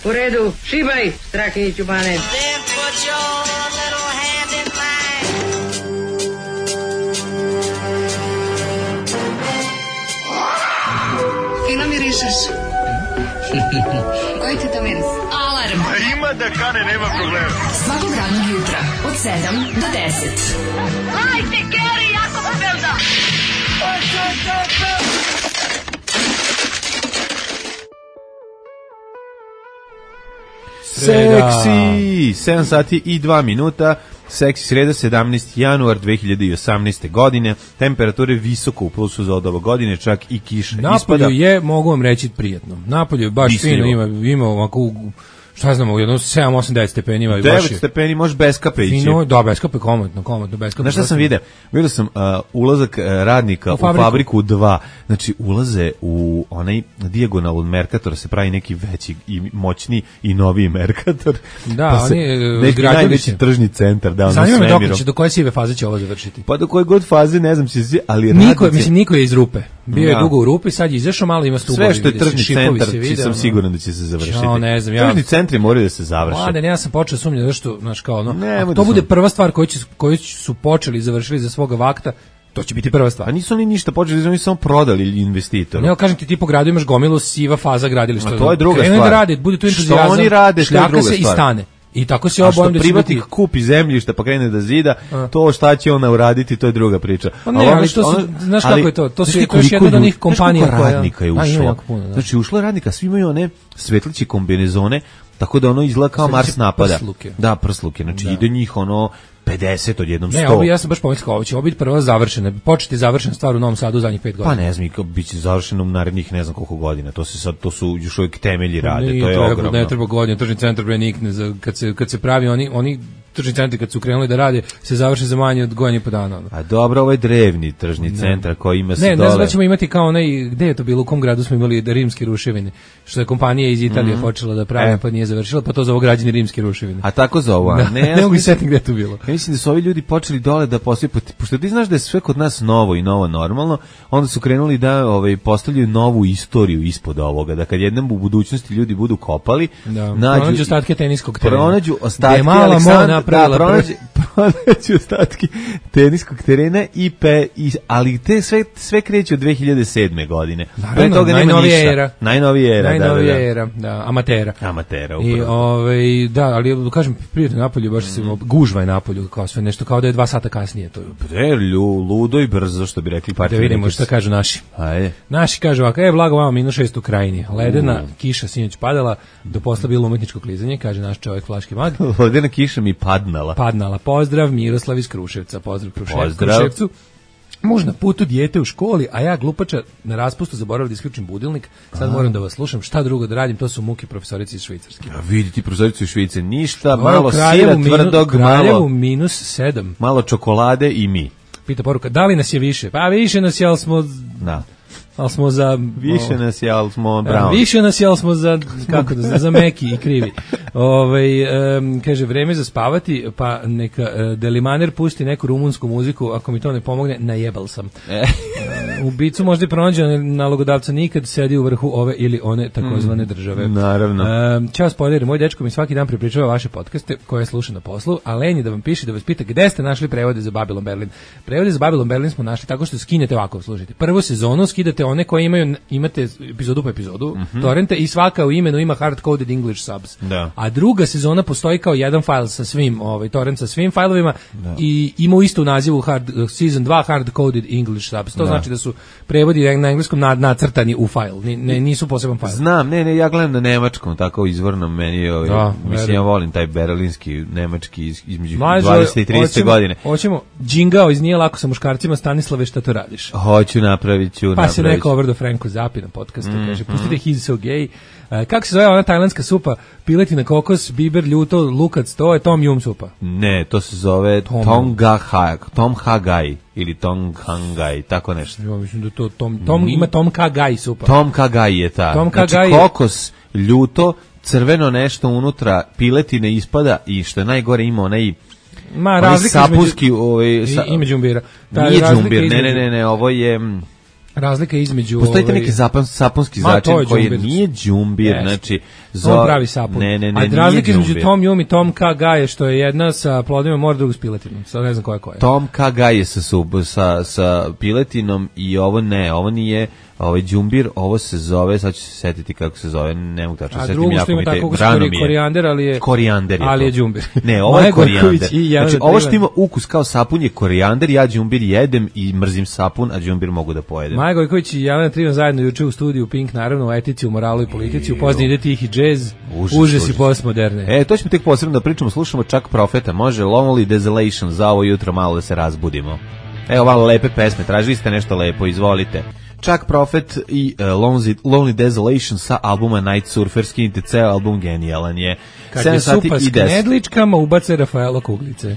U redu, šibaj, Strahinjiću Bane. Fino mirišeš. Koji ti to miris? Alarm. Ima da kane, nema problema. Svakog radnog jutra, od 7 do 10. Hajde, Geri, jako se velda. Seksi, 7 sati i 2 minuta, seksi sreda, 17. januar 2018. godine, temperature visoko u plusu za od ove godine, čak i kiša Napolju ispada. je, mogu vam reći, prijetno. Napolju je baš Misljivo. fino, ima ovako, šta znamo, jedno 7, 8, 9 stepeni ima. 9 stepeni, možeš bez kape ići. Fino, da, bez kape, komotno, bez kape. Znaš šta sam vidio? Vidio sam ulazak radnika u fabriku 2. Znači, ulaze u onaj dijagonal od Merkatora, se pravi neki veći i moćni i noviji Merkator. Da, pa oni neki najveći tržni centar. Da, zanima me do koje sive faze će ovo završiti. Pa do koje god faze, ne znam, ali niko je iz rupe. Bio je dugo u rupi, sad je izašao, malo ima stubovi. Sve što je tržni centar, sam siguran da će se završiti. Ne znam, tržni centri moraju da se završe. Mladen, ja sam počeo sumnjati zašto, znaš kao ono, to bude prva stvar koju su počeli i završili za svoga vakta, to će biti prva stvar. A nisu oni ništa počeli, oni samo prodali investitoru. Ne, kažem ti po gradu imaš gomilu siva faza gradilišta. A to je druga stvar. Da radi, bude tu entuzijazam. Što oni rade, što je druga stvar. I stane. I tako se obojim da će privatnik kupi zemljište pa krene da zida, to šta će ona uraditi, to je druga priča. Pa ne, ali to su, znaš kako je to? To su još jedna od onih kompanija koja... radnika je ušlo. Znači, ušlo radnika, svi imaju one svetliće kombinezone, tako da ono izgleda kao Mars napada. Prsluke. Da, prsluke. Znači, ide njih ono 50 od jednom 100. Ne, ovo ja sam baš pomislio, ovo će biti prva završena, početi završena stvar u Novom Sadu u zadnjih 5 godina. Pa ne znam, bit će završeno u narednih ne znam koliko godina. To su još uvijek temelji rade, to je ogromno. Ne treba godina, tržni centar bre nikne, kad se pravi oni tržni centri kad su krenuli da rade se završe za manje od godinu i po dana. A dobro, ovo je drevni tržni centar koji ima se dole. Ne znam da ćemo imati kao onaj, gde je to bilo, u kom gradu smo imali rimske ruševine, što je kompanija iz Italije počela da pravi, pa nije završila, pa to zovu građani rimske ruševine. A tako zovu, a ne mogu setiti gde je to bilo. Ja mislim da su ovi ljudi počeli dole da postavljaju, pošto ti znaš da je sve kod nas novo i novo normalno, onda su krenuli da postavljaju novu istoriju ispod ovoga, da kad jednom u budućnosti ljudi budu kopali, pronađu ostatke teniskog terena. Pronađu ostatke pronađu ostatke teniskog terena ali te sve kreće od 2007. godine. Pre toga nema ništa. Najnovija era, da, amatera. Upravo. I da, ali kažem, prijatno Napolju, baš se gužva je Napolju, kao sve nešto, kao da je 2 sata kasnije. To je ludo i brzo, što bi rekli partije. Da vidimo šta kažu naši. Ajde. Naši kažu ovako, blago vama -6 u Krajini. Ledena kiša sinoć padala, do posla bilo umetničko klizanje, kaže naš čovjek Flaški mag. Ledena kiša mi padnala. Pozdrav, Miroslav iz Kruševca. Pozdrav Kruševcu. Muž na putu, dijete u školi, a ja glupača na raspustu zaboravio da isključim budilnik. Sad moram da vas slušam, šta drugo da radim, to su muke profesorice iz Švicarske. A vidi ti profesorice iz Švice, ništa, malo sira tvrdog, Kraljevu -7. Malo čokolade i mi. Pita poruka, da li nas je više? Pa više nas je, ali smo... Da. Ali smo za... Više nas je, ali smo brown. Više nas je, ali smo za... Kako da, za meki i krivi. Kaže, vreme za spavati, pa neka Delimaner pusti neku rumunsku muziku, ako mi to ne pomogne, najebal sam. Ubicu možda i pronađe nalogodavca, nikad sedi u vrhu ove ili one takozvane države. Naravno. Ćao spoiler, moj dečko mi svaki dan prepričava vaše podcaste koje sluša na poslu, a lenji da vam piše, da vas pita gde ste našli prevode za Babylon Berlin. Prevode za Babylon Berlin smo našli tako što skinete ovako, slušajte. Prvu sezonu skidate one koje imate epizodu po epizodu, torrente, i svaka u imenu ima hard-coded English subs. Da. A druga sezona postoji kao jedan fajl sa svim, torrent sa svim fajlovima i ima isto u nazivu season 2 hard-coded English subs. To znači da su prevodi na engleskom nacrtani u fajl, nisu poseban fajl. Znam, ja gledam na nemačkom, tako izvorno meni, mislim, ja volim taj berlinski, nemački između 20 i 30 godine. Hoćemo, džingao iz Nije lako sa muškarcima, Stanislave, šta to radiš? Hoću, napravit ću. Pa se neko obrdo Franko Zapi na podcastu, kaže, pustite He's So Gay. Kako se zove ona tajlandska supa? Piletina, kokos, biber, ljuto, lukac, to je tom yum supa. Ne, to se zove Tom Ha Gai ili Tom Hangai, tako nešto. Ja mislim da to ima Tom Ka Gai supa. Tom Ka Gai je ta. Znači kokos, ljuto, crveno nešto unutra, piletine ispada i što je najgore ima onaj razlika sapuski ime džumbira. Nije džumbir, ne, ovo je razlika između... Postoji neki sapunski začin koji nije đumbir, znači... On pravi sapun. Ne, a razlika između Tom Yum i Tom Kha Gai što je jedna sa plodima mora, druga s piletinom. Sad ne znam koja je. Tom Kha Gai je sa piletinom i ovo nije... Ovaj đumbir, ovo se zove, sad ću se setiti kako se zove, ne mogu tačno setiti. A drugo što ima tako korijander, ali je đumbir. Ne, ovo je korijander. Znači, ovo što ima ukus kao sapun je korijander, ja đumbir jedem i mrzim sapun, a đumbir mogu da pojedem. Maja Gojković i Jelena Trivan zajedno juče u studiju Pink, naravno, u etici, u moralu i politici, u pozni ide tihi džez, užas i postmoderne. To ćemo tek posebno da pričamo, slušamo čak Profeta, može Lonely Desolation za ovo jutro malo da se razbudimo. Evo malo lepe pesme, tražili ste nešto lepo, izvolite. Chuck Prophet i Lonely Desolation sa albuma Night Surfer, skinite ceo album, genijalan je. Kad je supa s knedličkama, ubace Rafaelo Kuglice.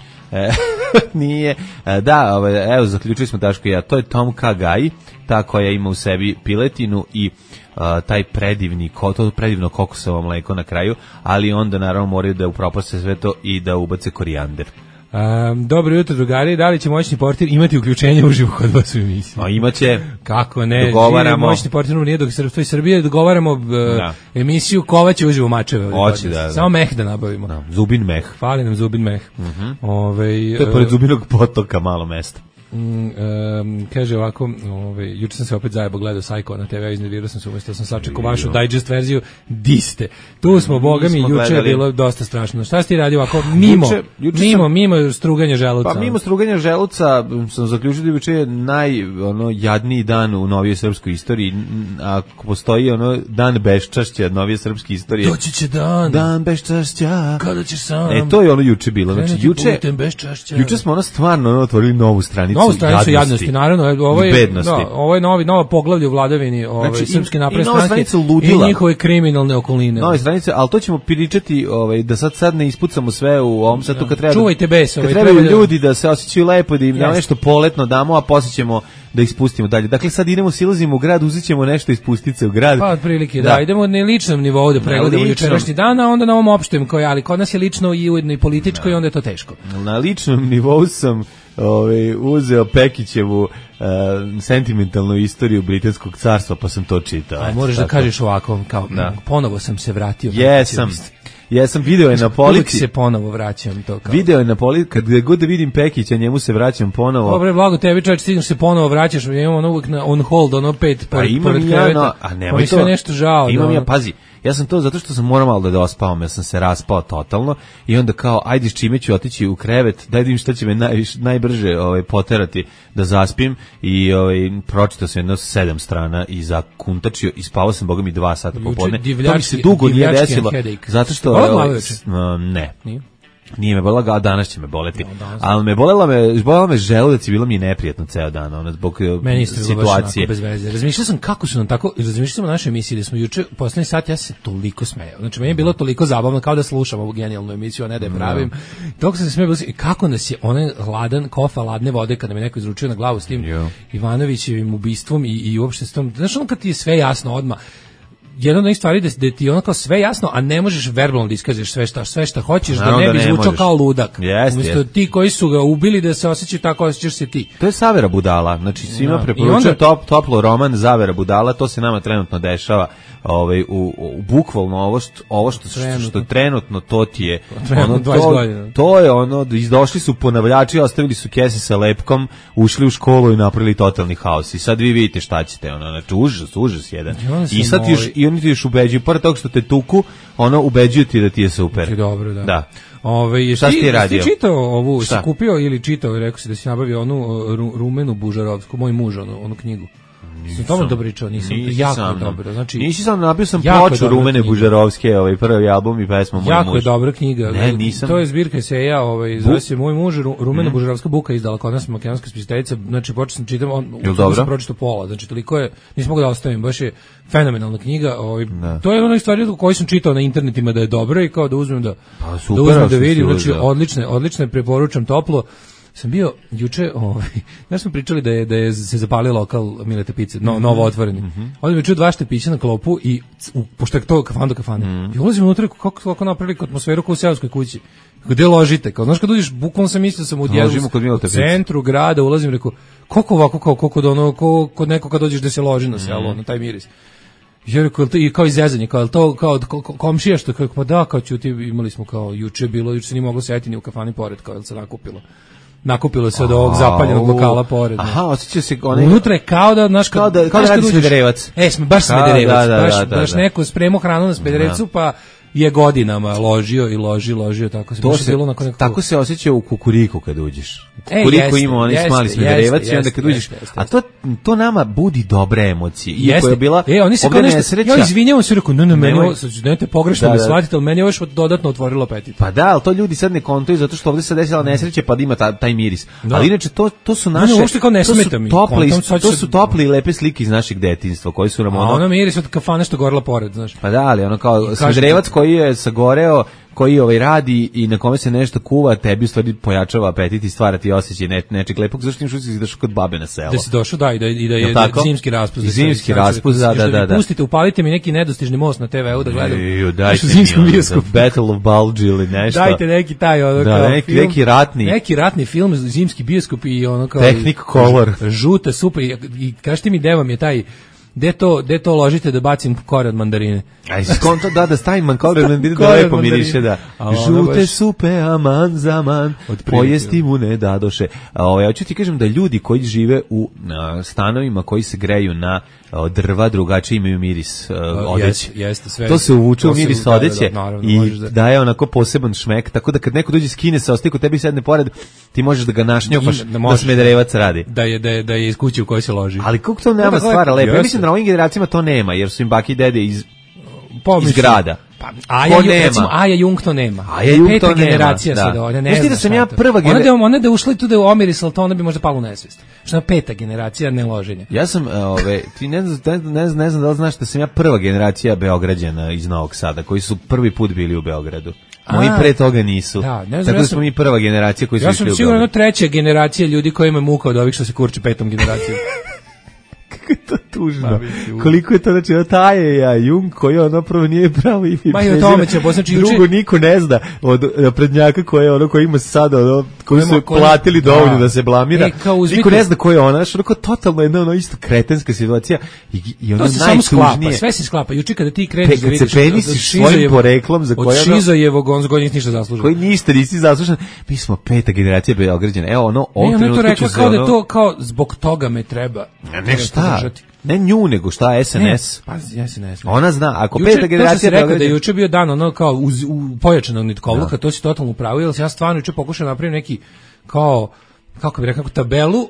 Nije. Da, evo, zaključili smo Daško i ja, to je Tom Kha Gai, ta koja ima u sebi piletinu i taj predivno kokosovo mleko na kraju, ali onda naravno moraju da upropaste sve to i da ubace korijander. Dobro jutro, drugari. Da li će moćni portir imati uključenje uživo kod vas u emisiji? Imaće. Kako ne? Dogovaramo. Moćni portir nije dok se stoji Srbije, dogovaramo emisiju Kovaće uživo mačeve. Hoće da. Samo meh da nabavimo. Da, zubin meh. Fali nam zubin meh. To je pored Zubinog potoka malo mesto. Kaže ovako, juče sam se opet zajebo gledao Psycho na TV, iznervirao sam se umjesto, sam sačekao vašu digest verziju, di ste? Tu smo, boga mi, juče je bilo dosta strašno. Šta si ti radio ovako? Mimo struganja želuca. Pa mimo struganja želuca sam zaključio da juče je najjadniji dan u novijoj srpskoj istoriji. Ako postoji dan beščašća novije srpske istorije. Doći će dan beščašća. Kada ćeš sam. To je juče bilo. Znači, juče smo stvarno otvorili novu stranicu. Novu stranicu jadnosti, naravno, ovo je nova poglavlje u vladavini Srpske napredne stranke i njihove kriminalne okoline. Nove stranice, ali to ćemo pričati da sad ne ispucamo sve u ovom satu kad treba. Čuvajte bes. Kad trebaju ljudi da se osjećaju lepo, da im nešto poletno damo, a poslije ćemo da ispustimo dalje. Dakle, sad silazimo u grad, uzet ćemo nešto iz pustice u grad. Pa, otprilike, da. Idemo na ličnom nivou da pregledamo jučerašnji dan, a onda na ovom opštem, ali kod nas je lično i ujedno i političko i onda je to teško. Na ličnom nivou sam uzeo Pekićevu sentimentalnu istoriju Britanskog carstva, pa sam to čitao. A možeš da kažeš ovako, kao ponovo sam se vratio. Jesam, video je na polici. Uvijek se ponovo vraćam to kao. Video je na polici, kad god da vidim Pekića, njemu se vraćam ponovo. Dobre, blago tebi čovječ, stignuš se ponovo vraćaš, imamo uvijek na on hold, 5 pored kreveta. A nemoj to. Sve nešto žao. Imam ja, pazi, ja sam to zato što sam morao malo da ospavam, ja sam se raspao totalno i onda kao, ajde s čime ću otići u krevet, daj da vidim šta će me najbrže poterati da zaspim i pročitao sam jedno 7 strana i zakuntačio i spavao sam, boga mi 2 sata popodne. To mi se dugo nije desilo, zato što ne. Nije me bolela, a danas će me boleti. Ali me bolela me želudac i bilo mi je neprijatno ceo dan, zbog situacije. Razmišljao sam kako su nam tako, razmišljao sam o našoj emisiji da smo juče, poslednji sat, ja se toliko smejao. Znači, meni je bilo toliko zabavno kao da slušam ovu genijalnu emisiju, a ne da je pravim. Toliko sam se smejao, kako nas je onaj kofa ladne vode, kada mi neko izručio na glavu s tim Ivanovićevim ubistvom i uopšte s tom, znaš, kad ti je sve jasno odmah, jedna od onih stvari da ti je ono kao sve jasno, a ne možeš verbalno da iskažeš sve šta hoćeš, da ne bi zvučao kao ludak. Umjesto ti koji su ga ubili da se osjećaju tako, osjećaš se ti. To je Zavera budala, znači svima preporučujem toplo roman Zavera budala, to se nama trenutno dešava, bukvalno ovo što trenutno to ti je, to je došli su ponavljači, ostavili su kese sa lepkom, ušli u školu i napravili totalni haos i sad vi vidite šta ćete, znači užas jedan. I sad i oni ti još ubeđuju, pored toga što te tuku, ubeđuju ti da ti je super. Dobro, da. Šta si ti radio? Si čitao ovu, si kupio ili čitao, rekao si da si nabavio onu Rumenu Bužarovsku, moj muž, onu knjigu. Sam tamo dobro pričao, nisam jako dobro. Znači, nisi sam nabio sam ploču Rumene Bužarovske, prvi album i pesma Moj muž. Jako je dobra knjiga. Ne, nisam. To je zbirka eseja, zove se Moj muž, Rumena Bužarovska buka izdala kod nas makedonska spisateljica. Znači počeo sam čitam, sam pročitao pola, znači toliko je, nisam mogao da ostavim, baš je fenomenalna knjiga. To je ona stvar koju sam čitao na internetima da je dobra i kao da uzmem da vidim, znači odlične preporučam toplo. sam bio juče, znaš smo pričali da je se zapalio lokal Milete pice, novo otvoreni. Onda mi čuo 2 štepića na klopu i pošto je to kafan do kafane. I ulazim unutra, kako napravili atmosferu kao u seoskoj kući. Gde ložite? Kao, znaš kad uđeš, bukvalno sam mislio sam u centru grada, ulazim, rekao, koliko ovako, koliko da ono, kod neko kad dođeš da se loži na selo, na taj miris. Ja rekao, i kao izezanje, kao to, kao komšija što, kao, pa da, kao ćuti, imali smo kao, juče se nije moglo setiti ni u kafani pored, kao, se nakupilo se od ovog zapaljenog lokala pored. Aha, osjeća se unutra je kao da, znaš, kao da radi Smederevac. Baš Smederevac, baš neko spremao hranu na Smederevcu, pa je godinama ložio i ložio, tako se bilo nakon nekako. Tako se osjeća u Kukuriku kad uđeš. Kukuriku ima onaj smali Smederevac i onda kad uđeš, a to nama budi dobre emocije. Iako je bila oni se kao nešto, ja izvinjavam se, rekao, ne, nemojte pogrešno me shvatite, ali meni je još dodatno otvorilo apetit. Pa da, ali to ljudi sad ne kontuju zato što ovde se desila nesreća pa da ima taj miris. Ali inače to su naše, to su topli i lepe slike iz našeg detinjstva koji su nam ono miris od kafane što gorela pored, znaš. Pa da, ali ono kao Smederevac koji je sagoreo, koji radi i na kome se nešto kuva, tebi u stvari pojačava apetit i stvara ti osjećaj nečeg lepog, zašto imaš usjećaj da došao kod babe na selo. Da si došao, da, i da je zimski raspust. Zimski raspust, da. Pustite, upalite mi neki nedostižni most na TV-u da gledam. Dajte mi Battle of Bulge ili nešto. Dajte neki taj, neki ratni film, zimski bioskop i ono kao... Technicolor. Žuta, super, i kažete mi gde vam je taj... Gde to ložite da bacim kore od mandarine? Aj, skonto da stavim kore od mandarine da lepo miriše, da. Žute supe, aman zaman, pojesti mu ne dadoše. Ja ću ti kažem da ljudi koji žive u stanovima koji se greju na drva, drugačije imaju miris odeće. To se uvuče u miris odeće i daje onako poseban šmek, tako da kad neko dođe skine se, ostaje kod tebi sedne pored, ti možeš da ga našnjopaš da Smederevac radi. Da je iz kuće u kojoj se loži. Ali kako to nema stvara lepo? Ja mislim da na ovim generacijama to nema, jer su im baki i dede iz grada. Aja Jung to nema. Peta generacija sada, ona ne znam. Da sam ja prva generacija. Ona da ušla i tu da je omiris, ali to ona bi možda palo u nesvest. Što je 5. generacija neloženja. Ja sam, ti ne znam da li znaš da sam ja prva generacija Beograđana iz Novog Sada, koji su prvi put bili u Beogradu. Moji pre toga nisu. Tako da smo mi prva generacija koji su išli u Beograd. Ja sam sigurno 3. generacija ljudi koji imaju muka od ovih što se kurče 5. generacijom. Kako je to tužno. Koliko je to, znači, taj Jung koji ono prvo nije pravo ime. Ma i o tome će posnaći juče. Drugo niko ne zna od prednjaka koji ima sada, koji su platili dovoljno da se blamira. Niko ne zna ko je ona, što totalno jedna isto kretenska situacija. I ono najtužnije. Sve se sklapa. Juče kada ti kreneš da vidiš od svojim poreklom za koje od Šizojevog on zgodnjih ništa zaslužen. Koji ništa nisi zaslužen. Mi smo 5. generacija Beograđana. Evo ono, ovog trenutka ću kao da to kao zbog toga me treba. Ne nju, nego šta, SNS. SNS. Ona zna, ako 5. generacija Beograđana... Da je juče bio dan, ono kao u pojačanog nitkovluka, to si totalno upravo, jer ja stvarno juče pokušao napraviti neki, kao, kako bih rekao, tabelu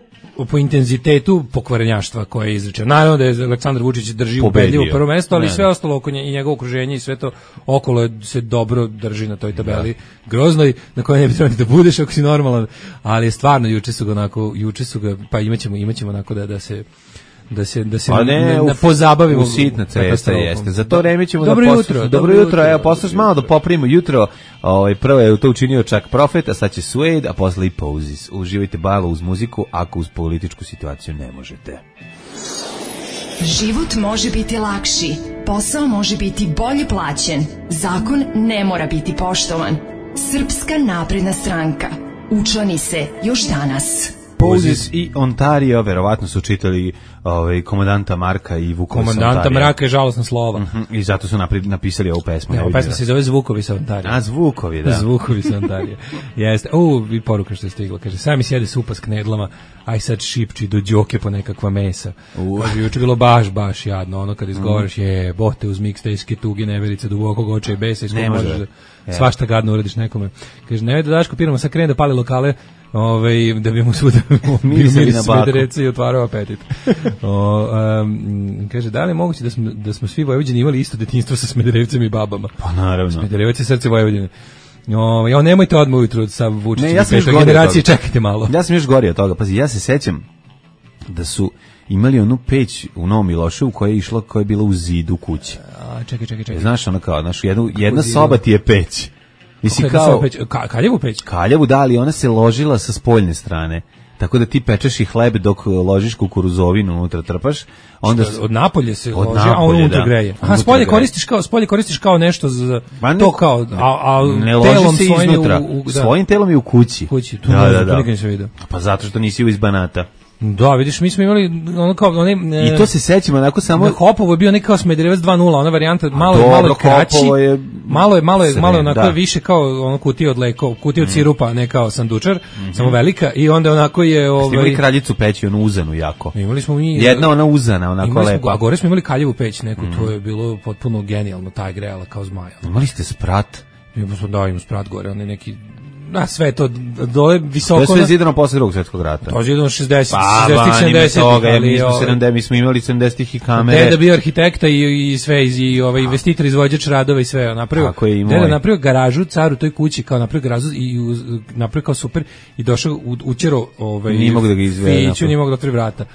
po intenzitetu pokvarenjaštva koje je izrečeno. Naravno da je Aleksandar Vučić drži ubedljivo prvo mesto, ali sve ostalo oko nje i njegovo okruženje i sve to okolo se dobro drži na toj tabeli groznoj, na kojoj ne bi trebali da budeš ako si normalan, ali stvarno juče su ga, pa imaćemo onako da se pozabavimo u sitna cesta, jeste. Za to vreme ćemo dobro jutro, evo poslušaj malo da popravimo jutro. Prvo je to učinio čak Profet, a sad će Suede, a posle i Pozis. Uživajte malo uz muziku, ako uz političku situaciju ne možete. Život može biti lakši, posao može biti bolje plaćen, zakon ne mora biti poštovan. Srpska napredna stranka. Učlani se još danas. Pozis i Ontario, verovatno su čitali komandanta Marka i Vukovi sa Ontario. Komandanta Marka je žalosna slova. I zato su napisali ovu pesmu. Ova pesma se zove Zvukovi sa Ontario. A, Zvukovi, da. Zvukovi sa Ontario. Jeste. I poruka što je stigla. Kaže, sami sjede supa s knedlama, aj sad šipči do džoke po nekakva mesa. Kaže, juče bilo baš jadno. Ono kad izgovaraš je, bote uz mikstejske tuge, neverice, dubokog oča i besa, iz kojeg možeš svašta gadno uradiš nekome. Kaže, ne da Daško Piramo sad krene da pali lokale, da bi mu svuda bio Smederevca i otvarao apetit. Kaže, da li je moguće da smo svi Vojvođani imali isto detinjstvo sa Smederevcem i babama? Pa naravno. Smederevac je srce Vojvodine. Nemojte odmah ujutru sa Vučićem i petoj generacije, čekajte malo. Ja sam još gori od toga. Pazi, ja se sećam da su imali onu peć u Novom Miloševu koja je bila u zidu kuće. Čekaj. Znaš, ono kao, jedna soba ti je peć. Mislim kao Kaljevu peć. Kaljevu da, ali ona se ložila sa spoljne strane. Tako da ti pečeš i hleb dok ložiš kukuruzovinu unutra trpaš, onda od napolje se loži, a on unutra greje. A spolje koristiš kao nešto za to kao a ne loži se svojim iznutra. Svojim telom je u kući. Tu nikad nisam vidio. Pa zato što nisi iz Banata. Da, vidiš, mi smo imali ono kao i to se sećamo onako samo Hopovo je bio neki kao Smederevac 2.0, ona varijanta malo je kraći, malo je onako više kao ono kutija od leko, kutija od sirupa, ne kao sandučar, samo velika i onda onako je imali kraljicu peći, onu uzanu jako. Imali smo mi jedna ona uzana, onako lepa. A gore smo imali Kaljevu peć neku, to je bilo potpuno genijalno, taj grejala kao zmaja. Imali ste sprat? Imamo sprat gore, on je neki sve to dole visoko. To je sve zidano posle Drugog svjetskog rata. To je zidano 60-ih, 70-ih. Mi smo imali 70-ih i kamere. Deda bio arhitekta i sve, i investitor, izvođač radova i sve. Deda napravio garažu, car u toj kući, kao napravio garažu i napravio kao super i došao, učero nije mogu da ga izvede. Fiću, nije mogu da otvori vrata.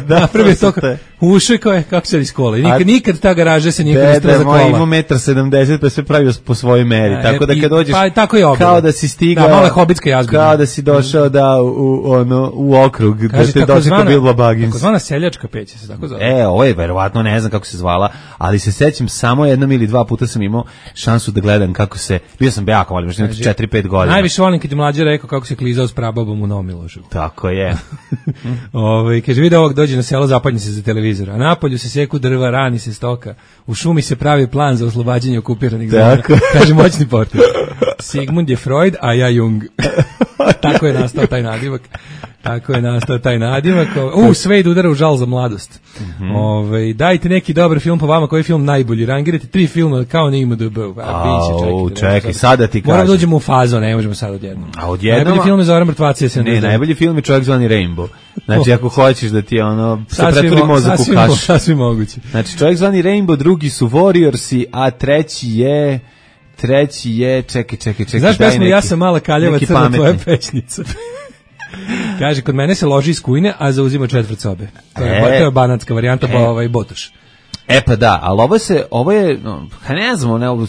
Da, prvi to ušao kao je kako se iz kola. Nikad ta garaža se nije koristila za kola. Deda moj ima 1,70 m, pa sve pravio po svojoj meri. Tako da kad dođeš, pa, tako je kao da si stigao, da, malo je hobitska jazba. Kao da si došao u okrug, da te dočeka Bilbo Baggins. Takozvana seljačka peć se tako zove. Ovo je verovatno, ne znam kako se zvala, ali se sećam samo jednom ili dva puta sam imao šansu da gledam kako se, bio sam jako mali, možda 4-5 godina. Najviše volim kad je mlađe rekao kako se klizao s prababom u Novom Miloševu. Tako je. Kaže, vidi ovog dođe na selo, zapadnje se za televizor, a napolju se seku drva, rani se stoka, u šumi se pravi plan za oslobađanje okupiranih zemlja. Kaže moćni portir. Sigmund je Freud, a ja Jung. Tako je nastao taj nadimak. Sve udara u žal za mladost. Dajte neki dobar film po vama, koji je film najbolji. Rangirajte 3 filma kao na IMDb. Čekaj, sada ti kažem. Moramo da dođemo u fazu, ne možemo sad odjednom. Najbolji film je Zoran Mrtvacija. Ne, najbolji film je Čovjek zvani Rainbow. Znači, ako hoćeš da ti se pretvori mozak u kašu. Sasvim moguće. Znači, Čovjek zvani Rainbow, drugi su Warriorsi, a treći je, čekaj. Znaš pesmu, ja sam mala kaljeva crna tvoja pećnica. Kaže, kod mene se loži iz kujne, a zauzima četvrt sobe. To je banatska varijanta, Botoš. Pa da, ali ovo je, ne znam,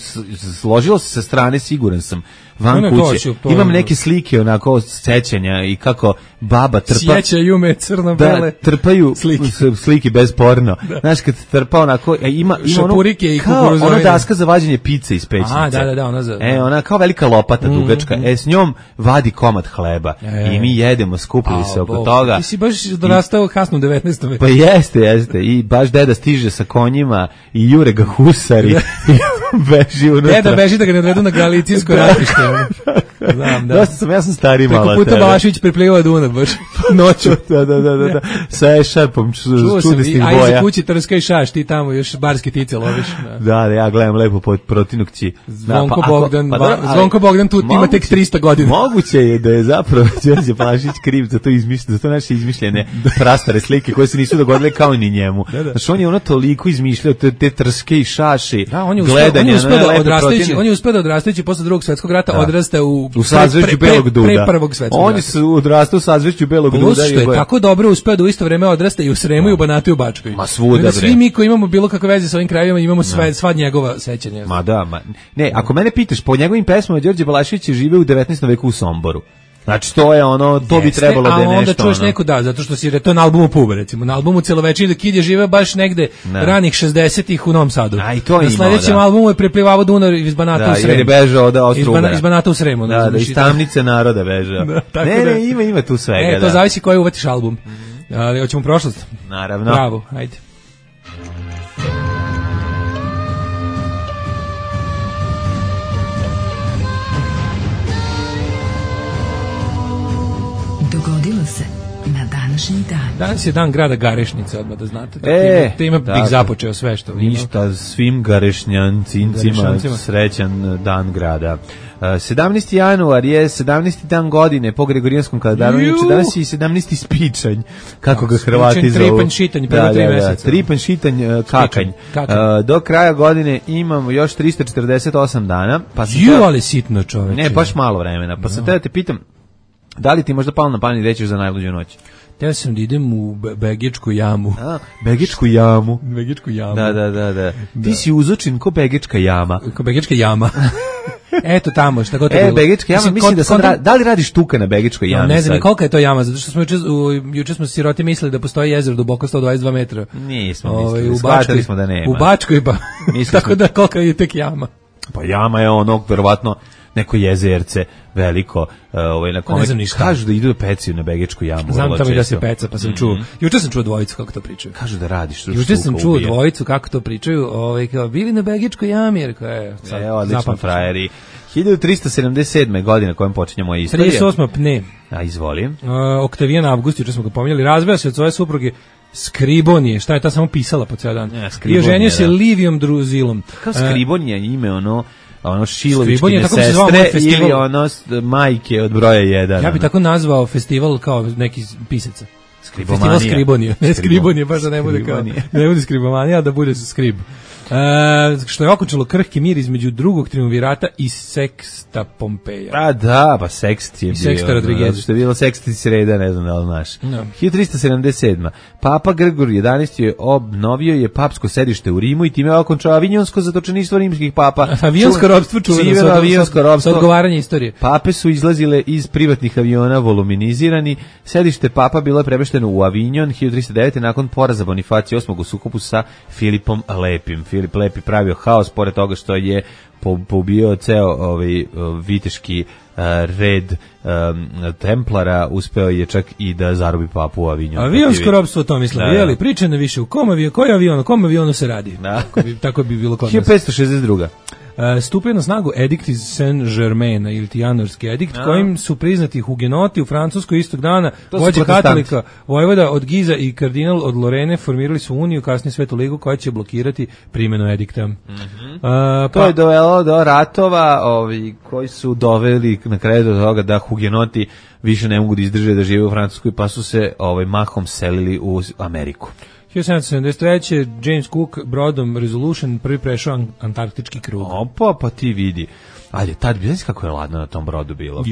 složilo se sa strane, siguran sam, van kuće. Imam neke slike, onako, sećanja i kako baba trpa. Sjećaju me crno-bele. Da, trpaju slike bez porno. Znaš, kad trpa onako, ima šapurike i kukuruzovine. Ono daska za vađenje pice iz pećnice. Da, ona za... Ona kao velika lopata dugačka. S njom vadi komad hleba. I mi jedemo, skupili se oko toga. Ti si baš dorastao kasno u 19. veku. Pa jeste. I baš deda stiže sa konjima i jure ga husari i beži unutra. Deda beži da ga ne odvedu na Galicijsko ratište. Znam, da. Ja sam stari malo. Preko puta Balašević preplivao Dunav baš noću. Da. Sa ešarpom čudesnih boja. A iza kući Trska i Šaš, ti tamo još barske tice loviš. Da, ja gledam lepo protinukći. Zvonko Bogdan tu ima tek 300 godina. Moguće je da je zapravo Đorđe Balašević kriv za to izmišljeno, za to naše izmišljene prastare slike koje se nisu dogodile kao ni njemu. Znači on je ono toliko izmišljao te Trske i Šaši. Gledanje, on je uspeo da odrastajući posle Drugog svjetskog rata odrasta u sazvežđu Belog Duda. Pre Prvog svjetskog rata. Oni su odrastao u sazvežđu Belog Duda. Plus što je tako dobro uspeo da u isto vreme odrasta i u Sremu i u Banatu i u Bačkoj. Ma svuda bre. Svi mi koji imamo bilo kakve veze sa ovim krajevima imamo sva njegova sećanja. Ne, ako mene pitaš, po njegovim pesmama Đorđe Balašević je živeo u 19. veku u Somboru. Znači to je ono, to bi trebalo da je nešto. A onda čuješ neko, zato što si to je na albumu Pub, recimo, na albumu Celovečernji Kid je živeo baš negde ranih 60-ih u Novom Sadu. A i to je na sledećem albumu je preplivao Dunav iz Banata u Sremu. Da, jer je bežao od Austro-Ugara. Iz Banata u Sremu. Da, iz tamnice naroda bežao. Ne, ima tu svega. To zavisi koji uvatiš album. Ali hoćemo prošlost. Naravno. Bravo, ajde. Dogodilo se na današnji dan. Danas je dan grada Garešnice, odmah da znate. Time bih započeo sve što ima. Ništa, svim Garešnjancincima srećan dan grada. 17. januar je 17. dan godine po Gregorijanskom kalendaru, danas je i 17. spičanj, kako ga Hrvati zovu. Tripanj šitanj, prvo 3 meseca. Tripanj šitanj, kakanj. Do kraja godine imamo još 348 dana. Ali sitno čoveče. Ne, baš malo vremena. Pa sam te da te pitam, da li ti možda palo na pamet rećeš za najluđu noć? Ja sam da idem u Begečku jamu. Begečku jamu. Begečku jamu. Da. Ti si uzočin ko Begečka jama. Ko Begečka jama. Eto tamo, šta god to bilo. Begička jama, mislim da sad da li radi štuka na Begičkoj jami? Ne znam kolika je to jama, zato što smo juče smo siroti mislili da postoji jezero duboko 122 metra. Nismo mislili, shvatili smo da nema. U Bačkoj pa, tako da kolika je tek jama. Pa jama je ono, verovatno, neko jezerce veliko, na kome kažu da idu da pecaju na Begičku jamu. Znam tamo i da se peca, pa sam čuo. Juče sam čuo dvojicu kako to pričaju. Kažu da radiš. Juče sam čuo dvojicu kako to pričaju, kao bili na Begičkoj jami, jer odlično frajeri. 1377. godine kojem počinje moja istorija. 38. pne. A izvoli. Oktavijan Avgust, juče smo ga pominjali, razveo se od svoje supruge Skribonije, šta je ta samo pisala po ceo dan. I oženio se Livijom Druzilom. Kao Skribonija ime ono Šilovičkine sestre ili ono majke od broja 1. Ja bi tako nazvao festival kao neki pisaca. Skribomanija. Festival Skribonije. Ne Skribonije, baš da ne bude kao, ne bude Skribomanija, da bude Skrib. Što je okončalo krhki mir između drugog triumvirata i Seksta Pompeja. A da, pa Sekst je bio. Seksta Rodriguez. Što je bilo Seksti sreda, ne znam da li znaš. 1377. Papa Grigor XI je obnovio je papsko sedište u Rimu i time je okončao avionsko zatočeništvo rimskih papa. Avionsko ropstvo čuveno sa odgovaranje istorije. Pape su izlazile iz privatnih aviona voluminizirani. Sedište papa bilo je premešteno u Avignon 1309. nakon poraza Bonifacija VIII u sukobu sa Filipom Lepim. Filip Lepi pravio haos pored toga što je pobio ceo viteški red templara, uspeo je čak i da zarobi papu u Avignon. Avionsko ropstvo, to mislim, jeli, priča na više u kom avionu se radi. Tako bi bilo kod nas. 1562. Stupio na snagu edikt iz Saint-Germaina ili Janorski edikt, kojim su priznati hugenoti u Francuskoj istog dana, vođe katolika, vojvoda od Giza i kardinal od Lorene formirali su uniju, kasnije Svetu ligu koja će blokirati primjenu edikta. To je dovelo do ratova koji su doveli na kraju do toga da hugenoti više ne mogu da izdrže da žive u Francuskoj, pa su se mahom selili u Ameriku. 1773. James Cook brodom Resolution prvi prešao antarktički krug. Opa, pa ti vidi. Ajde, tad bi znaš kako je ladno na tom brodu bilo.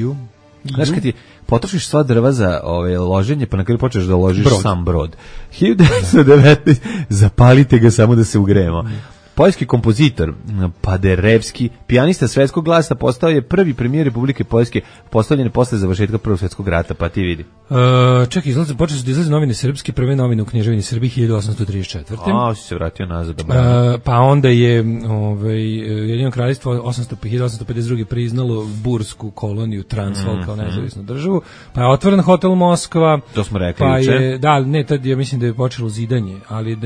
Znaš kad ti potrošiš sva drva za loženje, pa na kraju počneš da ložiš sam brod. 1919. Zapalite ga samo da se ugrejemo. Poljski kompozitor Paderewski, pijanista svetskog glasa, postao je prvi premijer Republike Poljske, postavljen posle završetka Prvog svjetskog rata, pa ti vidi. Čekaj, počeli su da izlaze novine srpske, prve novine u Knježevini Srbiji 1834. Si se vratio nazad. Pa onda je Ujedinjeno kraljevstvo 1852. priznalo bursku koloniju Transvaal kao nezavisnu državu, pa je otvoren hotel Moskva. To smo rekli juče. Tad ja mislim da je počelo zidanje, ali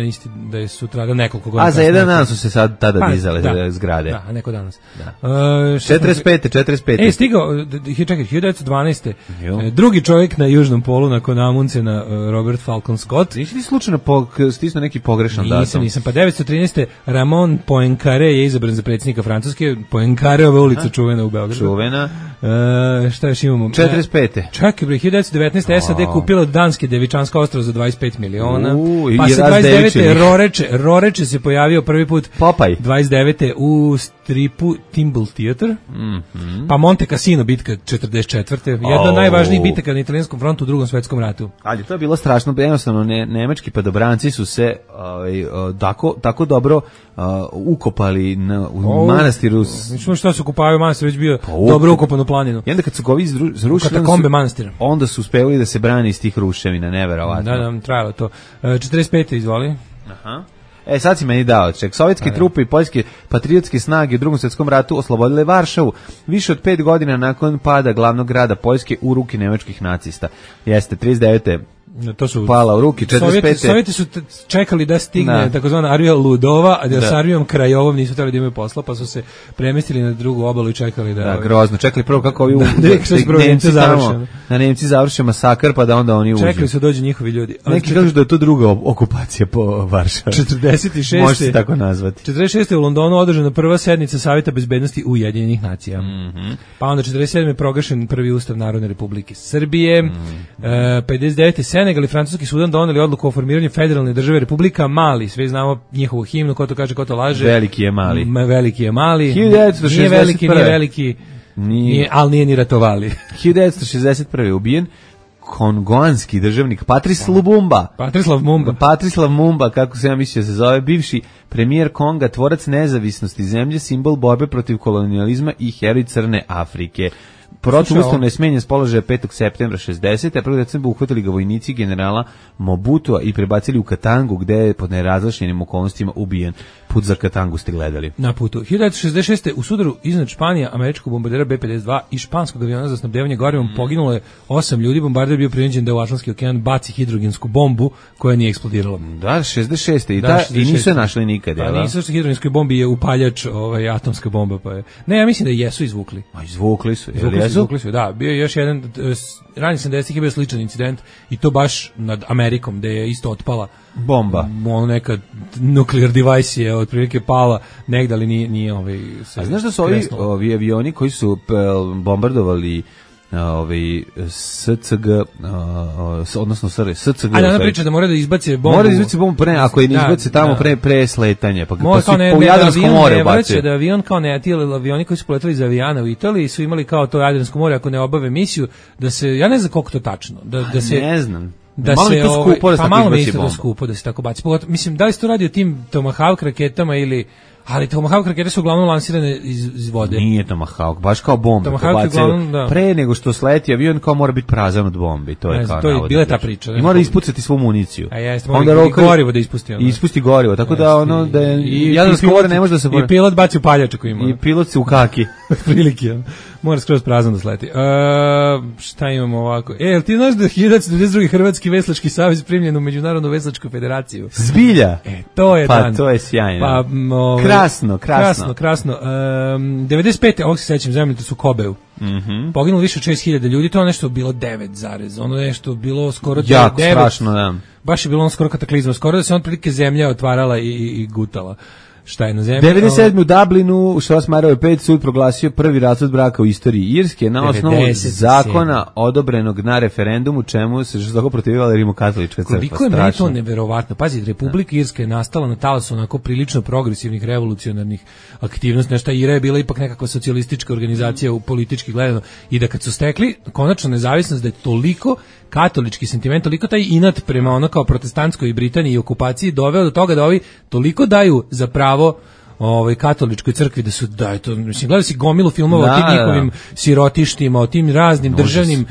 da je sutra nekoliko godina. A za jedan dan su se sad tada dizale zgrade. Da, neko danas. 45. Stigao, čekaj, 1912. Drugi čovjek na južnom polu nakon Amundsena, Robert Falcon Scott. Nisi ti slučajno stisnuo neki pogrešan datum? Nisam. Pa 1913. Ramon Poincaré je izabran za predsjednika Francuske. Poincaréova ulica čuvena u Beogradu. Čuvena. Šta još imamo? 45. Čekaj, 1919. SAD kupila od Danske Devičanska ostrva za 25 miliona. Pa se 29. Roreče se pojavio prvi put Popaj. 29. u stripu Timble Theater, pa Monte Cassino bitka 44. Jedna od najvažnijih bitaka na italijanskom frontu u Drugom svjetskom ratu. Ali to je bilo strašno, jednostavno nemački padobranci su se tako dobro ukopali u manastiru. Mislim što se ukopavaju, manastir već bio dobro ukopan u planinu. I onda kad su ga ovi zrušili, katakombe manastira, onda su uspeli da se brani iz tih ruševina, neverovatno. Da, trajalo to. 45. izvoli. Aha. Sad si meni dao, sovjetske trupe i poljske patriotske snage u Drugom svjetskom ratu oslobodile Varšavu više od 5 godina nakon pada glavnog grada Poljske u ruke nemačkih nacista. Jeste, 39. To su pala u ruki, 45. Sovjeti su čekali da stigne takozvana Armija Ludova, a da s Armijom Krajovom nisu htjeli da imaju posla, pa su se premestili na drugu obalu i čekali da... Da, grozno, čekali prvo kako ovi Nemci završe masakr, pa da onda oni uđu. Čekali su dođu njihovi ljudi. Neki kažu da je to druga okupacija po Varšavi. 46. Može se tako nazvati. 46. u Londonu održana prva sednica Savjeta bezbednosti Ujedinjenih nacija. Pa onda 47. proglašen prvi ustav Narodne Republike Srbije. 59. Senegal i Francuski Sudan doneli odluku o formiranju federalne države Republika Mali. Sve znamo njihovu himnu, ko to kaže, ko to laže. Veliki je Mali. Veliki je Mali. 1961. Nije veliki, ali nije ni ratovali. 1961. ubijen kongoanski državnik Patrice Lumumba. Patrislav Mumba, kako se ja mislio se zove, bivši premijer Konga, tvorac nezavisnosti zemlje, simbol borbe protiv kolonijalizma i heroj Crne Afrike. Protuustavno je smenjen s položaja 5. septembra 60. a 1. decembra uhvatili ga vojnici generala Mobutua i prebacili u Katangu, gde je pod nerazjašnjenim okolnostima ubijen. Put za Katangu ste gledali. Na putu. 1966. u sudaru iznad Španije američkog bombardera B-52 i španskog aviona za snabdevanje gorivom poginulo je 8 ljudi. Bombarder bio prinuđen da u Atlantski okean baci hidrogensku bombu koja nije eksplodirala. Da, 66. I nisu je našli nikad. Pa nisu što hidrogenskoj bombi je upaljač atomska bomba. Pa je. Ne, ja mislim da jesu izvukli. A izvukli su. Izvukli su, da. Bio je još jedan, ranih 70-ih je bio sličan incident i to baš nad Amerikom, gde je isto otpala bomba. Ono neka nuclear device je otprilike pala negde, ali nije A znaš da su ovi avioni koji su bombardovali SCG, odnosno SCG. A ona priča da mora da izbace bombu. Mora da izbace bombu pre, ako je ne izbace tamo pre sletanja. Pa su po Jadranskom more ubacili. Da avion kao ne, ti avioni koji su poletali za Avijana u Italiji su imali kao to Jadransko more, ako ne obave misiju, da se, ja ne znam koliko to tačno. Da se, ne znam. Da malo se to skupo da se malo mi isto skupo da se tako baci. Mislim, da li se to radi o tim Tomahawk raketama ili... Ali Tomahawk rakete su uglavnom lansirane iz vode. Nije Tomahawk, baš kao bombe. Tomahawk uglavnom, da. Pre nego što sleti avion, kao mora biti prazan od bombi. To je kao to je bila ta priča. I mora ispucati svu municiju. A jeste, mora gorivo da ispusti. Ispusti gorivo, tako da ono da Jadransko more ne može da se... I pilot baci u paljač ako ima. I pilot se u kaki. Prilike, mora skroz prazan da sleti. Šta imamo ovako? Jel ti znaš da je 1992. Hrvatski veslački savez primljen u Međunarodnu veslačku federaciju? Zbilja? To je dan. Pa to je sjajno. Pa, krasno. 95. ovog se sećam, zemljete su Kobeu. Poginulo više od 6.000 ljudi, to je nešto bilo 9, ono nešto bilo skoro 9. Jako strašno, da. Baš je bilo ono skoro kataklizma, skoro da se on prilike zemlja otvarala i gutala. Šta je na zemlji? 97. u Dublinu, Štrosmajerove 5 sud proglasio prvi razvod braka u istoriji Irske na osnovu zakona odobrenog na referendumu, čemu se žestoko protivivala rimokatolička crkva. Koliko je meni to neverovatno. Pazi, Republika Irska je nastala na talasu onako prilično progresivnih revolucionarnih aktivnosti. Nešto Ira je bila ipak nekakva socijalistička organizacija u politički gledano i da kad su stekli konačno nezavisnost, da je toliko katolički sentiment, toliko taj inat prema ono kao protestantskoj Britaniji i okupaciji doveo do toga da ovi toliko daju za pravo katoličkoj crkvi da su mislim gledali si gomilu filmova o tim njihovim sirotištima, o tim raznim državnim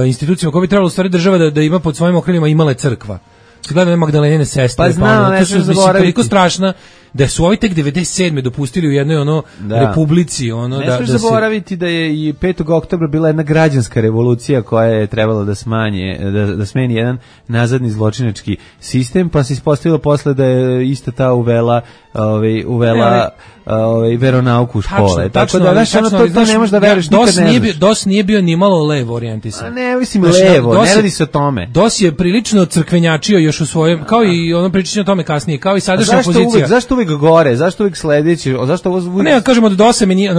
institucijama koje bi trebalo u stvari država da ima pod svojim okrilima imala je crkva. Gledano Magdalenine sestre, pa znam, to su toliko strašna da su ovi tek 97. dopustili u jednoj republici ne smiješ zaboraviti da je i 5. oktobra bila jedna građanska revolucija koja je trebala da smeni jedan nazadni zločinački sistem, pa se ispostavilo posle da je ista ta uvela veronauku u škole. Tako da to ne možeš da veruješ, nikad ne znaš. DOS nije bio ni malo levo orijentisan. Ne, mislim levo, ne radi se o tome. DOS je prilično crkvenjačio još u svojem, kao i ono pričanje o tome kasnije, kao i sadašnja opozicija. Zašto uvek gore, zašto uvek sledeći, zašto ovo... Ne, kažemo da DOS meni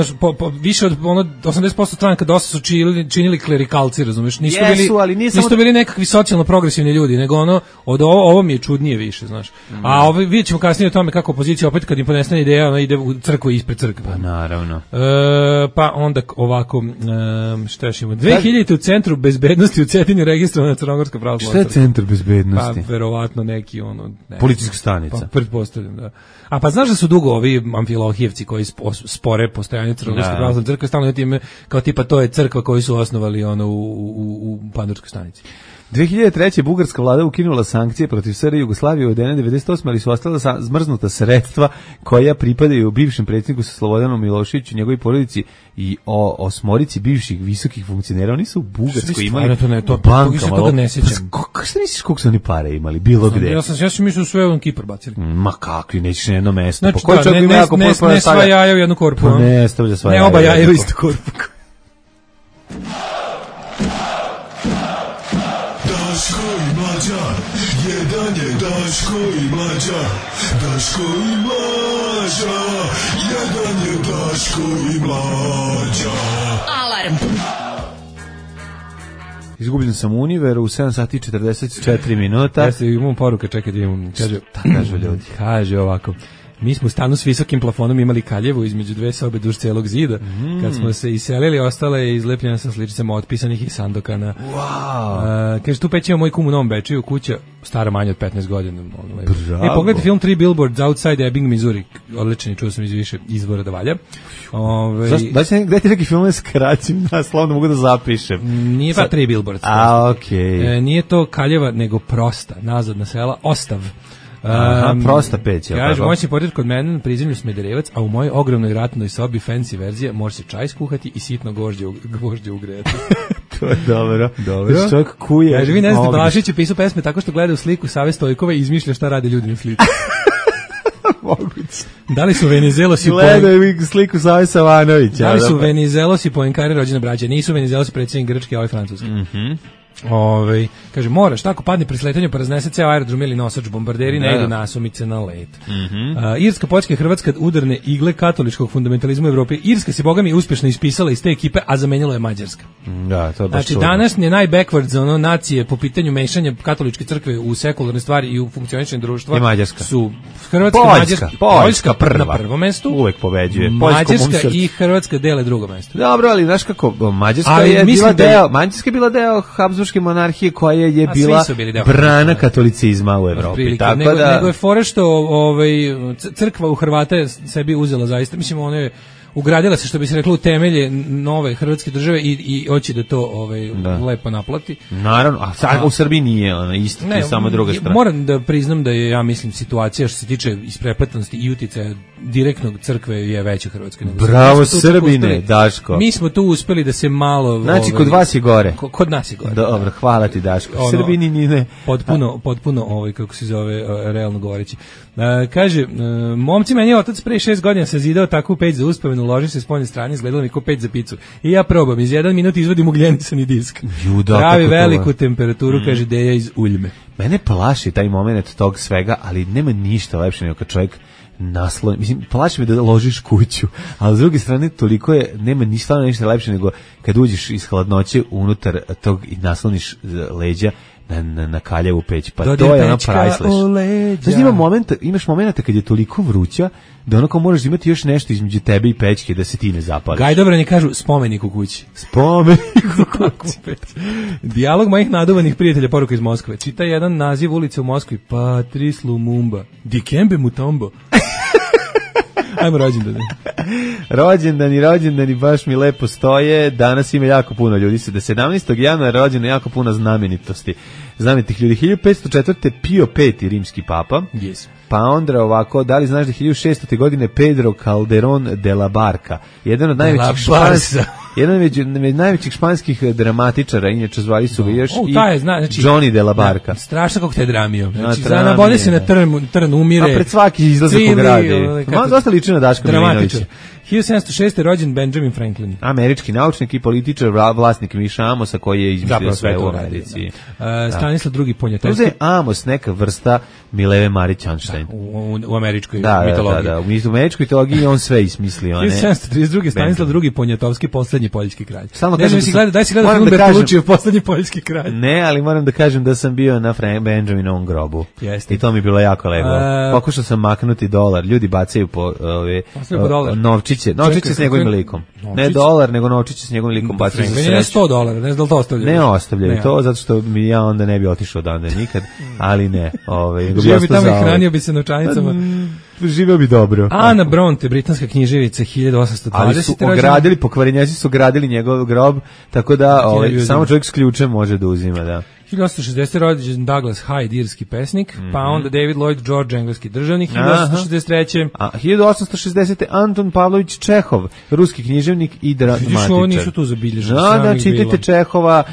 više od 80% stranaka DOS su činili klerikalci, razumeš? Nisu bili nekakvi socijalno progresivni ljudi, nego ovo mi je čudnije više, znaš. A vidjet ćemo kasnije o tome kako opozicija opet kad im ponestane ideja, ona ide u crkvu ispred crkve. Pa naravno. Pa onda ovako, šta još imamo? 2000 u Centru bezbednosti u Cetinju registrovana Crnogorska pravoslavna crkva. Šta je Centar bezbednosti? Pa verovatno neki policijska stanica. Pa pretpostavljam, da. A pa znaš da su dugo ovi amfilohijevci koji spore postojanje Crnogorske pravoslavne crkve, stalno time kao tipa to je crkva koju su osnovali u Pandurskoj stanici. 2003. bugarska vlada ukinula sankcije protiv SR Jugoslavije od 1998, ali su ostala zmrznuta sredstva koja pripadaju bivšem predsjedniku Slobodanu Miloševiću, njegovoj porodici i osmorici bivših visokih funkcionera. Oni su u Bugarskoj imali bankama. Kako se misliš koliko su oni pare imali, bilo gde? Ja sam mislio sve u Kipar bacili. Ma kakvi, nećeš na jedno mesto. Znači, ne sva jaja u jednu korpu. Ne stavlja sva jaja. Ne oba jaja u istu korpu. Daško i Mlađa, jedan je Daško i Mlađa, Daško i Mlađa, jedan je Daško i Mlađa. Alarm. Izgubljen sam u Univeru u 7 sati 44 minuta. Ja se imam poruka, čekaj da imam. Šta kažu ljudi? Kaže ovako. Mi smo u stanu s visokim plafonom imali kaljevu između dve sobe duž celog zida. Kad smo se iselili, ostala je izlepljena sa sličicama otpisanih iz Sandokana. Wow. Kaže, tu peć ima moj kum u Novom Bečeju, kuća stara manje od 15 godina. Bravo. Pogledajte film Three Billboards Outside Ebbing, Missouri. Odličan, čuo sam iz više izvora da valja. Gde ti neki film skraćim naslov, da mogu da zapišem? Nije pa Three Billboards. Okej. Nije to kaljeva, nego prosta, nazadna sela, Ostav. Prosta peć. Kaže, moćni portir kod mene na prizemlju Smederevac, a u mojoj ogromnoj ratnoj sobi fancy verzija može se čaj skuhati i sitno gvožđe ugrejati. To je dobro. Čovjek kuje. Kaže, vi ne znate, Balašić je pisao pesme tako što gleda u sliku Save Stojkova i izmišlja šta rade ljudi na slici. Moguće. Da li su Venizelosi gledaju sliku Save Savanovića? Da li su Venizelosi Poenkari rođene braće? Nisu Venizelosi predsjednik Grčke, a ovaj Francuski. Kaže, moraš, tako padne pri sletanju pa raznese ceo aerodrom ili nosač, bombarderi ne idu nasumice na let. Irska, Poljska i Hrvatska udarne igle katoličkog fundamentalizma u Evropi. Irska se, boga mi, uspješno ispisala iz te ekipe, a zamenjala je Mađarska. Da, to je baš znači, današnje najbackwards nacije po pitanju mešanja katoličke crkve u sekularne stvari i u funkcioničenje društva su Hrvatska, Poljska prva. na prvom mestu. Uvek pobeđuje. Mađarska i Hrvatska dele drugo mesto. Dobro, ali znaš kako, Mađarska je bila deo Habsburške monarhije koja je bila brana katolicizma u Evropi. Tako nego je fora što crkva u Hrvata je sebi uzela zaista, mislim, ono je ugradila se, što bi se reklo, u temelje nove hrvatske države i hoće da to lepo naplati. Naravno, a u Srbiji nije isto, je samo druga strana. Moram da priznam da je, ja mislim, situacija što se tiče isprepletenosti i uticaja direktnog crkve je veća u Hrvatskoj. Bravo Srbine, Daško. Mi smo tu uspeli da se malo... Znači, kod vas je gore. Kod nas je gore. Dobro, hvala ti, Daško. Srbini ni ne. Potpuno, kako se zove, realno govoreći. Kaže, momci, meni je otac pre 6 godina sazidao takvu peć za uspomenu, uloži se s poljne strane, izgledalo mi kao peć za picu. I ja probam, iz 1 minut izvodim ugljenisani disk. Pravi veliku temperaturu, kaže Deja iz Uljme. Mene plaši taj moment tog svega, ali nema ništa lepše nego kad čovjek nasloni. Mislim, plaši me da ložiš kuću, ali s druge strane toliko je, nema ništa lepše nego kad uđeš iz hladnoće unutar tog i nasloniš leđa na kaljevu peć, pa to je ono priceless. Znači imaš momenta kad je toliko vruća da onako moraš imati još nešto između tebe i pećke da se ti ne zapališ. Gajdobrani kažu spomenik u kući. Spomenik u kući. Dijalog mojih naduvanih prijatelja, poruka iz Moskve. Čita jedan naziv ulice u Moskvi. Patrice Lumumba. Dikembe Mutombo. Ajmo rođendani baš mi lepo stoje. Danas ima jako puno ljudi. 17. januara rođeno jako puno znamenitosti. Znamenitih ljudi. 1504. Pio V. rimski papa. Yes. Pa onda ovako, da li znaš da 1600. godine Pedro Calderón de la Barca, jedan od najvećih španskih dramatičara, inače zvali su ga još i Johnny de la Barca. Strašno kako te dramio. Znači, nabode se na trn, umire. A pred svaki izlazak u grade. Malo dosta liči na Daška Milinovića. 1706. rođen Benjamin Franklin. Američki naučnik i političar, vlasnik Miša Amosa koji je izmislio sve u Americi. Stanislav II. Poniatowski. To je Amos neka vrsta Mileve Marić Einstein. U američkoj mitologiji. Da, u američkoj mitologiji on sve ismislio. 1732. Stanislav II. Poniatowski, poslednji poljski kralj. Daj si gleda film Bertoluccijev, poslednji poljski kralj. Ne, ali moram da kažem da sam bio na Benjaminovom grobu. I to mi je bilo jako lepo. Pokušao sam maknuti dolar. Ljudi bacaju po novčiće s njegovim likom. Ne dolar, nego novčiće s njegovim likom bacaju za sreću. Ne $100, ne znam da li to ostavljaju. Ne ostavljaju to, zato što mi ja onda ne bi otišao odande nikad, ali ne. Živio bi tamo i hranio bi se novčanicama. Živio bi dobro. Ana Bronte, britanska književica, 1820. Ali su ogradili, pokvarenjaci su ogradili njegov grob, tako da samo čovjek s ključem može da uzima, da. 1860. rođen Douglas Hyde, irski pesnik, pa onda David Lloyd George, engleski državnik, 1863. A 1860. Anton Pavlović Čehov, ruski književnik i dramatičar. Ovo nisu tu zabilježeni. Da, čitajte Čehova,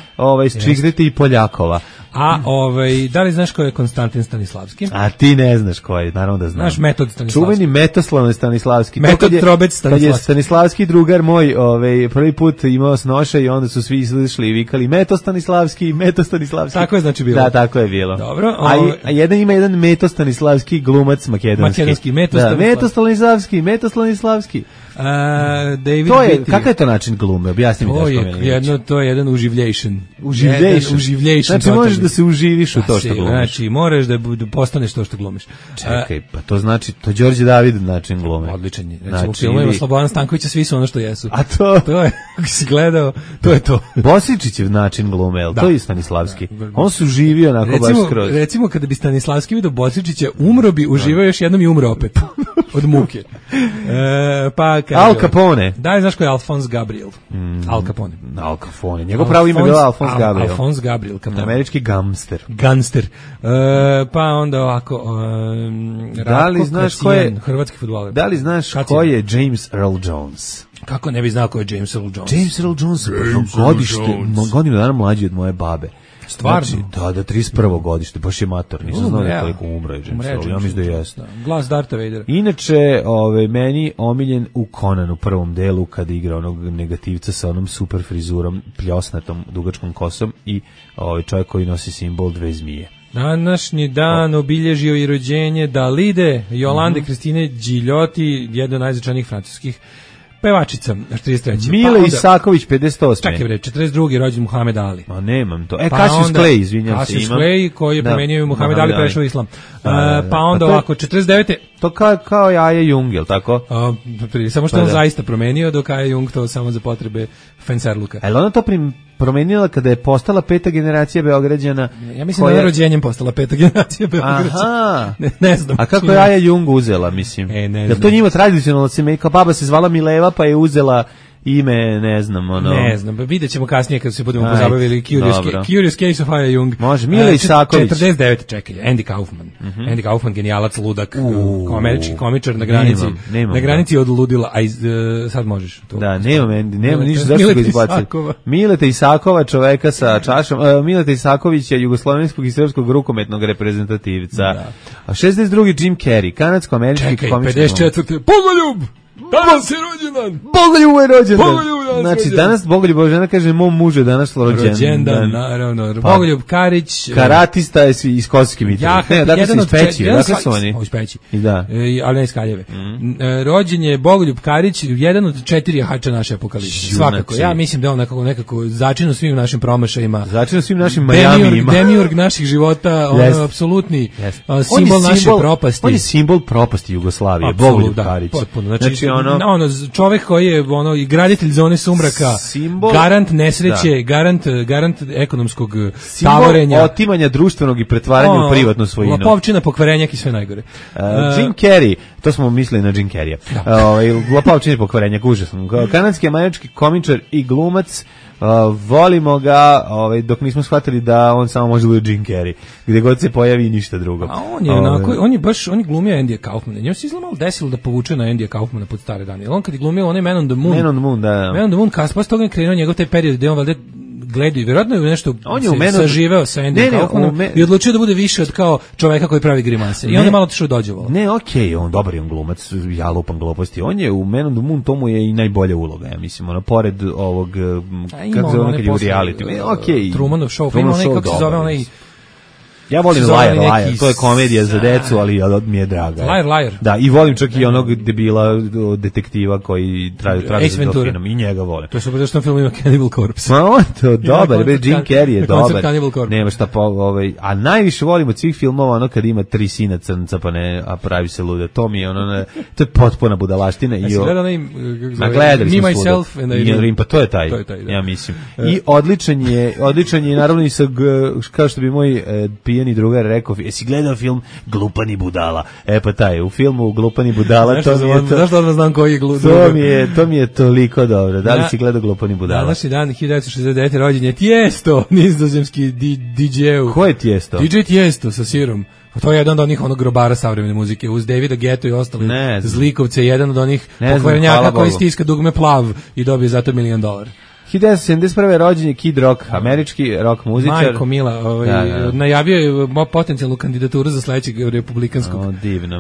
čitajte i Poljakova. A da li znaš ko je Konstantin Stanislavski? A ti ne znaš ko je, naravno da znam. Znaš Metod Stanislavski. Čuveni Metoslavni Stanislavski. Metod Trobec Stanislavski. Kad je Stanislavski drugar moj prvi put imao snoše i onda su svi izlišli i vikali Meto Stanislavski. Tako je znači bilo. Da, tako je bilo. Dobro. A ima jedan Meto Stanislavski glumac makedonski. Meto Stanislavski. David To je, Beatty. kakav je to način glume? Objasni mi To je jedan uživljation. Uživljation. Znači možeš da se uživiš u to što glumiš. Znači moraš da postaneš to što glumiš. Čekaj, pa to znači, to Đorđe David način glume. Odličan je. Recimo u filmovima Slobodana Stankovića svi su ono što jesu. A to je, ako si gledao, to je to. Bosičićev način glume, jel? To je Stanislavski. On se uživio onako baš skroz. Recimo kada bi Stanislavski vidio Bosičića, umro bi, uživao još jednom i umro opet. Od muke. Pa kaže, Al Capone. Da, znaš ko je Alphonse Gabriel? Al Capone. Al Capone. Njegov pravo ime je bilo Alphonse Gabriel. Alphonse Gabriel Capone. Američki gangster. Pa onda ovako da li znaš ko je hrvatski fudbaler? Da li znaš ko je James Earl Jones? Kako ne bi znao ko je James Earl Jones? James Earl Jones godinu dana mlađi od moje babe. Stvarno? Znači, da, 31. godište, baš je mator, nisam znao da koliko umro je James Earl, ja mislim da jeste. Glas Darta Vadera. Inače, meni omiljen u Conanu prvom delu, kada igra onog negativca sa onom super frizurom, pljosnatom, dugačkom kosom i čovjek koji nosi simbol dve zmije. Današnji dan obilježio i rođenje Dalide, Jolande Kristine Gigliotti, jedna od najznačajnijih francuskih pevačica, 43. Mile Isaković, 58. Čekaj bre, 42. rođen Muhammed Ali. Ma nemam to. Cassius Clay, izvinjam se. Cassius Clay, koji je promenio Muhammed Ali, prešao u islam. Pa onda ovako, 49. To kao Jaja Jung, jel tako? Samo što on zaista promenio, dok Jaja Jung to samo za potrebe Fencerluka. Ali ona to promenila kada je postala peta generacija Beograđana. Ja mislim da je rođenjem postala peta generacija Beograđana. Aha. Ne znam. A kako je Jaja Jung uzela, mislim? Ne znam. Jel to njima tradicionalno se kao baba se zvala Mileva, pa je uzela ime, ne znam, Ne znam, vidjet ćemo kasnije kad se budemo pozabavili Curious Case of Jaja Jung. Može, Mile Isaković. 49, čekaj, Andy Kaufman. Andy Kaufman, genijalac, ludak, američki komičar na granici. Na granici od ludila, sad možeš. Da, nemam ništa, zašto ga izbaciti. Mileta Isakova, čoveka sa čašom, Mileta Isakovića, jugoslovenskog i srpskog rukometnog reprezentativca. A 62. Jim Carrey, kanadsko-američki komičar. Čekaj, 54. Bogoljub! Danas je rođendan! Bogoljub je rođendan! Znači, danas Bogoljub Božena kaže, mom mužu je danas rođendan. Naravno. Bogoljub Karić. Karatista je iz Kosovske Mitrovice. Ne, dakle se iz Peći. Dakle su oni. Iz Peći. Da. Ali ne iz Kaljeve. Rođen je Bogoljub Karić, jedan od 4 jahača naše apokalipse. Svakako. Ja mislim da on nekako začinu svim našim promašajima. Začinu svim našim Majamijima. Demiurg naših života, on apsolutni simbol naše propasti. On je simbol propasti Jugoslavije, Bogoljub Karić. Znači, ono čovjek koji je i graditelj zone sumraka, garant nesreće, garant ekonomskog tavorenja, simbol otimanja društvenog i pretvaranja u privatnu svojinu, lopovčina, pokvarenjak i sve najgore. Jim Carrey, to smo mislili na Jim Carreya. Lopovčina i pokvarenjak, užasno. Kanadski američki komičar i glumac. Volimo ga, dok nismo shvatili da on samo može biti Jim Carrey, gdje god se pojavi i ništa drugo. A on je glumio Andyja Kaufmana. Njemu se izgleda malo desilo da povuče na Andyja Kaufmana pod stare dane. On kad je glumio onaj Man on the Moon, Man on the Moon, kaspo s toga je krenuo njegov taj period gdje on valjda gledaju, vjerojatno je nešto saživeo sa Andy Kaufmanom i odlučio da bude više od kao čoveka koji pravi grimase. I onda je malo otišao dođevalo. Ne, okej, on dobar je on glumac, ja lupam gluposti. On je u Man on the Moon, tomu je i najbolja uloga, ja mislim, pored ovog, kako se ono kad je u reality. Okej. Trumanov Show, ima onaj, kako se zove, onaj... Ja volim Liar, to je komedija za decu, ali mi je draga. Liar. Da, i volim čak i onog debila detektiva koji traži za delfinom, i njega volim. To je super, zašto na filmu ima Cannibal Corpse. Ma on to, dobar, Jim Carrey je dobar. Nema šta a najviše volim od svih filmova ono kad ima 3 sina crnca a pravi se luda. To mi je to je potpuna budalaština. Jesi gledao gledali smo Myself and Irene. Pa to je taj, ja mislim. I odličan je naravno i sa, kao što bi moj pijani drugar rekao, jesi gledao film Glupani budala? Pa taj, u filmu Glupani budala, to mi je to... Zašto odmah znam koji je to mi je toliko dobro. Da li si gledao Glupani budala? Današnji dan, 1969. rođen je Tiesto, nizozemski DJ-u. Ko je Tiesto? DJ Tiesto sa sirom. To je jedan od onih grobara savremene muzike, uz Davida Guettu i ostali zlikovce, jedan od onih pokvarenjaka koji stiska dugme plav i dobije zato $1 milion. 1971. rođen je Kid Rock, američki rock muzičar. Majko Mila, najavio je potencijalnu kandidaturu za sledećeg republikanskog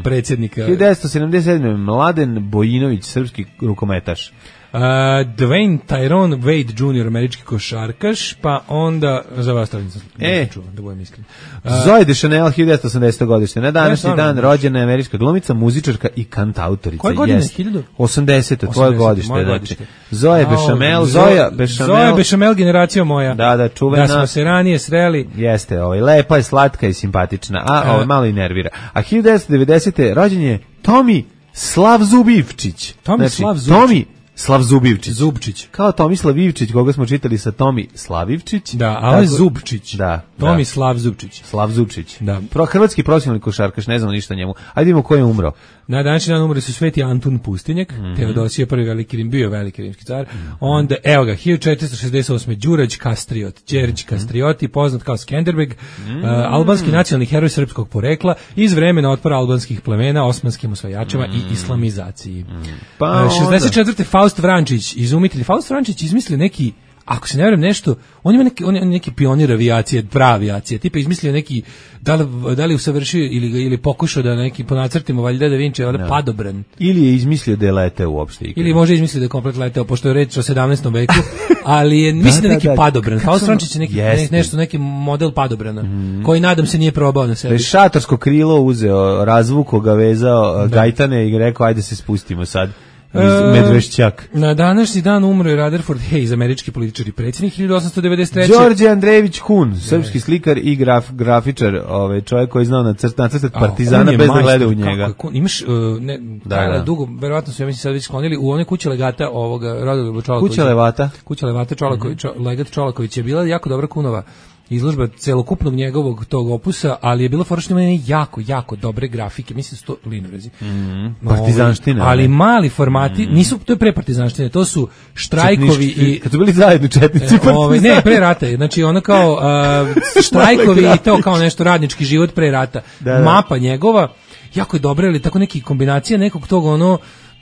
predsjednika. 1977. Mladen Bojinović, srpski rukometaš. Dwayne Tyrone Wade Jr., američki košarkaš, pa onda, za vas to nisam čuvan, da budem iskren. Zoe Deschanel, 1980. godište. Na današnji dan rođena je američka glumica, muzičarka i kantautorica. Koje godine? 80. tvoje godište. Znači, Zoe Bechamel, Zoe Bechamel, generacija moja. Da, čuvena. Da smo se ranije sreli. Jeste, lepa je, slatka i simpatična, a malo i nervira. A 1990. rođen je Tomi Slavzubivčić. Tomi Slavzubivčić. Kao Tomislav Ivčić, koga smo čitali sa Tomi Slavivčić. Da, a ovo je Zubčić. Da. Tomi Slavzubčić. Da. Hrvatski profesionalni košarkaš, ne znamo ništa o njemu. Ajde vidimo ko je umro. Na današnji dan umre su Sveti Antun Pustinjak, Teodosije prvi veliki Rim, bio veliki rimski car. Onda, evo ga, 1468. Đurađ Kastriot, Đerđ Kastrioti, poznat kao Skenderbeg, albanski nacionalni heroj srpskog porekla, iz vremena otpora albanskih plemena, osmanskim osvajačima i islamizaciji. 64. Faust Vrančić, izumitelj. Faust Vrančić izmislio neki, ako se ne vjerujem nešto, on ima neki pionir avijacije, prava avijacija, tipa izmislio neki, da li usavršio ili pokušao da neki po nacrtima valjda da Vinci, valjda padobran. Ili je izmislio da je leteo uopšte. Ili može izmislio da je komplet leteo, pošto je reč o 17. veku, ali je, mislim da neki padobran. Faust Vrančić je neki model padobrana, koji nadam se nije probao na sebi. Da je šatorsko krilo uzeo, razvuko ga, vezao gajtane i rekao ajde se spustimo sad. Medvešćak. Na današnji dan umro je Rutherford Hayes, američki političar i predsjednik, 1893. Đorđe Andrejević Kun, srpski slikar i grafičar, čovjek koji je znao nacrtati Partizana bez da gleda u njega. Imaš, dugo, verovatno su, ja mislim, sad već sklonili, u one kuće legata ovoga Rodoljuba Čolakovića. Kuća Levata legat Čolaković je bila jako dobra Kunova izložba celokupnog njegovog tog opusa, ali je bilo fora što ima jako dobre grafike, mislim su to linorezi. Partizanština. Ali mali formati, nisu, to je pre partizanštine, to su štrajkovi i... Kad su bili zajedno četnici partizani. Ne, pre rata, znači ono kao štrajkovi i to kao nešto radnički život pre rata. Mapa njegova, jako je dobra, ali tako neki kombinacija nekog tog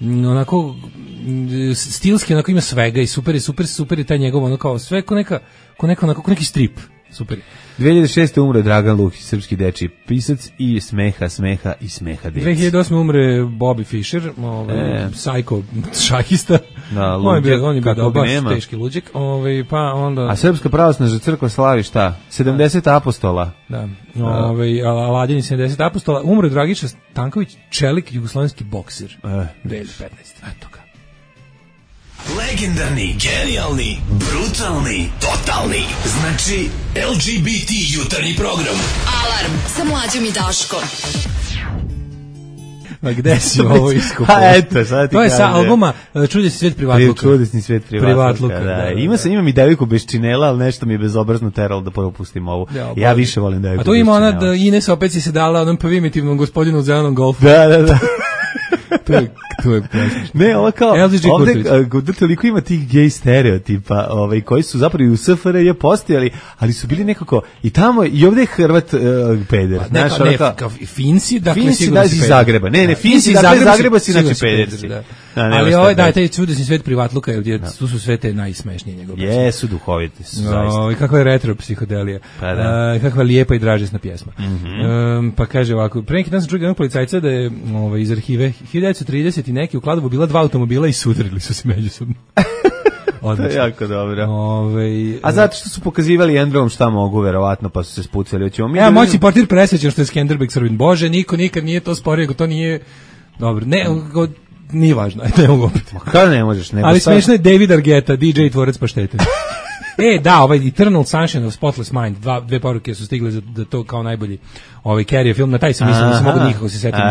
onako stilski, onako ima svega i super je taj njegov, ono kao sve ko neki strip. Super. 2006. umre Dragan Lukić, srpski dečiji pisac i smeha djeci. 2008. umre Bobby Fischer, psycho šahista. On je bio baš teški luđek. Pa onda... A Srpska pravoslavna crkva slavi šta? 70 apostola. Da. Aladini 70 apostola. Umre Dragiša Stanković, čelik, jugoslovenski boksir. 2015. Eto ga. Legendarni, genijalni, brutalni, totalni. Znači, LGBT jutarnji program. Alarm sa Mlađom i Daškom. Ma gde si ovo iskupao? Eto, sad ti to je sa albuma Čudesni svijet privatluka. Čudesni svijet privatluka, da. Imam i devojku bez činela, ali nešto mi je bezobrazno teralo da propustim ovo. Ja više volim devojku bez činela. A tu ima ona da Ines opet si se dala onom primitivnom gospodinu u zelenom golfu. Da. To je presmišno. Ne, ovo kao, ovdje toliko ima tih gej stereotipa, koji su zapravo i u SFRJ postojali, ali su bili nekako i tamo, i ovdje je Hrvat peder. Finci, dakle, Finci da iz Zagreba. Ne, Finci da iz Zagreba si znači pederci. Ali taj čudesni svijet privatluka, tu su sve te najsmešnije njegove. Jesu duhoviti, su zaista. Kakva je retro psihodelija. Kakva lijepa i dražesna pjesma. Pa kaže ovako, pre neki dan sam čuo jednog policajca da je iz arhive 1930 i neki u Kladovu bila 2 automobila i sudarili su se međusobno. To je jako dobro. A zato što su pokazivali jedan drugom šta mogu, verovatno, pa su se spucali. Moći portir presvećan što je Skenderbeg Srbin. Bože, niko nikad nije to sporio, to nije... Dobro, nije važno, ne mogu opet. Kada ne možeš? Ali smiješno je David Argeta, DJ i tvorac paštete. Eternal Sunshine of Spotless Mind, dve poruke su stigle za to kao najbolji Carrie film, na taj se mislim da se mogu nikako se setiti.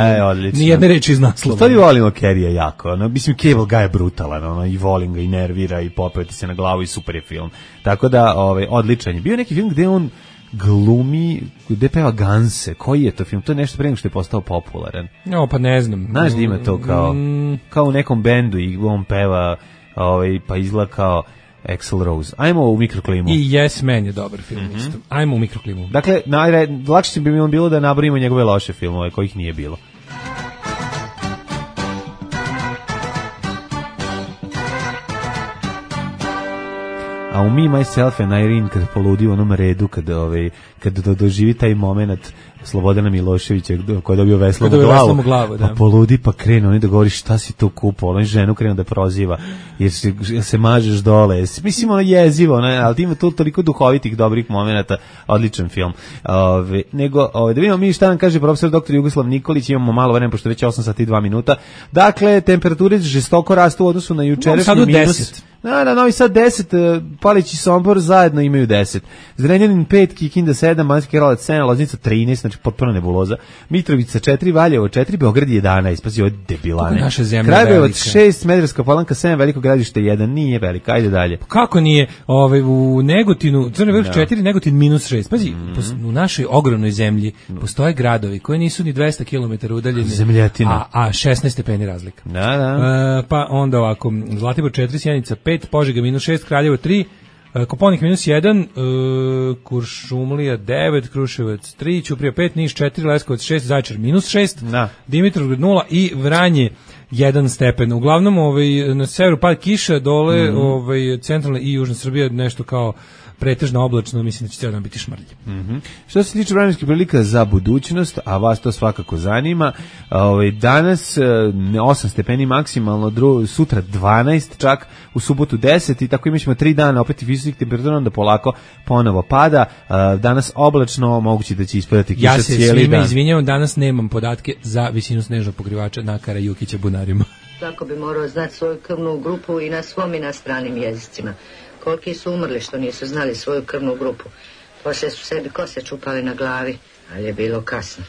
Nijedne reči iz naslova. Stvari volimo Carrie jako, mislim Cable Guy je brutalan, i volim ga i nervira i popeti se na glavu i super je film. Tako da, odličan je. Bio neki film gde on glumi, gde peva Ganse, koji je to film? To je nešto pre nego što je postao popularan. Pa ne znam. Znaš da ima to kao u nekom bendu i on peva, pa izgleda kao Axl Rose. Ajmo u mikroklimu. I Yes Man je dobar film isto. Ajmo u mikroklimu. Dakle, lakše bi mi bilo da nabrojimo njegove loše filmove, kojih nije bilo. A u Me, Myself and Irene, kad poludi u onom redu, kad doživi taj moment Slobodana Miloševića koji je dobio veslom glavu, pa poludi pa krenu oni da govori šta si tu kupao, oni ženu krenu da proziva jer se mažeš dole, mislim ono jezivo, ali ima tu toliko duhovitih dobrih momenata, odličan film. Nego da vidimo mi šta nam kaže profesor dr. Jugoslav Nikolić, imamo malo vremena pošto već 8 sati i 2 minuta. Dakle, temperature žestoko rastu u odnosu na jučerašnji minus. Na Novi Sad 10, Palić i Sombor zajedno imaju 10. Zrenjanin 5, Kikinda 7, Banjski Karlovac 7, Loznica 13, znači potpuno nebuloza. Mitrovica 4, Valjevo 4, Beograd 11, pazi ovo debilane. Kragujevac 6, Smederevska Palanka 7, Veliko Gradište 1, nije velika, ajde dalje. Kako nije? U Negotinu, Crni Vrh 4, Negotin minus 6. Pazi, u našoj ogromnoj zemlji postoje gradovi koji nisu ni 200 km udaljeni, a 16 stepeni razlika. Pa onda ovako, Zlatibor 4, Sjenica 5, Požega minus 6, Kraljevo 3, Koponik minus 1, Kuršumlija 9, Kruševac 3, Ćuprija 5, Niš 4, Leskovac 6, Zaječar minus 6, Dimitrovgrad 0 i Vranje 1 stepen. Uglavnom na severu pad kiša, dole centralna i južna Srbija nešto kao pretežno oblačno, mislim da će cijel dan biti šmrlje. Što se tiče vremenskih prilika za budućnost, a vas to svakako zanima, danas 8 stepeni maksimalno, sutra 12 čak, u subotu 10 i tako imaćemo 3 dana opet visokih temperatura, onda polako ponovo pada. Danas oblačno, moguće da će ispadati kiša cijeli dan. Ja se svima izvinjavam, danas nemam podatke za visinu snežnog pokrivača na Karajukića bunarima. Svako bi morao znati svoju krvnu grupu i na svom i na stranim jezicima. Koliki su umrli što nisu znali svoju krvnu grupu. Poslije su sebi kose čupali na glavi, ali je bilo kasno.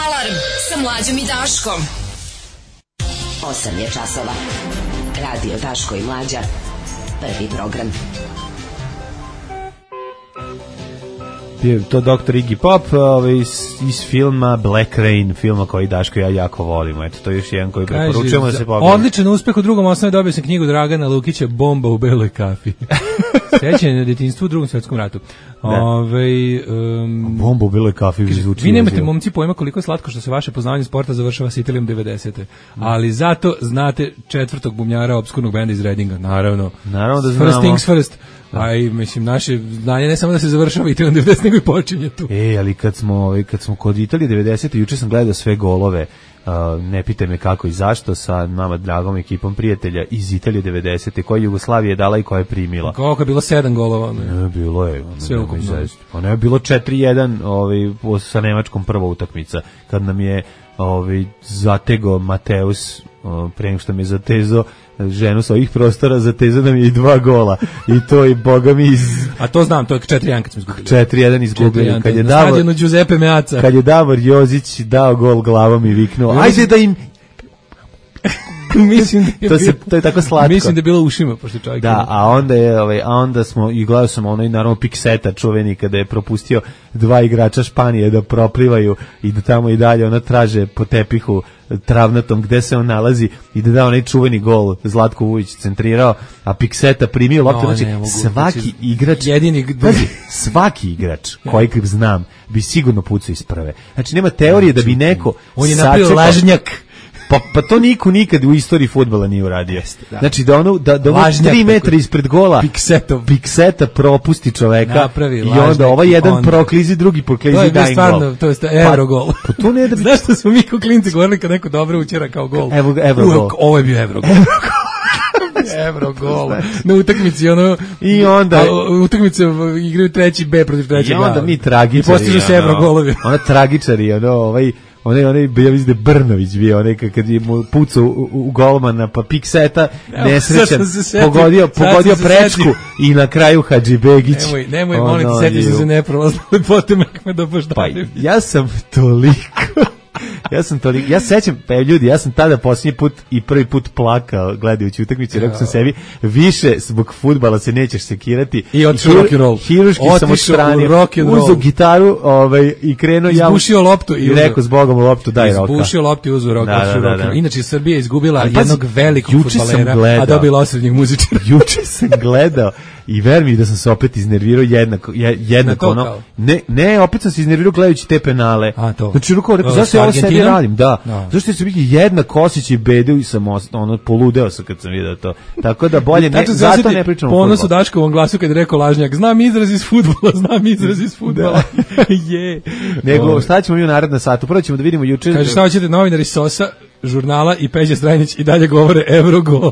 Alarm sa Mlađom i Daškom. 8 je časova. Radio Daško i Mlađa. Prvi program. To Dr. Iggy Pop iz filma Black Rain, filma koji Daško i ja jako volimo. Eto, to je još jedan koji preporučujemo da se pogleda. Odličan uspeh u drugom osnovi, dobio sam knjigu Dragana Lukića Bomba u beloj kafi. Sećanje na detinjstvu u Drugom svjetskom ratu. Bomba u beloj kafi zvuči. Vi nemate, momci, pojma koliko je slatko što se vaše poznavanje sporta završava s Italijom 90. Ali zato znate četvrtog bumljara obskurnog benda iz Redinga. Naravno da znamo. First things first. Mislim, naše znanje ne samo da se završava Italijom 90, nego i počinje tu. Ali kad smo kod Italije 90. juče sam gledao sve golove, ne pitaj me kako i zašto, sa nama dragom ekipom prijatelja iz Italije 90. koja Jugoslavija je dala i koja je primila. Koliko je bilo 7 golova? Ne, bilo je. Sve ukupno. Ono je bilo 4-1 sa Nemačkom prva utakmica, kad nam je zatego Mateus, pre nego što mi je zatezao ženu sa ovih prostora, zatezao nam je i 2 gola. I to je, boga mi, A to znam, to je 4-1 kad smo izgubili. 4-1 izgubili. Kad je na stadionu Giuseppe Meazza. Kad je Davor Jozić dao gol glavom i viknuo, ajde da im... Mislim da to je tako slatko. Mislim da je bilo ušima, pošto čovjek. Da, onda smo i gledao sam naravno Pikseta čuveni kada je propustio 2 igrača Španije da proplivaju i da tamo i dalje ona traže po tepihu travnatom gde se on nalazi i da da onaj čuveni gol. Zlatko Vujić centrirao, a Pikseta primio loptu. Znači svaki igrač, svaki igrač koji znam bi sigurno pucao iz prve. Znači nema teorije da bi neko on je napravio lažnjak. Pa to niko nikad u istoriji fudbala nije uradio. Znači da ono 3 metra ispred gola Pikseta propusti čoveka i onda ovaj jedan proklizi, drugi proklizi daje gol. To je stvarno, to je Eurogol. Pa to ne da bi... Znaš što smo mi ko klinci govorili kad neko dobro učera kao gol? Eurogol. Ovo je bio Eurogol. Eurogol. Na utakmici i onda utakmice igraju 3. B protiv 3. A. I onda mi tragičari. I postižu se Eurogolovi. Ona tragičari, onaj ja mislim da je Brnović bio, onaj kad je mu pucao u golmana, pa Pikseta nesrećan, pogodio prečku i na kraju Hadžibegić. Nemoj, molim ti, setiš se neprolazno lepote Mehmeda Boždanovića. Pa ja sam ja sećam, pa ljudi, ja sam tada posljednji put i prvi put plakao gledajući utakmicu, rekao sam sebi, više zbog fudbala se nećeš sekirati. I otišao rock'n'roll. Hiruški sam odstranio, uzeo gitaru i krenuo ja. Izbušio loptu i rekao zbogom loptu daj roka. Izbušio loptu i uzeo roka. Inače, Srbija izgubila jednog velikog fudbalera, a dobila osrednjeg muzičara. Juče sam gledao i ver mi da sam se opet iznervirao jednako ono. Ne, opet sam se iznervirao gledajući te penale. A to. Znači, rekao, zašto je ovo sebi radim, da. Zašto su biti jedna Kosić i Bedeu i sam poludeo sam kad sam vidio to. Tako da bolje ne, zato ne pričamo o fudbalu. Ponos u Daškovom glasu kad je rekao lažnjak, znam izraz iz fudbala. Je. Nego, šta ćemo mi u narednom satu? Prvo ćemo da vidimo juče. Kaže, šta hoćete, novinari Sosa, žurnala i Peđa Strajnić i dalje govore Eurogol.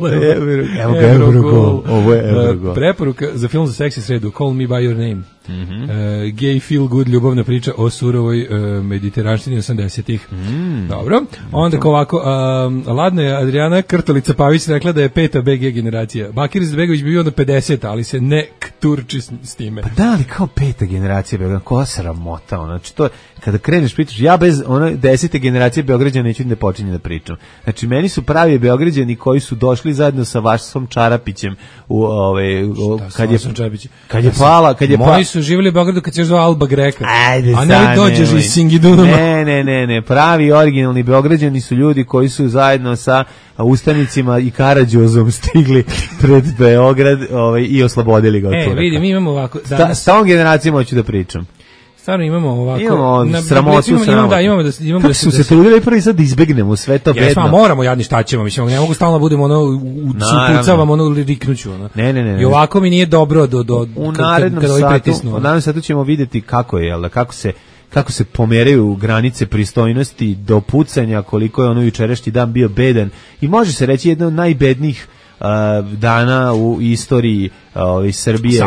Eurogol. Ovo je Eurogol. Preporuka za film za seksi sredu, Call Me By Your Name. Gay feel good ljubavna priča o surovoj mediteranštini 80-ih. Dobro. Onda ovako, ladno je Adriana Krtolica Pavić rekla da je 5. BG generacija. Bakir Izetbegović bi bio onda 50, ali se ne turči s time. Pa da, ali kao 5. generacija Beograda, koja sramota, znači to, kada kreneš pričaš, ja bez one 10. generacije Beograđana neću da počinjem da pričam. Znači, meni su pravi Beograđani koji su došli zajedno sa Vasom Čarapićem kad je Moji su živjeli u Beogradu kad se još zvao Alba Greka. Ajde, a ne dođeš iz Singidunuma. Ne, pravi originalni Beograđani su ljudi koji su zajedno sa ustanicima i Karađozom stigli pred Beograd i oslobodili ga od Turaka. Vidi, mi imamo ovako s tom generacijom hoću da pričam. Stvarno imamo ovako. Imamo sramotu. Imamo da su se trudili prvi sad da izbegnemo sve to bedno. Jesmo, moramo jadni šta ćemo, mislim, ne mogu stalno budemo upucavamo riknuću. Ne. I ovako mi nije dobro u narednom satu ćemo vidjeti kako je, kako se pomeraju granice pristojnosti do pucanja, koliko je ono jučerašnji dan bio bedan i može se reći jedan od najbednijih dana u istoriji Srbije.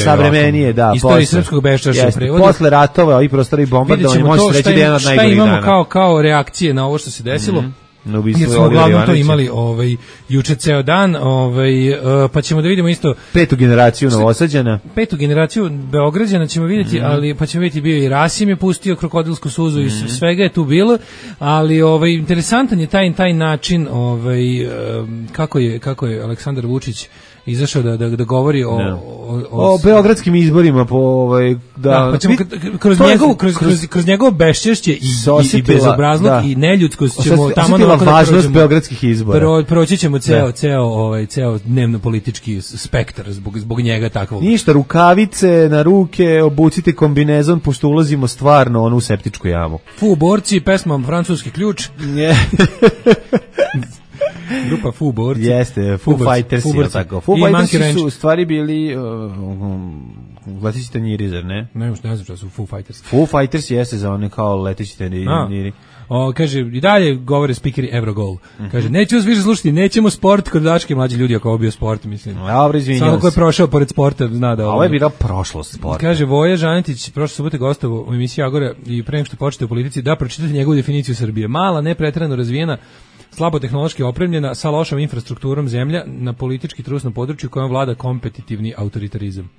Savremenije, da. Istoriji srpskog beščašća u prevodu. Posle ratova i prostora i bombardovanja može se reći da je jedan od najboljih dana. Šta imamo kao reakcije na ovo što se desilo? Jer smo uglavnom to imali juče ceo dan, pa ćemo da vidimo isto 5. generaciju Novosađana. 5. generaciju Beograđana ćemo vidjeti, ali pa ćemo vidjeti, bio i Rasim je pustio krokodilsku suzu i svega je tu bilo, ali interesantan je taj način kako je Aleksandar Vučić izašao da govori o beogradskim izborima pa ćemo kroz njegovo beščešće i bezobrazluk i neljudskost ćemo tamo važnost beogradskih izbora. Proći ćemo ceo dnevno politički spektar zbog njega takvog. Ništa, rukavice na ruke, obucite kombinezon pošto ulazimo stvarno u septičku jamu. Fu borci, pesma Francuski ključ. Grupa Foo borci. Jeste, Foo Fighters je tako. Foo Fighters su u stvari bili leteći tanjiri, zar ne? Ne znam što su Foo Fighters. Foo Fighters jeste za one kao leteći tanjiri. Kaže, i dalje govore spikeri Eurogol. Kaže, neću vas više slušati, nećemo sport kod Daške, mlađi ljudi, ako ovo bio sport, mislim. Dobro, izvinjam se. Samo ko je prošao pored sporta, zna da ovo. Ovo je bila prošlost sporta. Kaže, Voja Žanetić, prošle subote gostovo u emisiji Agora i pre nego što počete u politici, da pročitate njegovu definiciju Srbije. Mala, nepreterano razvijena, slabo tehnološki opremljena, sa lošom infrastrukturom zemlja na politički trusnom području kojom vlada kompetitivni autoritarizam.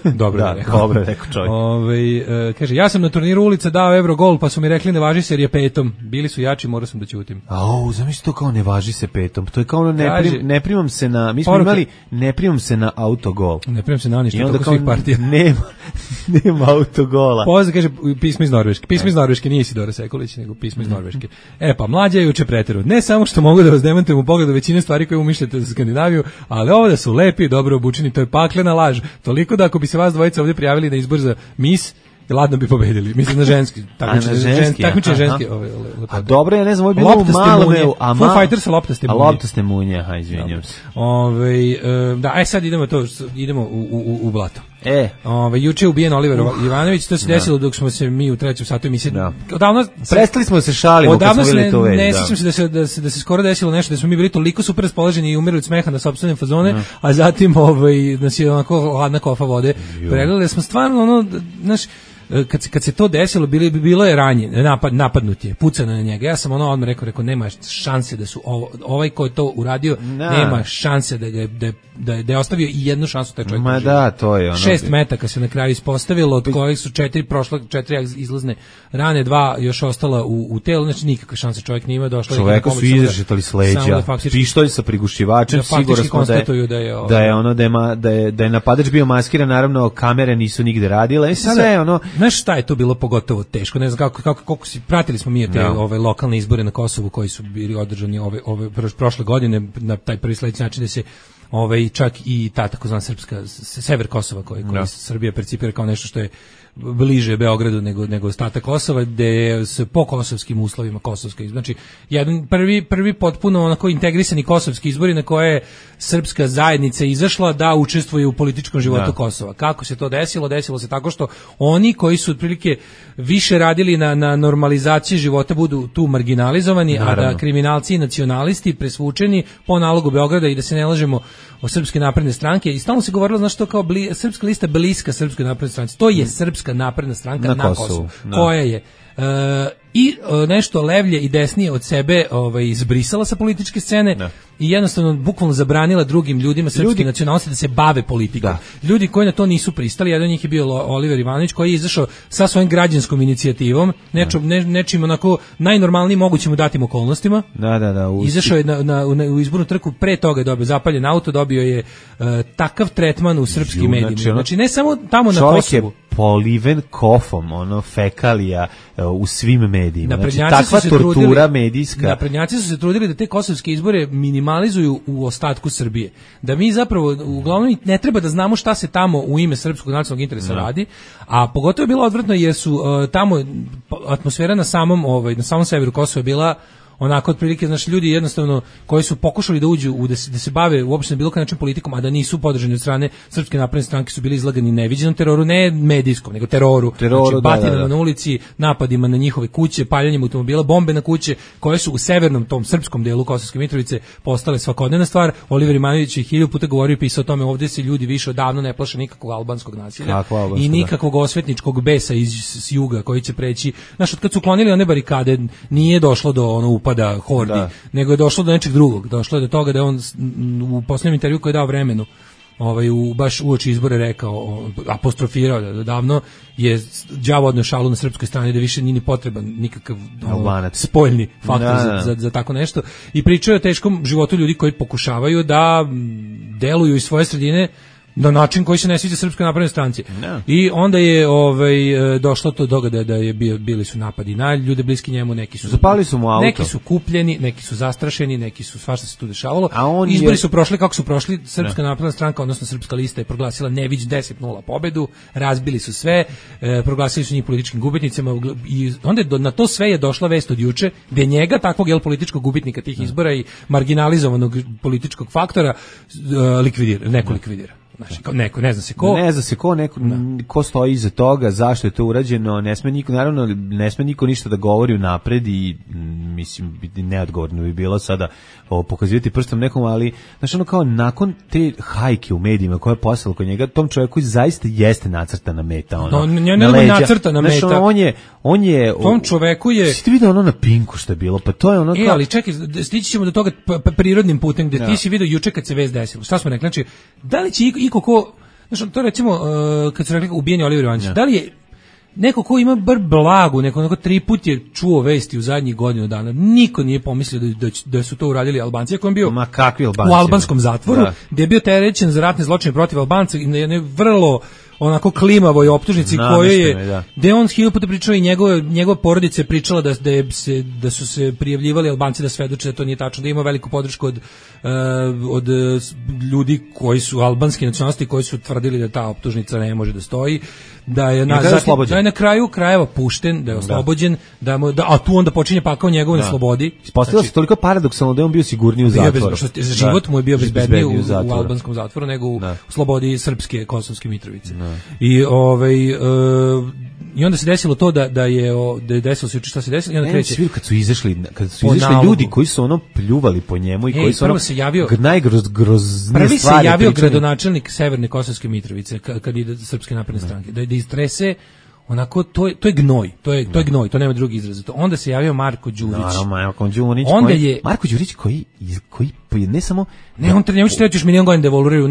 Dobro je rekao. Dobro je rekao čovjek. Kaže, ja sam na turniru ulica dao Eurogol, pa su mi rekli ne važi se jer je 5. Bili su jači, morao sam da ćutim. Zamisli to kao ne važi se 5. To je kao ono ne primam se na, mi smo imali ne primam se na autogol. Ne primam se na ništa, toliko svih partija. Nema autogola. Pozdrav, kaže, pismo iz Norveške. Pismo iz Norveške, nije Isidora Sekulić, nego pismo iz Norveške. Pa mlađa je juče preteru. Ne samo što mogu da vas demantujem u pogledu većine stvari koje umišljate za Skandinaviju, ali ovo da su lepi i dobro obučeni, to je paklena laž. Toliko da ako bi se vas dvojica ovdje prijavili na izbor za Miss, ladno bi pobedili. Mislim na ženski. Takmiče ženski. A dobro, ja ne znam, ovo je bilo u Malmeu. Foo Fighters loptaste munje. Loptaste munje, izvinjam se. Da, sad idemo u blato. Juče je ubijen Oliver Ivanović, to se desilo dok smo se mi u 3. satu emisije. Prestali smo da se šalimo kad smo vidjeli to već. Ne sjećam se da se skoro desilo nešto, da smo mi bili toliko super raspoloženi i umirali od smeha na sopstvene fazone, a zatim nas je onako hladna kofa vode pregledali. Smo stvarno, znaš, kad se to desilo, bilo je napadnut je, pucano na njega. Ja sam odmah rekao, nema šanse da su ovaj ko je to uradio, nema šanse da je ostavio i jednu šansu taj čovjek. Ma da, to je ono. 6 metaka se na kraju ispostavilo, od kojih su 4 izlazne rane, 2 još ostala u telu, znači nikakve šanse čovjek nije imao. Čoveka su izrešetali s leđa, pištolj sa prigušivačem, sigurno smo da je napadač bio maskiran, naravno kamere nisu nigde radile, sve ono. Znaš šta je to bilo pogotovo teško, ne znam kako si, pratili smo mi te lokalne izbore na Kosovu koji su bili održani ove prošle godine na taj prvi sledeći način da se čak i ta takozvana srpska sever Kosova koji Srbija percipira kao nešto što je bliže Beogradu nego ostatak Kosova, gde se po kosovskim uslovima kosovski, znači jedan prvi potpuno onako integrisani kosovski izbori na koje je srpska zajednica izašla da učestvuje u političkom životu Kosova. Kako se to desilo? Desilo se tako što oni koji su otprilike više radili na normalizaciji života budu tu marginalizovani, a da kriminalci i nacionalisti presvučeni po nalogu Beograda, i da se ne lažemo o Srpske napredne stranke, i stalno se govorilo, znaš, to kao srpska lista bliska Srpskoj naprednoj stranci. To je Srpska napredna stranka na Kosovu. Koja je nešto levlje i desnije od sebe izbrisala sa političke scene i jednostavno bukvalno zabranila drugim ljudima srpske nacionalnosti da se bave politikom. Ljudi koji na to nisu pristali, jedan od njih je bio Oliver Ivanović, koji je izašao sa svojom građanskom inicijativom, nečim onako najnormalnijim mogućim u datim okolnostima. Izašao je u izbornu trku, pre toga je dobio zapaljen auto, dobio je takav tretman u srpskim medijima. Znači ne samo tamo na Kosovu. Poliven kofom, fekalija u svim medijima. Znači, takva tortura medijska. Naprednjaci su se trudili da te kosovske izbore minimalizuju u ostatku Srbije. Da mi zapravo, uglavnom, ne treba da znamo šta se tamo u ime srpskog nacionalnog interesa radi, a pogotovo je bilo odvratno jer su tamo atmosfera na samom severu Kosova bila onako otprilike, znači ljudi jednostavno koji su pokušali da uđu da se bave uopšte na bilo koji način politikom, a da nisu podržani od strane Srpske napredne stranke, su bili izlagani neviđenom teroru, ne medijskom, nego teroru. Znači, batinama na ulici, napadima na njihove kuće, paljanjem automobila, bombe na kuće, koje su u severnom tom srpskom delu Kosovske Mitrovice postale svakodnevna stvar. Oliver Ivanović je 1000 puta govorio i pisao o tome, ovdje se ljudi više odavno ne plaše nikakvog albanskog nasilja i nikakvog osvetničkog besa iz juga koji će preći. Znaš, od kad su klonili one barikade, nije došlo do upada hordi, nego je došlo do nečeg drugog. Došlo je do toga da je on u posljednjem intervju koji je dao Vremenu baš uoči izbore rekao, apostrofirao da davno je đavo odneo šalu na srpskoj strani, da više nije ni potreban nikakav spoljni faktor za tako nešto, i pričao je o teškom životu ljudi koji pokušavaju da deluju iz svoje sredine na način koji se ne sviđa Srpskoj naprednoj stranci. I onda je došlo do toga da je bili su napadi na ljude bliski njemu, neki su zapali su mu auto, neki su kupljeni, neki su zastrašeni, neki su, svašta se tu dešavalo. Izbori su prošli kako su prošli. Srpska napredna stranka, odnosno Srpska lista, je proglasila neviđ 10-0 pobedu, razbili su sve, proglasili su njih političkim gubitnicima, i onda na to sve je došla vest od juče, gde njega, takvog političkog gubitnika tih izbora i marginalizovanog političkog faktora, neko likvidira. Znači, neko, ne zna se ko, ko stoji iza toga, zašto je to urađeno, ne sme niko ništa da govori unapred, i mislim, neodgovorno bi bilo sada pokazivati prstom nekom, ali znači ono kao nakon te hajke u medijima koja je poslala kod njega, tom čovjeku zaista jeste nacrtana meta, na leđa. Nacrtana meta. Znači, on je tom čoveku je. Si ti vidio na Pinku što je bilo, pa to je ono kao. Ali čekaj, stići ćemo do toga prirodnim putem, gde ti si vidio juče kad se vest desilo. Šta smo rekli? Znači, da li će iko ko, znači to recimo kad su rekli ubijeni Oliver Ivanović, da li je neko ko ima bar blagu, neko 3 puta je čuo vesti u zadnjih godinu dana, niko nije pomislio da su to uradili Albanci, ako je bio u albanskom zatvoru, gdje je bio terećen za ratne zločine protiv Albanca, i ne vrlo onako klimavoj optužnici koje je, gde on 1000 puta pričao, i njegova porodica je pričala da su se prijavljivali Albanci da svedoče da to nije tačno, da ima veliku podršku od ljudi koji su albanski nacionalisti, koji su tvrdili da ta optužnica ne može da stoji, da je na kraju krajeva pušten, da je oslobođen, a tu onda počinje pakao njegovu na slobodi. Ispostavilo se toliko paradoksalno da je on bio sigurniji u zatvoru. Život mu je bio bezbedniji u albanskom zatvoru nego u slobodi Srpske Kosovske Mitrovice. I onda se desilo to da je desilo se šta se desilo, i onda kreće. Kad su izašli ljudi koji su pljuvali po njemu i koji su najgroznije stvari. Prvi se javio gradonačelnik Severne Kosovske Mitrovice kad ide Srpske napredne stranke, da istrese onako, to je gnoj, to je gnoj, to nema drugi izraz. Onda se javio Marko Đurić. Marko Đurić koji ne samo... on njemu će trebati još milion godina da evoluiraju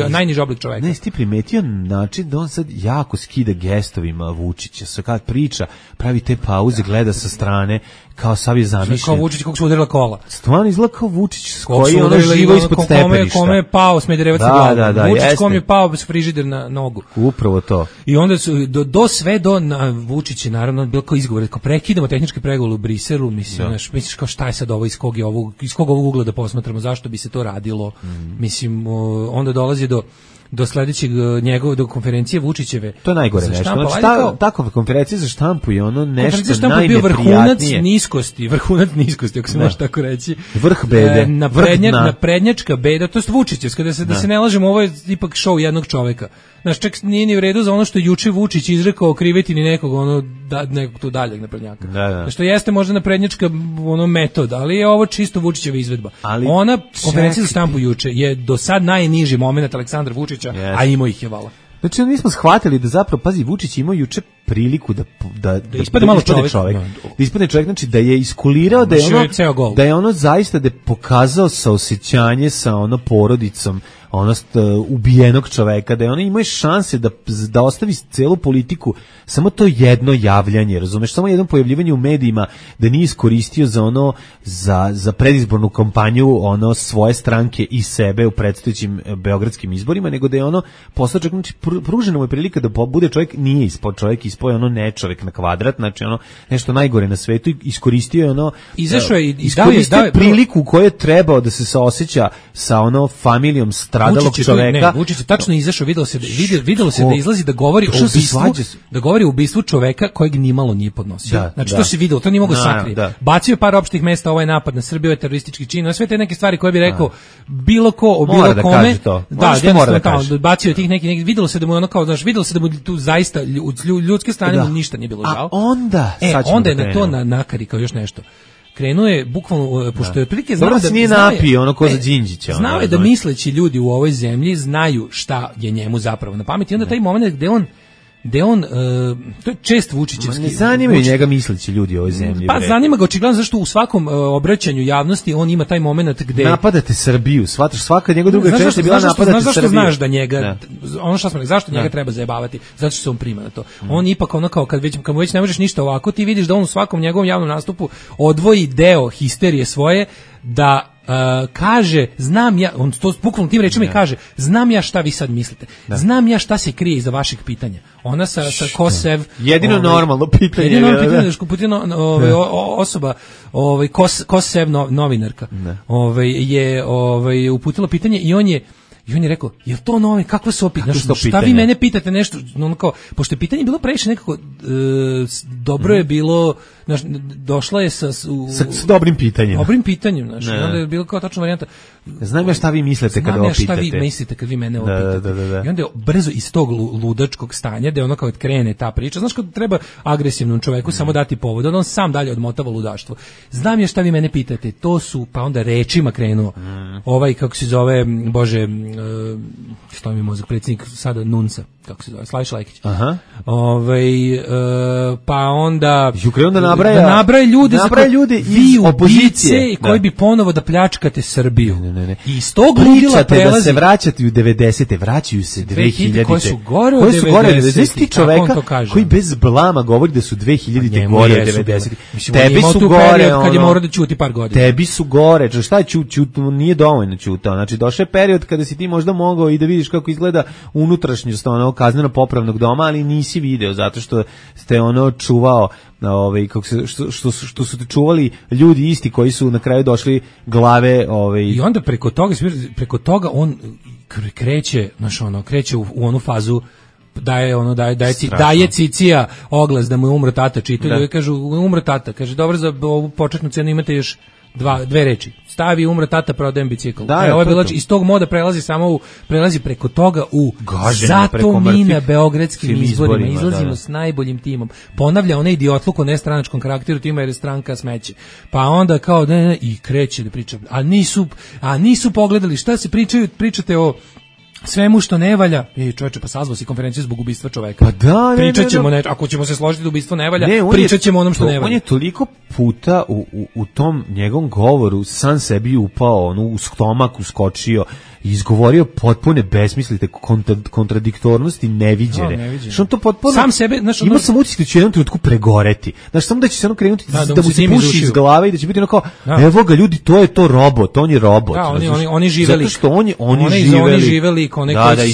najniži oblik čoveka. Ne, ti primetio način da on sad jako skida gestovima Vučića, sa kad priča, pravi te pauze, gleda sa strane, kao sav je zamišljen. Kao Vučić kako su udarila kola. Stvarno izgleda kao Vučić koji je živo ispod stepeništa. Kome je pao Smederevac na glavu. Vučić kome je pao frižider na nogu. Upravo to. I onda su Vučić je naravno bilo kao izgovor, kao prekidamo tehničke pregovore u Briselu, misliš kao šta je sad ovo, iz kog ovog ugla da posmatramo razumemo zašto bi se to radilo. Mislim, onda dolazi do sledećeg do konferencije Vučićeve. To je najgore nešto. Znači, takva konferencija za štampu je ono nešto najneprijatnije. Vrhunac niskosti, ako se može tako reći. Vrh bede. Naprednjačka beda, to je Vučićevska, da se ne lažemo, ovo je ipak show jednog čoveka. Znaš, čak nije ni u redu za ono što je juče Vučić izrekao kriveti ni nekog, nekog tu daljeg naprednjaka. Da. Što jeste možda naprednjačka metod, ali je ovo čisto Vučićeva izvedba. Ona konferencija za štampu juče je do sad najniži moment Aleksandra Vučića, a imao ih je vala. Znači, mi smo shvatili da zapravo, pazi, Vučić imao juče priliku da ispadne malo čovjek. Da ispadne čovjek, znači da je iskulirao, da je ono zaista da je pokazao saosećanje sa ono porodicom ubijenog čoveka, da je ono imao šanse da ostavi celu politiku, samo to jedno javljanje, razumeš, samo jedno pojavljivanje u medijima, da nije iskoristio za predizbornu kampanju svoje stranke i sebe u predstojećim beogradskim izborima, nego da je postao čovjek, znači pružena mu je prilika da bude čovjek, nije ispod čovjek, ispao je ne čovjek na kvadrat, znači nešto najgore na svetu, iskoristio je izašao je i dao priliku koju je trebao da se saoseća sa familijom stradalog čoveka. Vučić je tačno izašao, videlo se da izlazi da govori o ubistvu čoveka kojeg nimalo nije podnosio. Znači to se videlo, to nije mogao sakriti. Bacio je par opštih mesta, ovaj napad na Srbiju je teroristički čin, sve te neke stvari koje bi rekao bilo ko o bilo kome. Bacio je tih nekih, videlo se da mu videlo se da mu tu zaista ljudske strane mu ništa nije bilo žao. Onda je na to nakarikao još nešto. Krenuo je bukvalno, pošto je otprilike znao da nije napio ko za Đinđića. Znao je da misleći ljudi u ovoj zemlji znaju šta je njemu zapravo na pameti. I onda taj moment gde on to je čest Vučićevski. Ne zanimaju njega misleći ljudi u ovoj zemlji. Pa zanima ga očigledno zašto u svakom obraćanju javnosti on ima taj moment gde napadate Srbiju, shvataš, svaka njegova druga čest je bila napadati Srbiju. Zašto znaš da njega ono što smo rekli, zašto njega treba zajebavati? Zato što se on prima na to. On ipak kao kad mu već ne možeš ništa ovako, ti vidiš da on u svakom njegovom javnom nastupu odvoji deo histerije svoje da kaže, znam ja, on to bukvalno tim rečima i kaže, znam ja šta vi sad mislite, znam ja šta se krije iza vašeg pitanja. Ona sa Kosev, jedino normalno pitanje, osoba, Kosev novinarka, je uputila pitanje i on je rekao, je to novi, kakva su opet, šta vi mene pitate nešto, pošto je pitanje bilo previše nekako, dobro je bilo, došla je sa dobrim pitanjem. Dobrim pitanjem, onda je bilo kao tačna varijanta. Znam ja šta vi mislite kada ovo pitate. Znam ja šta vi mislite kad vi mene ovo pitate. I onda je brzo iz tog ludačkog stanja, da je ono kao krene ta priča, znaš kad treba agresivnom čoveku samo dati povod, onda on sam dalje odmotava ludaštvo. Znam ja šta vi mene pitate, to su, pa onda rečima krenuo. Kako se zove, bože, što mi mozak, predsjednik sada Nunca, kako se zove, Slaviša Lajkić. Pa onda nabraja ljude iz opozicije koji bi ponovo da pljačkate Srbiju. I iz tog ludila prelazi da se vraćate u 90-te, vraćaju se 2000-te. Koji su gore od 90-te čoveka koji bez blama govori da su 2000-te gore od 90-te. Tebi su gore, kad je morao da ćuti par godina. Tebi su gore, šta je ćutao, nije dovoljno ćutao. Znači došao je period kada si ti možda mogao i da vidiš kako izgleda unutrašnjost kazneno popravnog doma, ali nisi video zato što ste čuvao što su te čuvali ljudi isti koji su na kraju došli glave i onda preko toga on kreće u onu fazu daje cicija oglas da mu je umro tata, čitaju i kažu umro tata, kaže dobro, za ovu početnu cenu imate još dve reči, stavi umro tata, prodajem bicikl. Ovo je bilo, iz tog moda prelazi preko toga u gaženje, zato mi na beogradskim izborima izlazimo s najboljim timom. Ponavlja onaj idiotluk o nestranačkom karakteru tima jer je stranka smeće. Pa onda kao i kreće da priča. A nisu pogledali šta se pričate o svemu što ne valja. Čoveče, pa sazvao si konferenciju zbog ubistva čoveka. Pa da, pričat ćemo ako ćemo se složiti da ubistvo ne valja, pričat ćemo onom što ne valja. On je toliko puta u tom njegovom govoru sam sebi upao, u stomak uskočio i izgovorio potpune besmislite, kontradiktornosti neviđene. Što on to potpuno sam sebe, znaš, imao sam utisak da će u jednom trenutku pregoreti. Znaš, samo da će se ono krenuti da mu se puši iz glave i da će biti ono kao, evo ga ljudi, to je to robot, on je robot. Da, oni živeli. Zato što oni živeli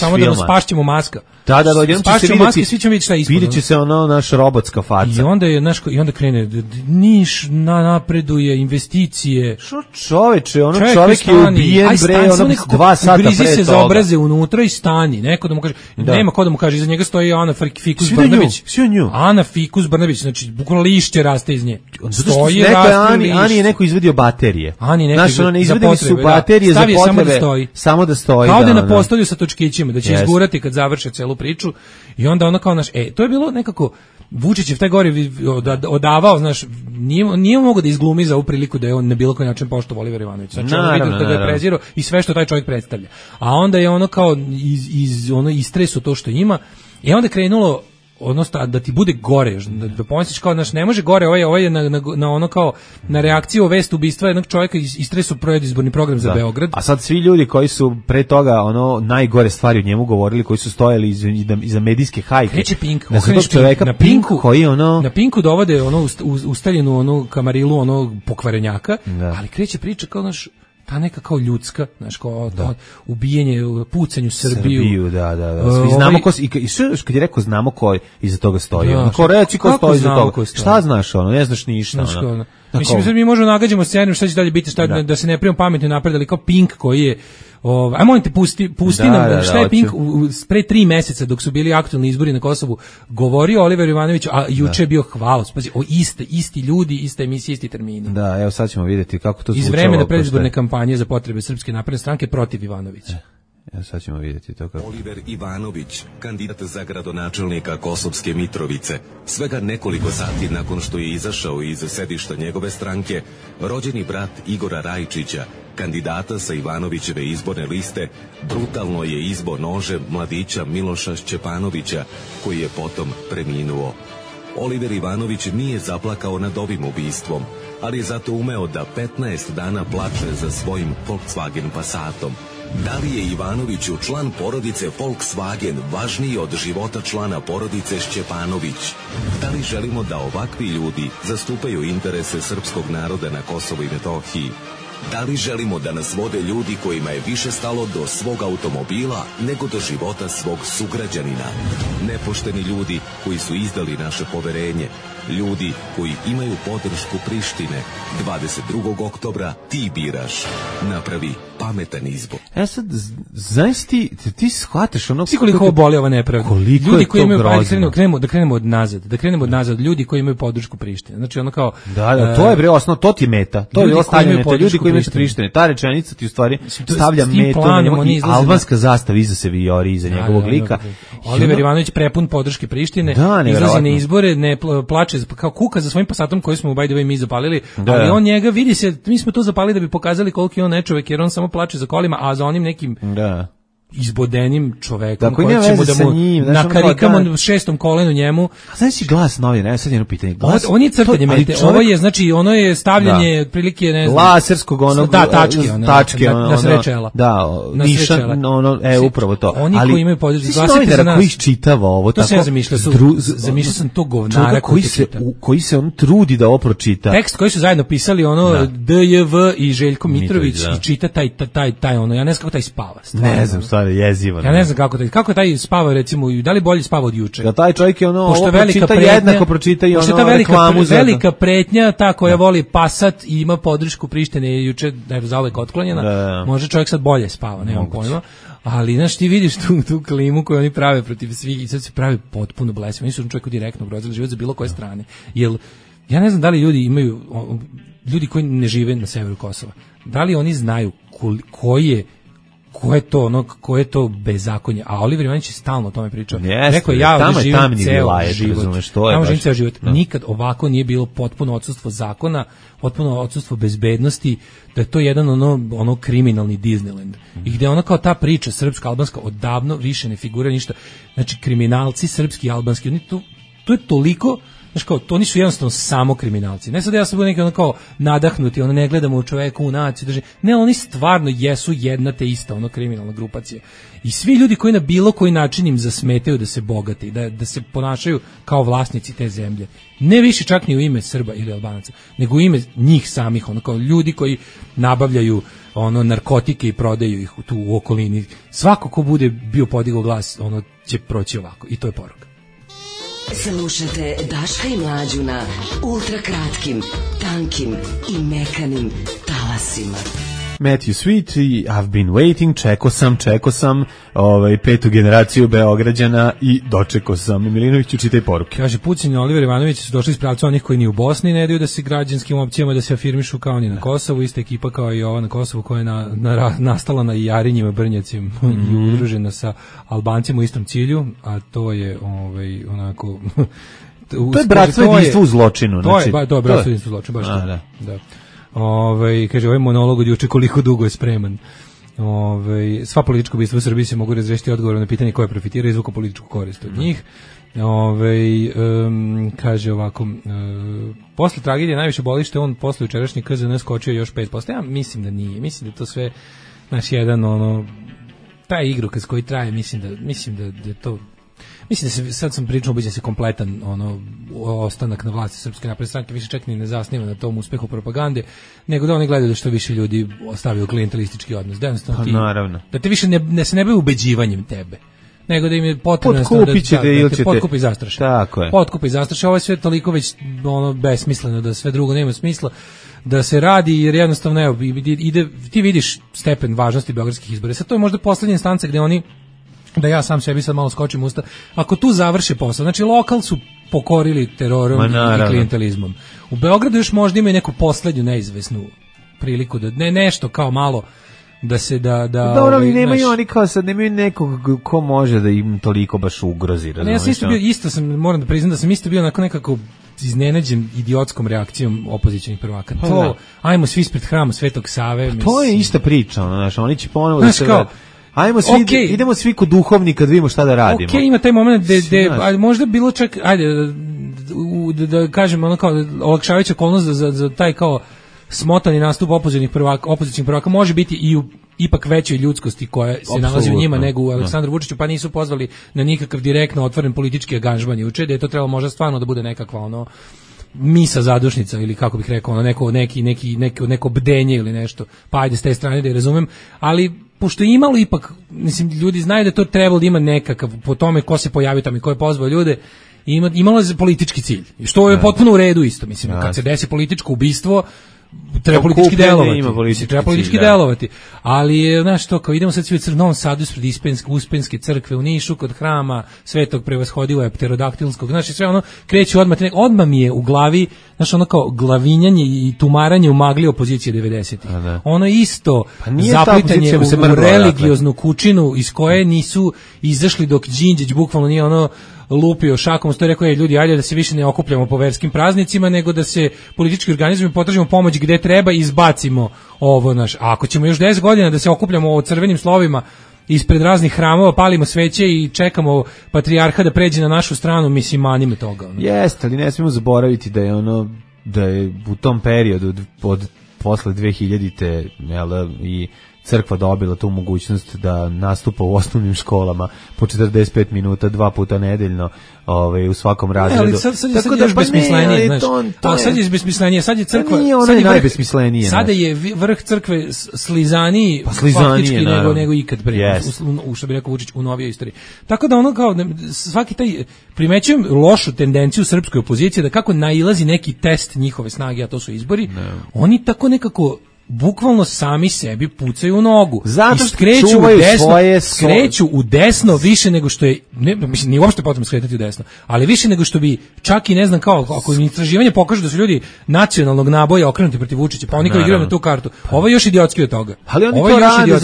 samo da nas spašćemo maska. Da, spašćemo maske, svi ćemo vidjeti šta je ispod. Vidjet će se ono naš robotska faca. I onda krene, Niš napreduje, investicije. Što čoveče, čovjek je ubijen, bre, 2 sata pre toga. Grizi se za obraze unutra i stani. Neko da mu kaže, nema ko da mu kaže, iza njega stoji Ana Fikus Brnabić. Ana Fikus Brnabić, znači bukvalno lišće raste iz nje. Stoji, raste lišće. Ani je neko izvadio baterije. Znaš, ne izvedili su baterije za potrebe, samo da stoji. Kao da na postolju sa točkićima, da će izgurati kad završe celu priču. I onda ono kao to je bilo nekako Vučićev taj gore odavao, znaš, nije mogao da izglumi za ovu priliku da je on na bilo koji način poštovao Olivera Ivanovića. Znači, ono vidio da ga je prezirao i sve što taj čovjek predstavlja. A onda je ono kao istresu to što ima i onda krenulo odnosno da ti bude gore, da pomisliš kao, znaš, ne može gore, ovo je na ono kao na reakciju o vest ubistva jednog čovjeka istresu predizborni program za Beograd. A sad svi ljudi koji su pre toga najgore stvari o njemu govorili, koji su stojali iza medijske hajke. Kreće Pink, na Pinku dovode ustaljenu kamarilu pokvarenjaka, ali kreće priča kao naš ta neka kao ljudska, znaš, kao ubijenje, pucanju Srbiju. Da. Svi znamo ko i kad je rekao znamo ko iza toga stoji. Ko reći ko stoji iza toga. Šta znaš ne znaš ništa. Mislim sad mi možemo nagađamo scenariju šta će dalje biti, da se ne primamo pametno napred, ali kao Pink koji je aj molim te pusti nam šta je Pink pre 3 meseca dok su bili aktualni izbori na Kosovu govorio Oliver Ivanović, a juče je bio hvalac. Pazi, isti ljudi, ista emisija, isti termini. Da, evo sad ćemo vidjeti kako to zvučalo. Iz vremena predizborne kampanje za potrebe Srpske napredne stranke protiv Ivanovića. Ja sad ćemo vidjeti to kako. Oliver Ivanović, kandidat za gradonačelnika Kosovske Mitrovice, svega nekoliko sati nakon što je izašao iz sedišta njegove stranke, rođeni brat Igora Rajčića, kandidata sa Ivanovićeve izborne liste, brutalno je izbo nožem mladića Miloša Šćepanovića, koji je potom preminuo. Oliver Ivanović nije zaplakao nad ovim ubistvom, ali je zato umeo da 15 dana plače za svojim Volkswagen Passatom. Da li je Ivanoviću član porodice Volkswagen važniji od života člana porodice Šćepanović? Da li želimo da ovakvi ljudi zastupaju interese srpskog naroda na Kosovu i Metohiji? Da li želimo da nas vode ljudi kojima je više stalo do svog automobila nego do života svog sugrađanina? Nepošteni ljudi koji su izdali naše poverenje, ljudi koji imaju podršku Prištine. 22. oktobra ti biraš. Napravi pametan izbor. Sad, znaš ti shvataš ono... Svi koliko boli ova nepravda. Ljudi koji imaju, da krenemo od nazad, ljudi koji imaju podršku Prištine. Znači ono kao... Da, to je bre osnovno, to ti meta. To je ostavljanje meta, ljudi koji imaju Prištine. Ta rečenica ti u stvari stavlja metu na njemu i albanska zastava iza se vijori, iza njegovog lika. Oliver Ivanović prepun podrške Prištine, izlazi na izbore, ne plače, kao kuka za svojim Passatom koji smo by the way mi zapalili, ali on njega vidi se, mi smo to zapalili da bi pokazali koliko je on nečovek, jer on samo plače za kolima, a za onim nekim izbodenim čovekom koji ćemo da mu nakarikamo 6. kolenu njemu. A znaš si Glas novina, sad jedno pitanje. On je crtanje mete, ovo je, znači, ono je stavljanje prilike, ne znam, laserskog onog, tačke, na srečela. Da, nišan, upravo to. Oni koji imaju podršku, glasite za nas. Koji čitava ovo, to sam ja zamišljao sam to govnara koji se on trudi da ovo pročita. Tekst koji su zajedno pisali, ono, DJV i Željko Mitrović, i čita taj, ono, ja ne znam kako taj spava. Ne znam, jezivo. Ja ne znam kako taj spava, recimo, da li bolje spava od juče. Da taj čovjek je ovo pročita, jednako pročita i ono reklamu za... velika pretnja, ta koja voli Passat i ima podršku Prištine je juče zauvek otklonjena, može čovjek sad bolje spava, nemam pojma. Ali, znaš, ti vidiš tu klimu koju oni prave protiv svih i sad se pravi potpuno blesimo. Oni su čovjeku direktno ugrozili život za bilo koje strane. Jer, ja ne znam da li ljudi koji ne žive na severu Kosova, da li oni znaju ko je to bezakonje, a Oliver Ivanović je stalno o tome pričao. Rekao je, ja živim ceo život. Nikad ovako nije bilo potpuno odsustvo zakona, potpuno odsustvo bezbednosti, da je to jedan ono kriminalni Disneyland. I gde ono kao ta priča srpsko-albanska odavno više ne figura ništa. Znači, kriminalci srpski i albanski, to je toliko, znaš kao, to oni su jednostavno samo kriminalci. Ne sad ja sam bio neki ono kao nadahnuti, ono ne gledamo u čoveku, u naciju, drži. Ne, oni stvarno jesu jedna te ista ono kriminalna grupacija. I svi ljudi koji na bilo koji način im zasmetaju da se bogate, da se ponašaju kao vlasnici te zemlje. Ne više čak ni u ime Srba ili Albanaca, nego u ime njih samih, ono kao ljudi koji nabavljaju ono narkotike i prodaju ih tu u okolini. Svako ko bude bio podigao glas, ono će proći ovako. I to je poruka. Slušajte Daška i Mlađu na ultrakratkim, tankim i mekanim talasima. Matthew Sweet i I've been waiting, čeko sam petu generaciju Beograđana i dočeko sam. Milinoviću, čitaj poruke. Kaže, Pucin i Oliver Ivanović su došli iz pravca onih koji ni u Bosni ne daju da se građanskim opcijama da se afirmišu kao ni na Kosovu, ista ekipa kao i ova na Kosovu koja je nastala na Jarinjima, Brnjacima i udružena sa Albancima u istom cilju, a to je onako... to je bratstvo jedinstvo u zločinu. To je bratstvo jedinstvo u zločinu, baš to. Da. Kaže, ovaj monolog od juče koliko dugo je spreman. Sva politička ubistva u Srbiji se mogu razrešiti odgovorom na pitanje koje profitira i izvuku političku korist od njih. Kaže ovako, posle tragedije najviše boli što on posle jučerašnji KZN skočio još 5%. Ja mislim da nije, mislim da to sve naš jedan taj igrokaz koji traje, mislim da je to. Mislim da se, sad sam pričao, ubeđen se kompletan ostanak na vlasti Srpske napredne stranke više čak ni ne zasniva na tom uspehu propagande, nego da oni gledaju da što više ljudi ostavljaju klijentelistički odnos. Da jednostavno ti, naravno. Da te više ne bave ubeđivanjem tebe, nego da im je potrebno da te potkupi i zastraše. Tako je. Potkupi i zastraše, ovo je sve toliko već besmisleno da sve drugo nema smisla da se radi, jer jednostavno evo, ti vidiš stepen važnosti beogradskih izbora. Sad to je možda poslednja instanca gde oni, da ja sam sebi sad malo skočim usta, ako tu završe posao, znači lokal su pokorili terorom i klijentelizmom. U Beogradu još možda imaju neku poslednju neizvesnu priliku da nešto kao malo da se dobro, ali nemaju oni kao sad, nemaju nekog ko može da im toliko baš ugrozi. Ja sam isto moram da priznam da sam isto bio onako nekako iznenađen idiotskom reakcijom opozicionih prvaka. Ajmo svi ispred hrama Svetog Save. To je ista priča, oni će ponovo da se... Ajmo svi, idemo svi kod duhovnika da vidimo šta da radimo. Ima taj moment gde možda bilo čak, da kažem, ono kao olakšavajuća okolnost za taj kao smotani nastup opozicionih prvaka može biti i u ipak većoj ljudskosti koja se nalazi u njima nego u Aleksandru Vučiću, pa nisu pozvali na nikakav direktno otvoren politički angažman juče, da je to trebalo možda stvarno da bude nekakva misa zadušnica ili kako bih rekao, neko bdenje ili nešto, pa ajde s te strane da je razumem, ali pošto je imalo ipak, mislim, ljudi znaju da to trebalo da ima nekakav, po tome ko se pojavio tamo i ko je pozvao ljude, imalo je politički cilj, što je potpuno u redu isto, mislim, kad se desi političko ubistvo, treba politički delovati. Ali, znaš to, kao idemo sad svi u Novom Sadu ispred Uspenske crkve, u Nišu kod hrama Svetog prevashodivog pterodaktilskog, znači sve kreće odmah mi je u glavi, znaš, kao glavinjanje i tumaranje u magli opozicije 90-ih. Ono isto zaplitanje u religioznu kućinu iz koje nisu izašli dok Đinđić bukvalno nije lupio šakom, što je rekao, ljudi, ajde da se više ne okupljamo po verskim praznicima, nego da se politički organizujemo, potražimo pomoć gde treba i izbacimo ovo naš. A ako ćemo još 10 godina da se okupljamo o crvenim slovima ispred raznih hramova, palimo sveće i čekamo patrijarha da pređe na našu stranu, mislim, manime toga. Jeste, ali ne smijemo zaboraviti da je u tom periodu posle 2000-te i crkva dobila tu mogućnost da nastupa u osnovnim školama po 45 minuta, 2 puta nedeljno, u svakom razredu. Ali sad je još besmislenije, znaš. Sad je besmislenije, sad je crkva... Nije ono najbesmislenije. Sada je vrh crkve slizaniji faktički nego ikad prije, što bi rekao Vučić, u novijoj istoriji. Tako da svaki taj, primećujem lošu tendenciju srpskoj opozicije da kako nailazi neki test njihove snage, a to su izbori, oni tako nekako bukvalno sami sebi pucaju u nogu. Zato što skreću u desno više nego što je, mislim, nije uopšte potrebno skretati u desno, ali više nego što bi čak i ne znam kao, ako im istraživanje pokaže da su ljudi nacionalnog naboja okrenuti protiv Vučića, pa oni kao igraju na tu kartu. Ovo je još idiotski od toga. Ali oni to rade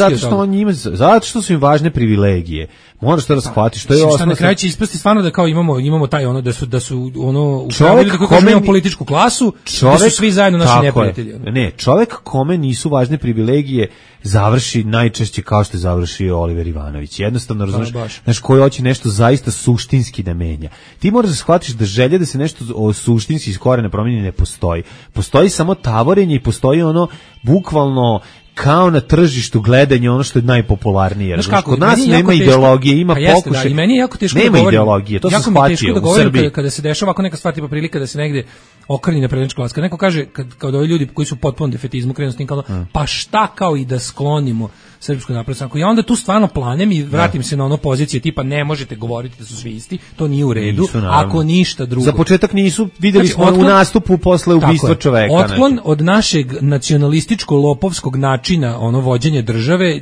zato što su im važne privilegije. Moraš to da shvatiš, to je osnovno. osnovno. Na kraju će ispasti stvarno da kao imamo taj ono da su ono čovjek kome imamo političku klasu, da su svi zajedno naši neprijatelji. Ne, čovjek kome nisu važne privilegije završi najčešće kao što je završio Oliver Ivanović. Jednostavno, razumiješ, znaš, koji hoće nešto zaista suštinski da menja. Ti moraš da shvatiš da želja da se nešto suštinski iz korena promijeni ne postoji. Postoji samo tavorenje i postoji ono bukvalno kao na tržištu gledanje ono što je najpopularnije. Kod nas nema ideologije, ima pokušaj. I meni je jako teško nema ideologije, to se shvatio u Srbiji. Kada se dešava ovako neka stvar tipa prilika da se negde okreni na prednjačku vlast. Kad neko kaže, kad ovi ljudi koji su potpuno defetizmu krenu s tim kao, pa šta kao i da sklonimo Srpsku naprednu stranku. Ja onda tu stvarno planem i vratim se na ono pozicije tipa ne možete govoriti da su svi isti, to nije u redu, ako ništa drugo. Za početak nisu, videli smo u nastupu posle ubistva čoveka. Otklon od našeg nacionalističko-lopovskog načina ono vođenja države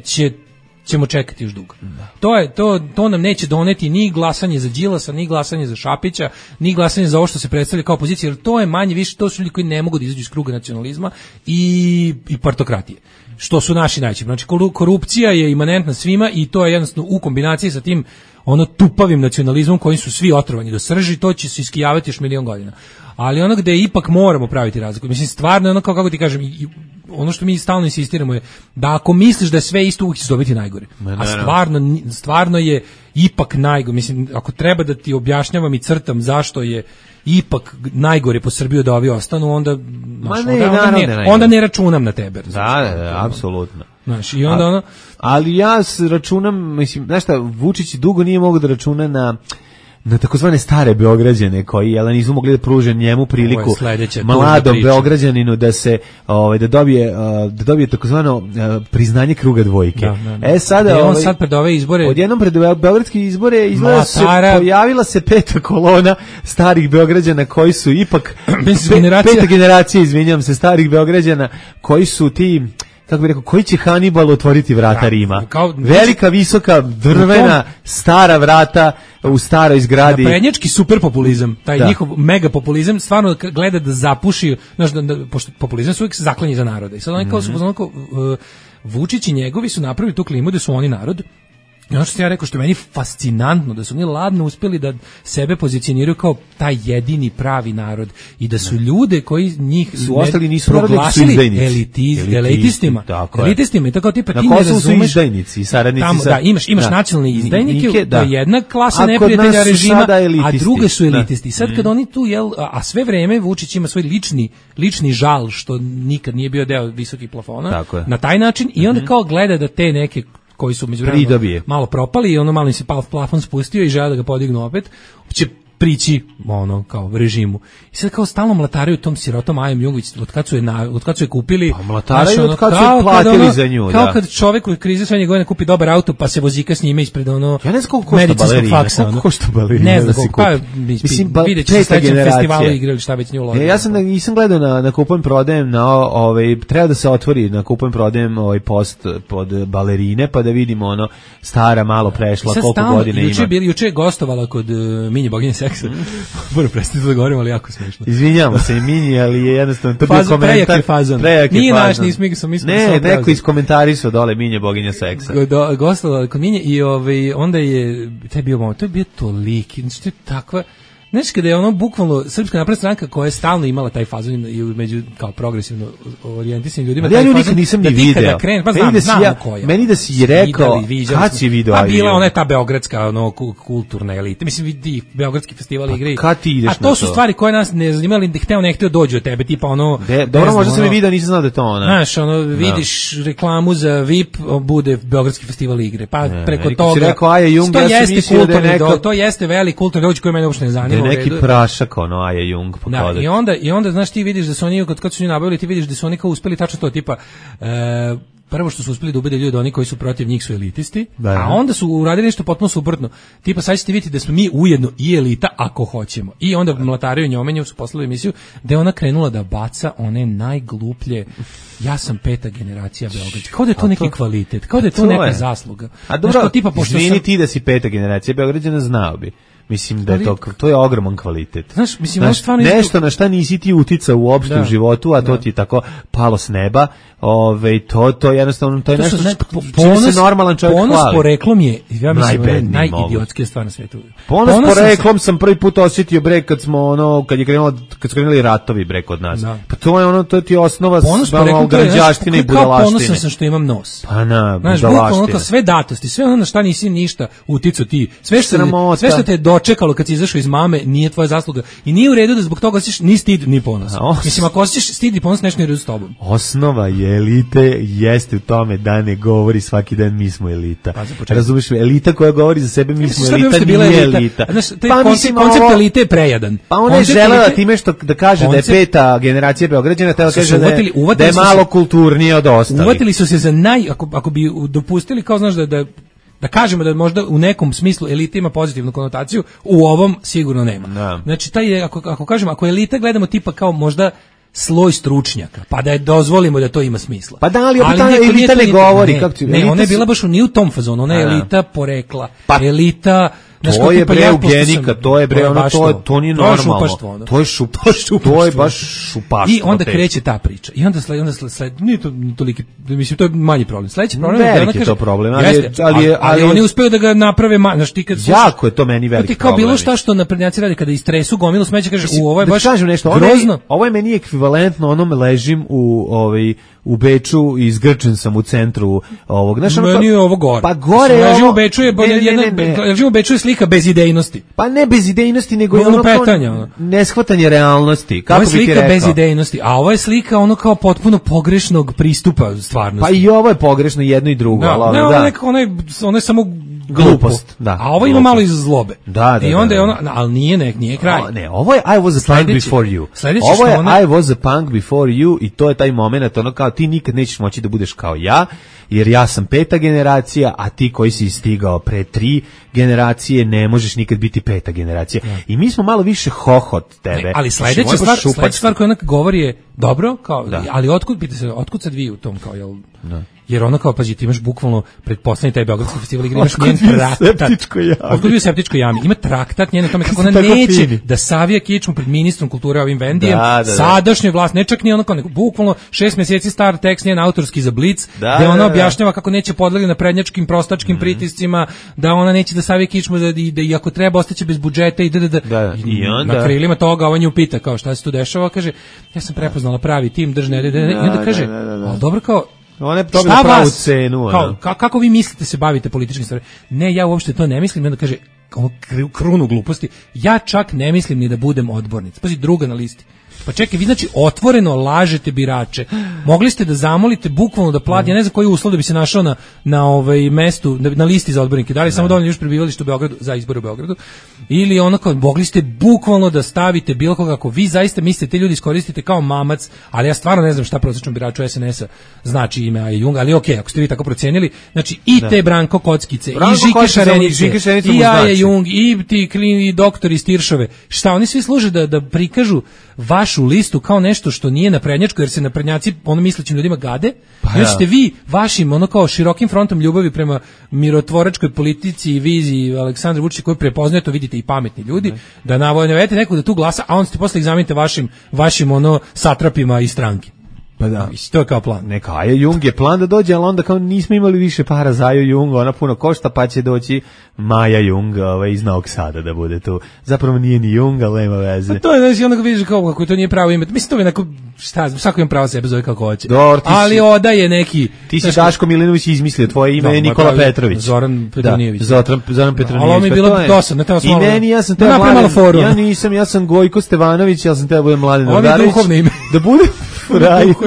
ćemo čekati još dugo. To nam neće doneti ni glasanje za Đilasa, ni glasanje za Šapića, ni glasanje za ovo što se predstavlja kao opozicija, jer to je manje više, to su ljudi koji ne mogu da izađu iz kruga nacionalizma i partokratije. Što su naši najčešći. Znači, korupcija je imanentna svima i to je jednostavno u kombinaciji sa tim ono tupavim nacionalizmom kojim su svi otrovani do srži, to će se iskijavati još milion godina. Ali ono gde ipak moramo praviti razliku. Mislim, stvarno, ono kako ti kažem, ono što mi stalno insistiramo je da ako misliš da je sve isto, uvijek ćeš dobiti najgore. A stvarno je ipak najgore. Mislim, ako treba da ti objašnjavam i crtam zašto je ipak najgore po Srbiju da ovi ostanu, onda ne računam na tebe. Da, apsolutno. Znaš, i onda ali ja računam, mislim, znaš šta, Vučić dugo nije mogao da računa na takozvane stare Beograđane koji nisu mogli da pruže njemu priliku mladom Beograđaninu da se da dobije takozvano priznanje kruga dvojke. Sada on sad pred ove izbore, odjednom pred beogradske izbore pojavila se peta kolona starih Beograđana koji su ipak peta generacija, izvinjavam se, starih Beograđana koji su ti, kako bih rekao, koji će Hannibal otvoriti vrata Rima? Velika, visoka, drvena, stara vrata u staroj zgradi. Naprednjački superpopulizam, taj njihov megapopulizam, stvarno gleda da zapuši, znaš, pošto populizam su uvijek zaklanji za narode. I sad oni kao su Vučić i njegovi su napravili tu klimu da su oni narod. I ono što sam ja rekao, što je meni fascinantno, da su oni ladno uspjeli da sebe pozicioniraju kao taj jedini pravi narod i da su ljude koji njih su ostali nisu proglasili elitistima. Elitistima i tako tipa ti ne razumeš. Su izdajnici, saradnici tamo, da, imaš nacionalne izdajnike, to je jedna klasa neprijatelja režima, a druge su elitisti. Sad kad oni tu, a sve vreme Vučić ima svoj lični žal što nikad nije bio deo visokih plafona, na taj način, i onda kao gleda da te neke koji su međuvremeno malo propali i ono malo im se plafon spustio i žele da ga podignu opet, će prići ono kao režimu. I sad kao stalno mlataraju tom sirotom Ajom Jungović od kad su je kupili. Pa mlataraju od kad su je platili za nju. Kao kad čovjek u krizi srednje godine kupi dobar auto pa se vozika s njime ispred medicinskog faksa. Koliko košta balerina? Ne znam koliko. Mislim, vidjet će se sledećem festivalu igrali šta već nju uložili. Ja sam nisam gledao na kupujem prodajem, treba da se otvori na kupujem prodajem post pod balerine pa da vidimo ono stara malo prešla koliko godina ima. Juče je gostovala kod Minje Boginje seksa. Moram prestati da govorim, ali jako smiješno. Izvinjavamo se i Minji, ali je jednostavno to bio komentar. Nije naš, nismo ne, neko iz komentarisao dole Minje Boginja seksa. Gostovala kod Minje i onda je to je bio toliki, znači to je takva. Znači kada je ono bukvalno Srpska napredna stranka koja je stalno imala taj fazon i među kao progresivno orijentisanim ljudima, ali ja nju nikad nisam ni video. Meni da si rekao kad si video. A bila ona je ta beogradska ono kulturna elita. Mislim vidi beogradski festival igre. A to su stvari koje nas ne zanimaju, da hteo ne hteo dođu od tebe, tipa ono. Dobro, možda sam i video, nisam znao da je to ona. Znaš, ono vidiš reklamu za VIP, bude beogradski festival igre. Pa preko toga. Rekao Aja Jung, ja sam mislio da je neka. To jeste veliki kulturni događaj koji mene uopšte ne zanima. Neki prašak ono Aja Jung pokazati. I onda znaš ti vidiš da su oni kad su njih nabavili, ti vidiš da su oni kao uspeli tačno to tipa prvo što su uspeli da ubede ljude oni koji su protiv njih su elitisti, a onda su uradili nešto potpuno suprotno. Tipa sad ćete vidjeti da smo mi ujedno i elita ako hoćemo. I onda mlatariju njomenju su poslali emisiju da je ona krenula da baca one najgluplje ja sam peta generacija Beogradska. Kao da je to neki kvalitet, kao da je to neka zasluga. A dobro, tipa, izvini ti da si peta generacija Beograđana, znao bi. Mislim da je to je ogroman kvalitet. Znaš, mislim, nešto na šta nisi ti uticao uopšte u životu, a to ti je tako palo s neba. To jednostavno to je nešto čime se normalan čovjek hvali. Ponos poreklom je, ja mislim, najidiotskija stvar na svetu. Ponos poreklom sam prvi put osjetio kad su krenuli ratovi kod nas. Pa to je to ti osnova građaštine i budalaštine. Ponosan sam što imam nos. Pa na, budalaštine. Sve datosti, sve ono na šta nisi ništa uticao ti. Sve što te je dočekalo kad si izašao iz mame nije tvoja zasluga. I nije u redu da zbog toga osjećaš ni stid ni ponos. Mislim, ako osjećaš stid i ponos, nešto nije u redu s tobom. Osnova je elite jeste u tome da ne govori svaki dan mi smo elita. Razumiješ, elita koja govori za sebe mi smo elita nije elita. Koncept elite je prejadan. Pa ona je želela time što da kaže da je peta generacija Beograđana, tela kaže da je malo kulturnije od ostalih. Uvatili su se za ako bi dopustili, kao znaš da kažemo da možda u nekom smislu elita ima pozitivnu konotaciju, u ovom sigurno nema. Da. Znači, ako kažemo, ako elita gledamo tipa kao možda sloj stručnjaka, pa da je dozvolimo da to ima smisla. Pa da, ali elita ne govori. Ona je bila baš u tom fazonu, ona je elita porekla, elita... To je bre eugenika, to je bre to nije normalno. To je šupaštvo. To je baš šupaštvo. I onda kreće ta priča. I onda sled nije to toliki, mislim to je manji problem. Sledeći problem je da ona kaže problem, ali oni uspeju da ga naprave, znači ti kad jako je to meni veliki problem. Kao bilo šta naprednjaci rade kada istresu gomilu smeća, kaže ovo je baš grozno. Ovo je meni ekvivalentno onome ležim u Beču i izgrčen sam u centru ovog. Meni je ovo gore. Pa gore je ovo. Ležim u Beču je slika bez idejnosti. Pa ne bez idejnosti, nego je ono petanja, neshvatanje realnosti. Kako bi ti rekao? Ovo je slika bez idejnosti, a ovo je slika ono kao potpuno pogrešnog pristupa stvarnosti. Pa i ovo je pogrešno jedno i drugo. Ono je samo glupost. Da, a ovo ima malo iz zlobe. Da. I onda je ono, ali nije kraj. Ne, ovo je I was a punk before you. Ovo je I was a punk before you i to je taj moment, ono kao ti nikad nećeš moći da budeš kao ja, jer ja sam peta generacija, a ti koji si stigao pre 3 generacije ne možeš nikad biti peta generacija. Ja. I mi smo malo više hohot tebe. Ne, ali sledeća stvar koju ona govori je dobro, kao, ali otkud sad vi u tom, kao, jel... Da. Jer ono kao, pazi, ti imaš bukvalno pretpostavljeni taj beogradski festival igre, imaš njen traktat. Otkud bio u septičkoj jami? Ima traktat njene tome kako ona neće da savija kičmu pred ministrom kulture ovim Vendijem, sadašnjoj vlast, ne čak ni ono kao, bukvalno 6 mjeseci star tekst njen autorski za Blic, gde ona objašnjava kako neće podlegli na prednjačkim, prostačkim pritiscima, da ona neće da savija kičmu, da i ako treba ostaće bez budžeta i na krilima toga on nju pita kao šta se tu dešava, kaže, ja sam prepoznala pravi tim, i onda kaže, ali dobro kao, ona je dobila pravu cenu. Kako vi mislite se bavite političkim stvarima? Ne, ja uopšte to ne mislim. I onda kaže, krunu gluposti, ja čak ne mislim ni da budem odbornica. Pazi, druga na listi. Pa čekaj, vi znači otvoreno lažete birače. Mogli ste da zamolite bukvalno da plati, ja ne znam koji uslov da bi se našao na mestu, na listi za odbornike. Da li samo dovoljno još prebivalište u Beogradu za izbore u Beogradu? Ili onako, mogli ste bukvalno da stavite bilo koga, ako vi zaista mislite te ljudi iskoristite kao mamac, ali ja stvarno ne znam šta prosječnom biraču SNS-a znači ime Aje Jung, ali okej, ako ste vi tako procenili, znači i te Branko Kockice, i Žike Šarenice, i Aje Jung, i ti klini doktori iz Tiršove, šta oni svi služe da prikažu vašu listu kao nešto što nije naprednjačko, jer se naprednjaci ono mislećim ljudima gade, i ćete vi vašim ono kao širokim frontom ljubavi prema mirotvoračkoj politici i viziji Aleksandra Vučića koju prepoznaju, to vidite i pametni ljudi, da navedete nekog da tu glasa, a on ste posle ih zamenite vašim ono satrapima iz stranke. Pa da. To je kao plan. Neka Aja Jung je plan da dođe, ali onda kao nismo imali više para za Aju Jung, ona puno košta, pa će doći Maja Jung iz Novog Sada da bude tu. Zapravo nije ni Jung, ali nema veze. Pa to je, znači, onda vidiš kako to nije pravo ime. Mislim, to je neko, svako ima pravo sebe zove kako hoće. Ali odaje neki... Ti si Daško Milinović izmislio, tvoje ime je Nikola Petrović. Zoran Petronijević. Zoran Petronijević. Ali ovo mi je bilo dosadno, teo smo... I meni, ja sam teo ja sam Gojko Stevanović, ja sam teo da budem Mladen Nogarić. Ovo je duhovno ime. Da bude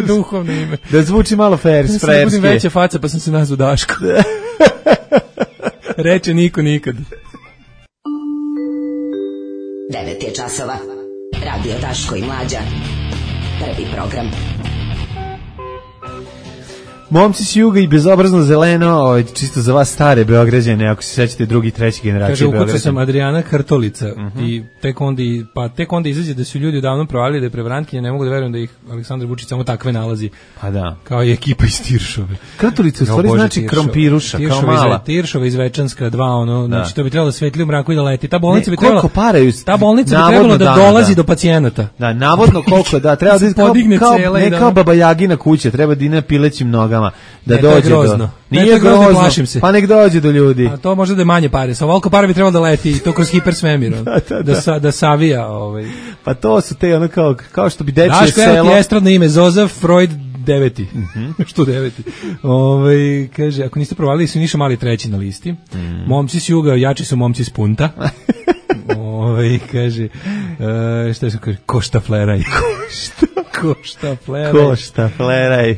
duhovno ime. Da zvuči malo frajerski. Ja sam veća faca pa sam se nazvao Daško. Reče niko nikad. 9 je časova. Radio Daško i Mlađa. Prvi program. Momci s juga i bezobrazno zeleno, čisto za vas stare Beograđane, ako se sećate drugi, treći generacije Beograđana. Kaže, ukucao sam Adriana Kartolica i tek onda izađe da su ljudi davno provalili da je prevrankinja, ne mogu da verujem da ih Aleksandar Vučić samo takve nalazi. Pa da. Kao i ekipa iz Tiršove. Kartolica u stvari znači krompiruša, kao mala. Tiršova iz Večanska 2, znači to bi trebalo da svetli u mraku i da leti. Ta bolnica bi trebalo da dolazi do pacijenata. Da, navodno koliko, da, treba da kao neka Baba Jagina kuća, treba da ide pilećim nogama da dođe do. Nije grozno, pa nek dođe do ljudi. A to može da je manje pare. Sa ovoliko para bi trebalo da leti i to kroz hipersvemir. Da savija. Pa to su te ono kao što bi dečije selo. Daško, evo ti estradno ime, Zoza Freud 9. Što 9? Kaže, ako niste provalili, su Niša Mali 3. na listi. Momci s juga, jači su momci s punta. Kaže, šta se kaže, košta fleraj. Košta fleraj.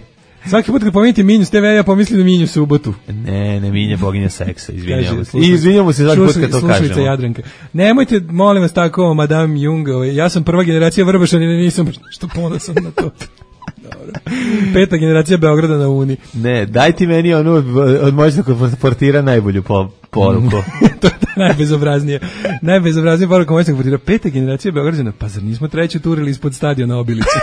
Svaki put kad pomenite Minju s TV, ja pomislim na Minju Subotu. Ne, Minja boginja seksa, izvinjamo se. I izvinjamo se svaki put kad to kažemo. Slušalica Jadranka. Nemojte, molim vas, tako, Madame Jung, ja sam prva generacija Vrbašana i nisam što ponosan na to. Dobro. 5. generacija Beograda na Uni. Ne, daj ti meni onu od moćnog portira najbolju poruku. To je najbezobraznije. Najbezobraznije poruka moćnog portira. 5. generacija Beograđana, pa zar nismo treću turili ispod stadiona Obilice?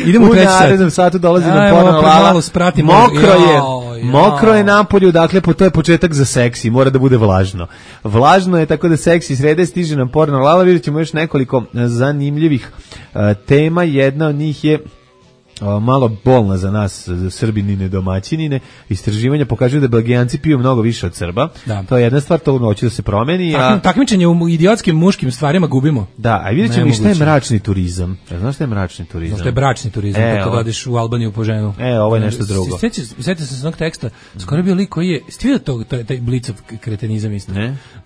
Idemo u treći sat. U narednom satu dolazi nam ponovno Lala. Mokro je napolju, dakle to je početak za seksi, mora da bude vlažno. Vlažno je, tako da seksi srede, stiže nam porno Lala, vidjet ćemo još nekoliko zanimljivih tema, jedna od njih je malo bolna za nas Srbinine domaćinine. Istraživanja pokazuju da Belgijanci piju mnogo više od Srba. Da. To je jedna stvar, to hoće da se promeni. Takmičenje u idiotskim muškim stvarima gubimo. Da, a vidjet ćemo i šta je mračni turizam. Znaš šta je mračni turizam? Znaš šta je bračni turizam, kako da odeš u Albaniju po ženu. Ovo je nešto drugo. Sjetio sam se onog teksta, skoro je bio lik koji je, stvio taj Blicov kretenizam isto.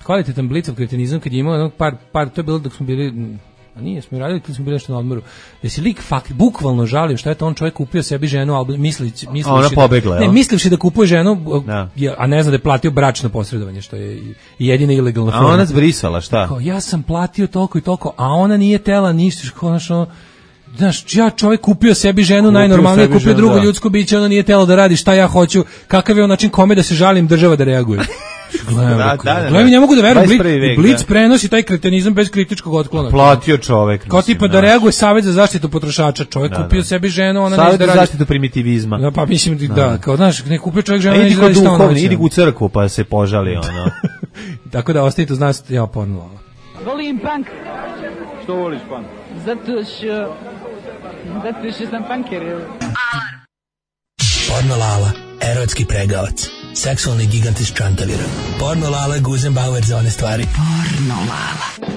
Kvalitetan Blicov kretenizam kad je imao par, to je bilo dok smo bili... A nije, smo radili kad smo bili nešto na odmoru. Da se lik bukvalno žalio što je to on čovjek kupio sebi ženu, mislivši da kupuje ženu, a ne zna da je platio bračno posredovanje, što je jedina ilegalna forma. A ona zbrisala, šta? Kao, ja sam platio toliko i toliko, a ona nije tela ništa, znaš, ja čovjek kupio sebi ženu, najnormalnije kupio drugo ljudsko biće, ona nije telo da radi šta ja hoću, kakav je on način kome da se žalim, država da reaguje. Gledaj, ne mogu da verujem, Blic prenosi taj kretenizam bez kritičkog otklona. Platio čovek. Kao tipa da reaguje Savez za zaštitu potrošača, čovek kupio sebi ženu, ona neće da radi. Savez za zaštitu primitivizma. Da, pa mislim da, kao znaš, ne kupio čovek ženu, neće da radi šta on hoće. Idi u crkvu pa se požali, ono. Tako da ostavite uz nas, ja porno. Volim punk. Što voliš punk? Zato što sam punker. Porno Lala, erotski pregavac. Seksualni gigant iz Čantavira. Porno Lala, Guzenbauer za one stvari. Porno Lala.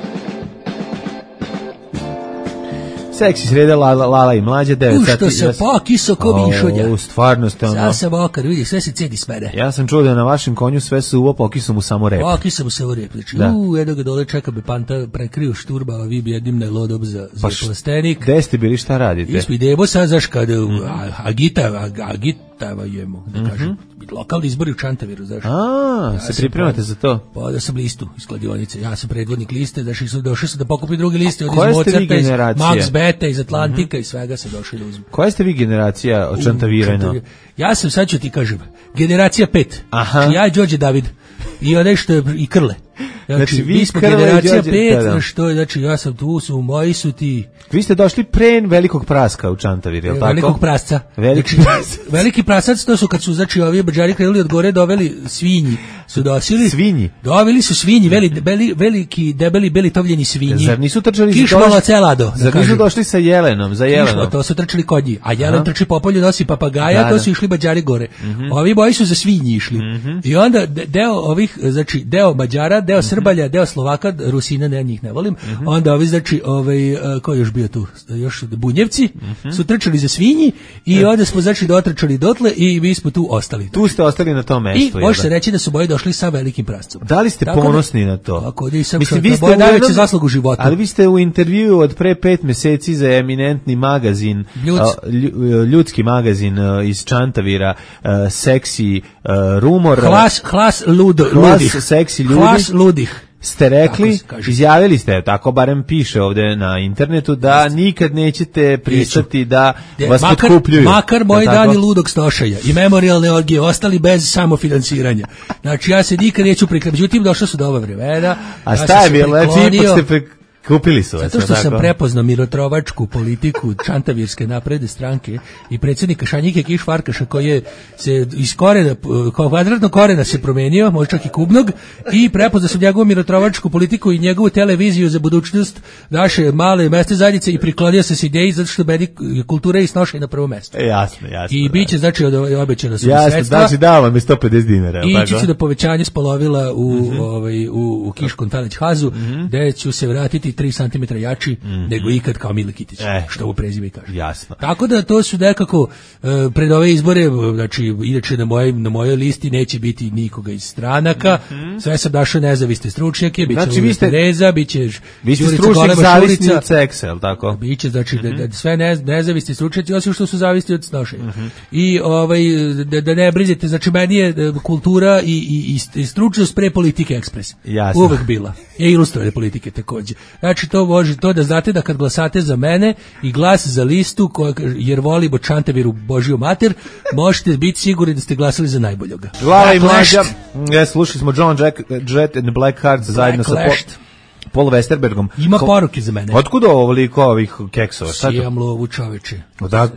Seksi sreda, Lala i mlađe, 9 sati. Ušto se pokiso ko mišulja. U stvarno ste ono. Sad sam okar, vidi, sve se cedi smere. Ja sam čuo da je na vašem konju sve suvo, pokiso mu samo rep. Pokiso mu samo rep. Znači, jedno ga dole čeka bi panta prekriju šturba, a vi bi jednim najlodob za plastenik. Gde ste bili, šta radite? Mi smo idemo sad, znaš, kada agitavajemo, da kažem. Lokalni izbori u Čantaviru, znaš. Se pripremate za to? Pa da sam listu iz kladionice. Ja sam predvodnik liste, došao sam da pokupim drugi liste od iz Mozarta, iz Max Beta, iz Atlantika i svega sam došao da uzmem. Koja ste vi generacija od Čantavirana? Ja sam, sad ću ti kažem, generacija 5. Ja i Đorđe David. I onaj što je i Krle. Znači vi smo generacija 5, što je, znači ja sam tu, moji su ti. Vi ste došli pre velikog praska u Čantavir, je li tako? Velikog prasca. Veliki prasac, to su kad su, znači, ovi bađari krenuli od gore, doveli svinji. Su dosili. Svinji? Doveli su svinji, veliki, debeli, beli tovljeni svinji. Zar nisu trčali? Kišmalo celado. Zar nisu došli sa jelenom, za jelenom? Kišmo, to su trčali konji, a jelen trči po polju, nosi papagaja, to su išli bađari gore. Ovi boji su za svinji išli. I onda deo ovih, znači, deo Mađara, deo Srbalja, deo Slovaka, Rusina, ne, njih ne volim. Onda ovi, znači, ko je još bio tu? Još Bunjevci su trčali za svinji i onda smo, znači, dotrčali dotle i mi smo tu ostali. Tu ste ostali na tom mestu. I može se reći da su boji došli sa velikim prascom. Da li ste ponosni na to? Tako, nisam što je najveći zaslug u životu. Ali vi ste u intervjuu od pre 5 meseci za eminentni magazin, ljudski magazin iz Čantavira, seksi rumor. Hlas ludih. Seksi ljudi. Hlas ludih. ste rekli, izjavili ste, tako barem piše ovde na internetu, da nikad nećete pristati da vas potkupljuju. Makar moji dani ludog stošaja i memorijalne orgije ostali bez samofinansiranja. Znači, ja se nikad neću prikladiti. Međutim, došla su dobra vremena. A šta je bilo? Znači, ipak ste kupili su vas. Zato što sam prepoznao mirotrovačku politiku Čantavirske napredne stranke i predsjednika Šanjike Kiš Farkaša, koji je se iz korena, kvadratnog korena se promenio, možda čak i kubnog, i prepoznao sam njegovu mirotrovačku politiku i njegovu televiziju za budućnost naše male mesne zajednice i priklonio sam se ideji zato što meni kultura i snošaj na prvo mesto. Jasno. I biće, znači, obećano su sredstva. Znači, dava mi 150 dinara. I ići ću do povećanja spolovila u Kiškom Taleć Hazu, gde ću se vratiti 3 cm jači nego ikad kao Mile Kitić, što u prezime kaže. Jasno. Tako da to su nekako pred ove izbore, znači inače na mojoj listi neće biti nikoga iz stranaka, sve sam našao nezavisne stručnjake, biće znači, Tereza, biće vi ste stručnjak zavisni od seksa, jel tako? Biće, znači da sve nezavisni stručnjaci, osim što su zavisni od snošenja. I da ne brizite, znači meni je kultura i stručnost pre politike ekspres. Jasno. Uvek bila. I ilustrovane politike takođe. Znači to može to da znate da kad glasate za mene i glas za listu jer volimo Čantaviru Božiju mater, možete biti sigurni da ste glasali za najboljoga. Glava i mlađa. Slušali smo John Jett and the Blackhearts zajedno sa Paul Westerbergom. Ima poruke za mene. Otkuda ovoliko ovih keksova? Sijam lovu, čoveče.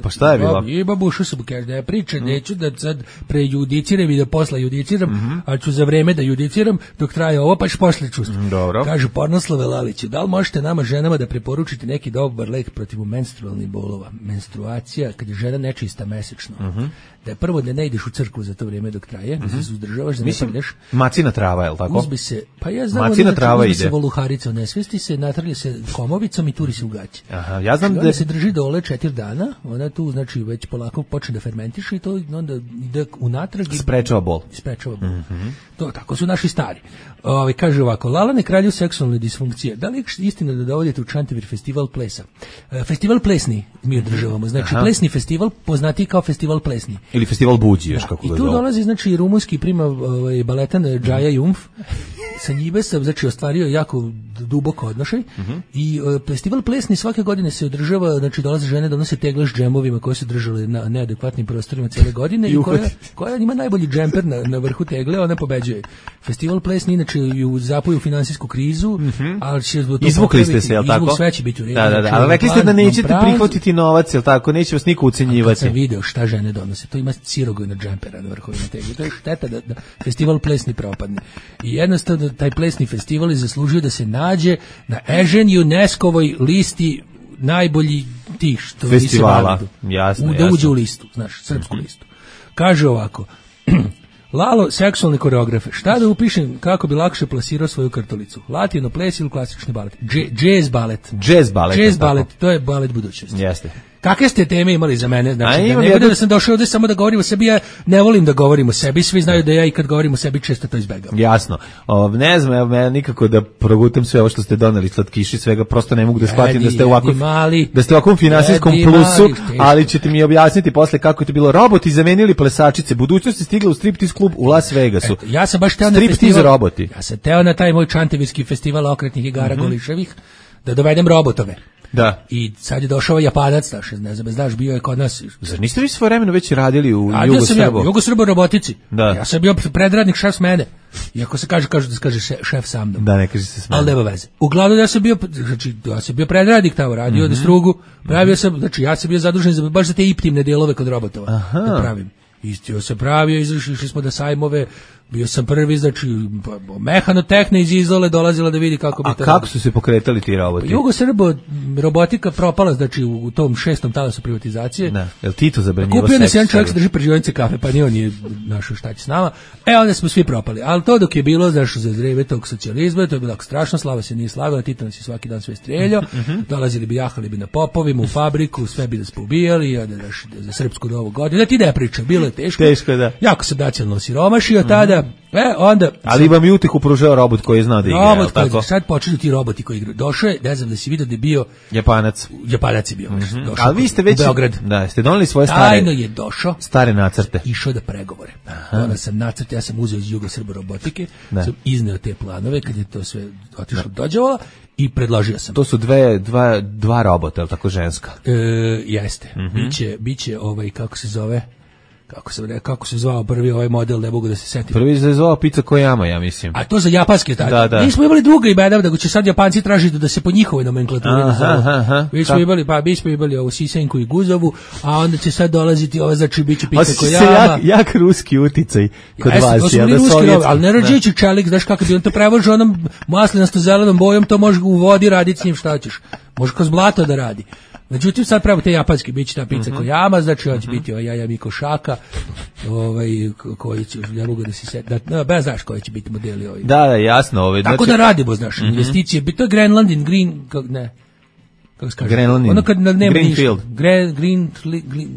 Pa šta je bilo? Ima bušu sam, kaže da ja pričam, neću da sad prejudiciram i da posle judiciram, ali ću za vreme da judiciram dok traje ovo, pa ću posle čusti. Dobro. Kaže Pornoslave Laliću, da li možete nama ženama da preporučite neki dobar lek protiv menstrualnih bolova? Menstruacija, kad je žena nečista mesečno, da je prvo da ne ideš u crkvu za to vrijeme dok traje, da se uzdržavaš, da ne ideš. Macina trava, je li tako? Uzbi se, pa ja znam, macina trava ide. Se voluharica, nesvesti se, natrlje se komovicom i turi se u gaće. Aha, ja znam da se drži dole 4 dana, ona tu znači već polako počne da fermentiše i to onda ide unatrag i sprečava bol. To tako su naši stari. Kaže ovako, Lalane kralju seksualne disfunkcije. Da li je istina da dovodite u Čantavir festival plesa? Festival plesni mi održavamo. Znači plesni festival poznati kao festival plesni. Ili festival buđi, još kako ga zove. I tu dolazi znači rumunski prima baletan Džaja Jumf. Sa njime sam znači ostvario jako duboko odnošaj i festival plesni svake godine se održava, znači dolaze žene, donose tegle s džemovima koje su držale na neadekvatnim prostorima cijele godine i koja ima najbolji džemper na vrhu tegle, ona pobeđuje. Festival plesni inače ju zapoju finansijsku krizu, ali će izvukli ste se, jel tako? Sve će biti u redu. Da, ali rekli ste da nećete prihvatiti novac, jel tako? Neće vas niko ucenjivati. Kad sam video šta žene donose, to ima cirogojna džempera na vrhovima tegle. To je šteta da festival plesni propadne. I jednostavno taj plesni festival je zaslužio da se nađe na Ežen UNESCO-ovoj listi najbolji tih što festivala. Jasno. Da uđe u listu, znaš, srpsku listu. Kaže ovako, Lalo, seksualne koreografe. Šta da upišem kako bi lakše plasirao svoju kartolicu? Latino ples ili klasični balet? Jazz balet. Jazz balet, to je balet budućnosti. Jeste. Kakve ste teme imali za mene? Znači, da ne bude da sam došao ovdje samo da govorim o sebi, ja ne volim da govorim o sebi, svi znaju da ja i kad govorim o sebi često to izbegavam. Jasno. Ne znam, ja nikako da progutam sve ovo što ste doneli, slatkiši, svega, prosto ne mogu da shvatim da ste u ovakvom finansijskom plusu, ali ćete mi objasniti posle kako je to bilo. Roboti zamenili plesačice, budućnost je stigla u striptiz klub u Las Vegasu. Ja sam baš teo na festival, roboti. Ja sam teo na taj moj Čantavirski festival okretnih igara Goliševih da dovedem robotove. Da. I sad je došao Japanac, ne znam, znaš, bio je kod nas. Zar niste vi svojevremeno već radili u Jugosrbo robotici? Da. Ja sam bio predradnik, šef s mene. Iako se kaže da se kaže šef sa mnom. Da, ne kaže se s mnom. Ali nema veze. Uglavnom ja sam bio predradnik tamo, radio da strugu, pravio sam, znači ja sam bio zadužen baš za te iptimne delove kod robotova. Da pravim. Istio se pravio, išli smo da sajmove, bio sam prvi, znači mehanotehna iz Izole dolazila da vidi kako bi to. A kako su se pokretali ti roboti? Jugosrbo robotika propala, znači u tom 6. talasu privatizacije. Da. Jel Tito zabranjivo kupio nas jedan čovjek se drži prežionice kafe, pa ni on nije našao šta će s nama. Onda smo svi propali. Ali to dok je bilo, znači za vreme tog socijalizma, to je bilo strašno, Slava se nije slagala, Tito nas je svaki dan sve streljao, dolazili bi, jahali bi na popovima, u fabriku, sve bi nas poubijali, za srpsku novu godinu. Da ti ne pričam, bilo je teško. Teško, da. Jako sam nacionalno siromašio tada. onda, onda... Ali vam i utihu pružao robot koji je znao da igra, Robot koji, tako? sad počeli ti roboti koji igraju. Došao je, ne znam da si vidio da je bio... Japanac je bio. Došao ali vi ste već... u Beograd. Da, ste doneli svoje Tajno je došao. Stare nacrte. Išao da pregovore. Onda sam nacrt, ja sam uzeo iz Jugosrbo robotike, sam izneo te planove, kad je to sve otišlo dođavala, i predložio sam. To su dva robota, je li tako ženska? Jeste. Biće kako se zvao prvi ovaj model, ne mogu da se setim. Prvi se zvao Pizza Koyama, ja mislim. A to za japanske tako. Da. Mi smo imali druga imena, da će sad Japanci tražiti da se po njihovoj nomenklaturi nazovu. Mi smo imali ovu Sisenku i Guzovu, a onda će sad dolaziti ova, znači biće Pizza Koyama. Jak ruski uticaj kod vas. To su bili ruski, ali ne rađeći čelik, znaš kako bi on to prevožio onom maslinasto zelenom bojom, to može u vodi raditi s njim šta ćeš. Može kroz blato da radi. Međutim, sad pravo te japanske, bit će ta Pizza Koyama, znači hoće biti Jaja Mikošaka, koji će, ne mogu da se seti, bez znaš koji će biti modeli ovi. Da, jasno. Tako da radimo, znaš, investicije, to je Greenland in Green, ne, kako se kaže? Greenland in ono kad nema Greenfield.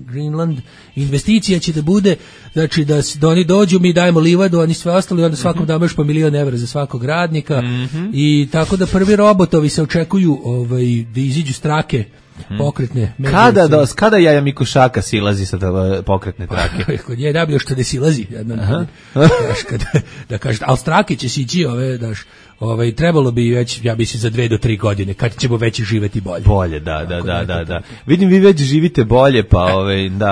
Greenland, investicija će da bude, znači da oni dođu, mi dajemo livadu, oni sve ostali, onda svakom damo još po $1.000.000 za svakog radnika, i tako da prvi robotovi se očekuju da iziđu strake, pokretne. Kada Jaja Mikošaka silazi sa pokretne trake? Kod nje da bi još da silazi. Da kažete, ali strake će sići trebalo bi već, ja mislim, za 2 do 3 godine, kad ćemo već živeti bolje. Bolje, da. Vidim, vi već živite bolje, pa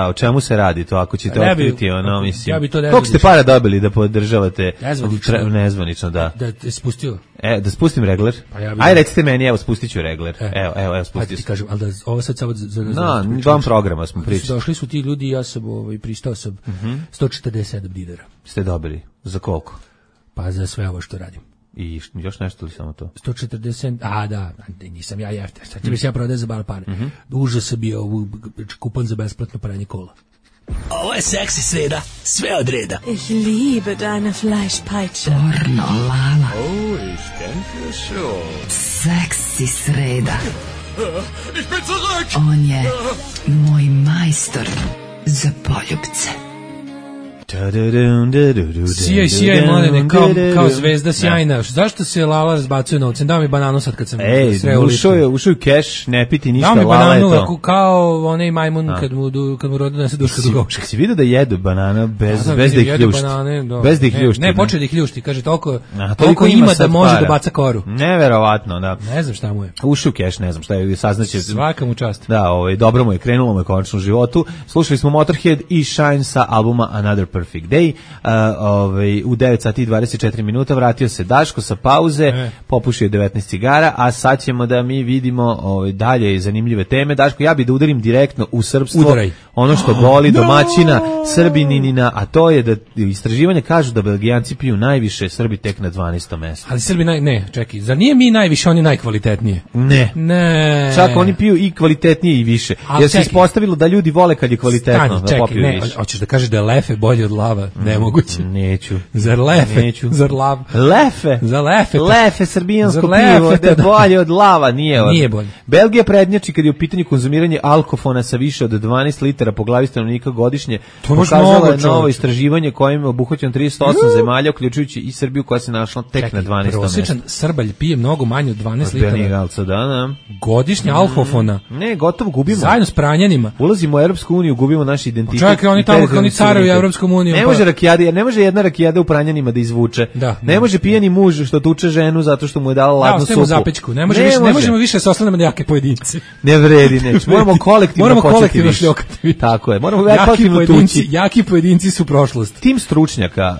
o čemu se radi to, ako ćete otkriti, mislim. Koliko ste para dobili da podržavate? Nezvanično, da. Da te spustio? Da spustim regler? Aj, recite meni, evo, spustit ću regler. Evo, spustit ću. Ti kažem, ali da ovo sad samo za... Dva programa smo pričali. Došli su ti ljudi, ja sam pristao sam $147. Ste dobili? Za koliko? Pa za sve ovo što radim. I još nešto li samo to? 140, da, nisam ja jefter, sad će mi se ja prodati za bar pare. Užas sam bio kupan za besplatno pranje kola. Ovo je seksi sreda, sve od reda. Ich liebe deine Fleischpeitsche. Pornolala. Oh, ich denke schon. Seksi sreda. Ich bin zurück! On je moj majstor za poljubce. Sijaj, mladene, kao zvezda sjajna. Zašto se Lala razbacuje novcem? Dao mi bananu sad kad sam sreo ličku. Ušao je keš, ne piti ništa, Lala je to. Dao mi bananu kao onaj majmun kad mu rodu nese duška dugovška. Si vidio da jedu banana bez da ih ljušti? Bez da ih ljušti. Ne, počeo da ih ljušti, kaže toliko ima da može da baca koru. Neverovatno, da. Ne znam šta mu je. Ušao u keš, ne znam šta je, saznaće. Svaka mu čast. Da, dobro mu je, krenulo mu je konačno u životu. Slušali smo Motorhead i Shine sa albuma Another Perfect Day. U 9 sati i 24 minuta vratio se Daško sa pauze, popušio 19 cigara, a sad ćemo da mi vidimo dalje zanimljive teme. Daško, ja bi da udarim direktno u srpstvo. Udaraj. Ono što boli domaćina, Srbininina, a to je da istraživanja kažu da Belgijanci piju najviše, Srbi tek na 12. mesto. Ali Srbi čekaj, zar nije mi najviše, oni najkvalitetnije? Ne. Čak oni piju i kvalitetnije i više. Jer se ispostavilo da ljudi vole kad je kvalitetno da popiju više. Hoćeš da kažeš da je lefe bolje od lava? Nemoguće. Neću. Zar lefe? Neću. Zar lav? Lefe. Za lefe. Lefe, srbijansko pivo, da je bolje od lava, nije bolje. Belgija prednjači kad je u pitanju konzumiranje alkofona sa više od 12 litara po glavi stanovnika godišnje. Pokazalo je novo istraživanje kojim je obuhvaćeno 38 zemalja, uključujući i Srbiju koja se našla tek na 12. mestu. Prosječan Srbalj pije mnogo manje od 12 litara. Da. Godišnje alkofona. Ne, gotovo gubimo. Zajedno s pranjanima. Ulazimo u Europsku uniju, gubimo naš identitet. Čekaj, oni tamo kao oni caruju u Europsku uniju. Ne može jedna rakijada u pranjanima da izvuče. Ne može pijani muž što tuče ženu zato što mu je dala ladnu supu. Zapečku. Ne možemo više se oslanjati na jake pojedince. Ne vredi, moramo kolektivno šljokati. Tako je. Moramo kolektivno tući. Jaki pojedinci su prošlost. Tim stručnjaka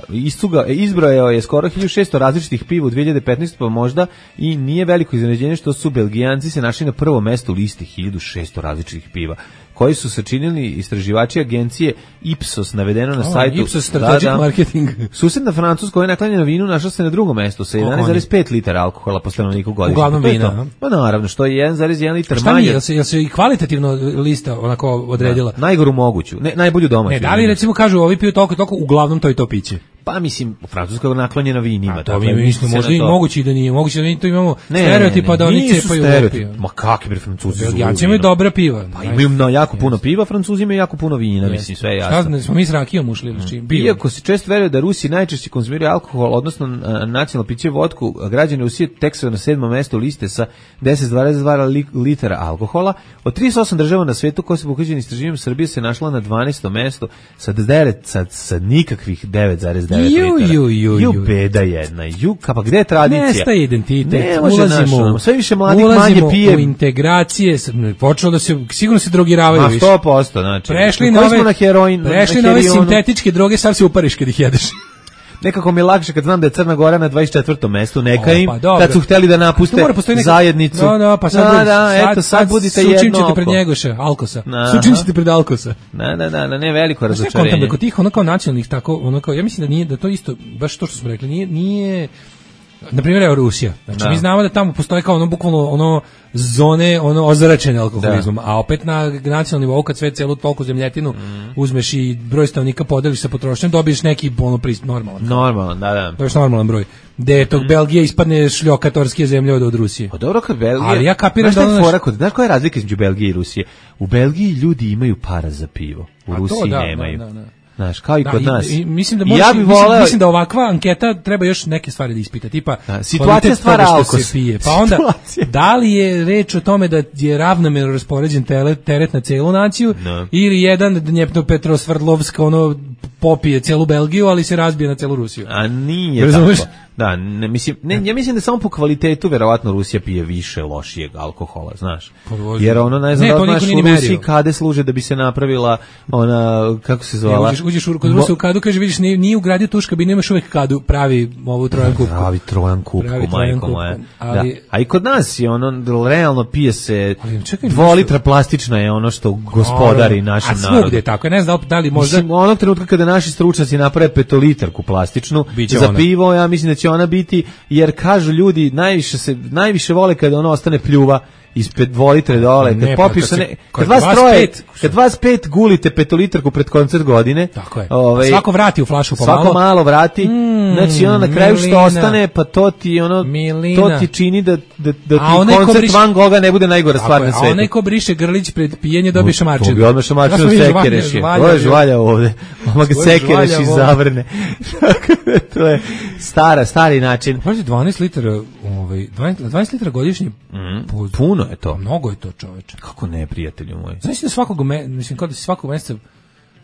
izbrojao je skoro 1600 različitih piva u 2015, pa možda i nije veliko iznenađenje što su Belgijanci se našli na prvom mestu listi 1600 različitih piva, koji su sačinili istraživači agencije Ipsos, navedeno na sajtu. Ipsos Strategic Marketing. Susedna Francuska koja je naklonjena vinu našla se na drugom mestu sa 11,5 litara alkohola po stanovniku godišnje. Uglavnom vina. Pa naravno, što je 1,1 litar manje. Šta mi, jel se i kvalitativno lista onako odredila? Najgoru moguću, najbolju domaću. Da li recimo kažu ovi piju toliko, uglavnom to i to piće? Pa mislim, Francuska je naklonjena vinima. To mi mislimo, možda i moguće i da nije. Moguće da to imamo stereotipa da oni cepaju pivo. Ma kakvi bre Francuzi? Belgijanci imaju dobra piva. Pa imaju jako puno piva, Francuzi imaju jako puno vina, mislim, sve je jasno. Šta smo mi s rakijom ušli? Iako se često veruje da Rusi najčešće konzumiraju alkohol, odnosno nacionalno piće vodku, građani Rusije tek su na 7. mestu liste sa 10,2 litara alkohola. Od 38 država na svetu koje su pokuđeni istraživanjem, Srbija se našla na 12. mestu sa nikakvih 9,9 litara. Beda jedna. Pa gde je tradicija? Nestaje identitet. Sve više mladih manje pije. Ulazimo u integracije. Počelo da se, sigurno se drogiravaju više. 100%. Znači, prešli na ove sintetičke droge, sad se upariš kad ih jedeš. Nekako mi je lakše kad znam da je Crna Gora na 24. mestu, neka im, kad su hteli da napuste zajednicu. Pa sad budite jedno oko. Sučinčite pred Njegoša, Alkosa. Sučinčite pred Alkosa. Ne, veliko razočarenje. Sve kod tih ono kao nacionalnih, tako, ja mislim da nije, da to isto, baš to što smo rekli, nije na primjer evo Rusija. Znači mi znamo da tamo postoje kao bukvalno zone ozračene alkoholizmom, a opet na nacionalnom nivou kad sve celu toliko zemljetinu uzmeš i broj stanovnika podeliš sa potrošnjom, dobiješ neki normalan. Normalan, da. To je normalan broj. Gde tog Belgije ispadne šljokatorske zemlje od Rusije. Pa dobro kad Belgija. Ali ja kapiram znaš koja je razlika između Belgije i Rusije? U Belgiji ljudi imaju para za pivo, u Rusiji nemaju. Znaš, kao i kod nas. Mislim da ovakva anketa treba još neke stvari da ispita, tipa situacija stvara alkos. Pa onda, da li je reč o tome da je ravnomerno raspoređen teret na celu naciju, ili jedan Dnjepropetrovsk popije celu Belgiju, ali se razbije na celu Rusiju. A nije tako. Da, ja mislim da samo po kvalitetu verovatno Rusija pije više lošijeg alkohola, znaš. Jer ne znam da znaš u Rusiji kade služe da bi se napravila ona, kako se zvala? Uđeš kod Rusa u kadu, kaže, vidiš, nije ugradio tuš kabinu, imaš uvek kadu, pravi ovu trojan kupku. Pravi trojan kupku, majko moja. A i kod nas je realno pije se 2 litra plastična je ono što gospodari našim narodom. A svugde je tako, ne znam da li možda... Mislim, onog trenutka kada naši stručnjaci naprave 5-litarku plastičnu za pivo, ja mislim da će ona biti, jer kažu ljudi najviše vole kada ono ostane pljuva ispred 2 litre dole, kad vas 5 gulite 5-litarku pred koncert godine, svako vrati u flašu pomalo, svako malo vrati, znači ono na kraju što ostane, pa to ti čini da ti koncert Van Gogha ne bude najgora stvar na svetu. A onaj ko briše grlić pred pijenje dobije šamarčinu. To bi odmah šamarčinu sekereš je. To je žvalja ovde. Oma ga sekereš i zavrne. To je stari način. 12 litara godišnje. Puno je to. Mnogo je to, čoveče. Kako ne, prijatelju moj? Znači da svakog meseca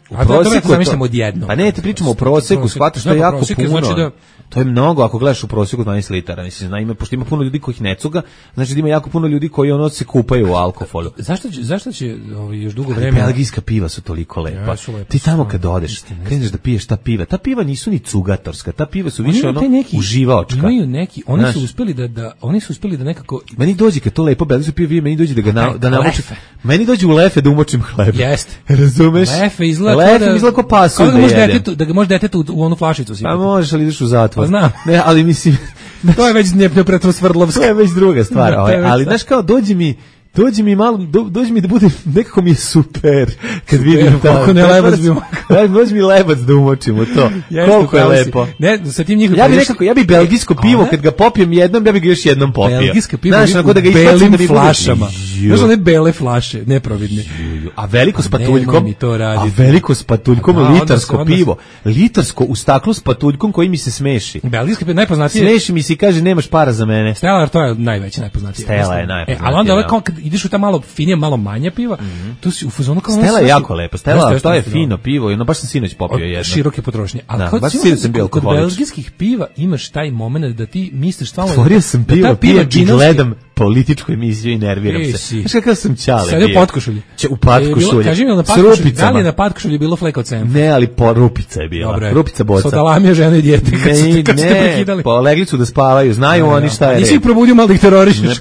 u prosjeku zamišljamo odjedno. Pa ne, ti pričamo o prosjeku, shvataš što je jako puno. Znači to je mnogo ako gledaš u prosjeku 12 litara. Mislim, pošto ima puno ljudi kojih ne cuga, znači da ima jako puno ljudi koji se kupaju u alkoholu. Zašto će još dugo vremena? Belgijska piva su toliko lepa. Ti tamo kad odeš, kreneš da piješ ta piva nisu ni cugatorska, ta piva su više uživaočka. Imaju neki, oni su uspeli da nekako... Meni dođe kad to lepo belgijsko pivo, meni dođe da namočim. Meni dođe u lefe da umočim hleb. Jeste. Razumeš? Lefe izgleda kao pasulj da ga možeš detetu u onu flašicu sipati. Pa možeš, ali ideš u zatvor. Pa znam. Ne, ali mislim... To je već Dnjepropetrovsk. To je već druga stvar. Ali znaš kao, dođi mi malo, dođi mi da bude, nekako mi je super kad vidim kako ne lebac bi mogao. Dođi mi lebac da umočimo to. Koliko je lepo. Ne, sa tim njihovim... Ja bi belgijsko pivo, kad ga popijem jednom, ja bi ga još jednom popio. Belgijsko pivo u belim flašama. Znaš one bele flaše, neprovidne. A veliko s patuljkom, litarsko pivo. Litarsko u staklu s patuljkom koji mi se smeši. Belgijsko pivo najpoznatije. Smeši mi se i kaže nemaš para za mene. Stella, to je najveće, najpoznatije. Stella je najpoznatije. Ali onda kad ideš u ta malo finije, malo manja piva, tu si u fazonu kao... Stella je jako lepo. Stella, to je fino pivo i ono baš sam sinoć popio jedno. Široke potrošnje. Ali kod belgijskih piva imaš taj moment da ti misliš stvarno... Otvorio sam pivo i gledam političku emisiju i nerviram se. Znaš kakav sam čale bio? Sada u potkošulji. U potkošulji. Kaži mi, da li je na potkošulji bilo fleka od sema? Ne, ali rupica je bila. Rupica boca. Sodalamija žena i dijete. Ne, legli su da spavaju. Znaju oni šta je. Nisi ih probudio malo da ih terorišeš.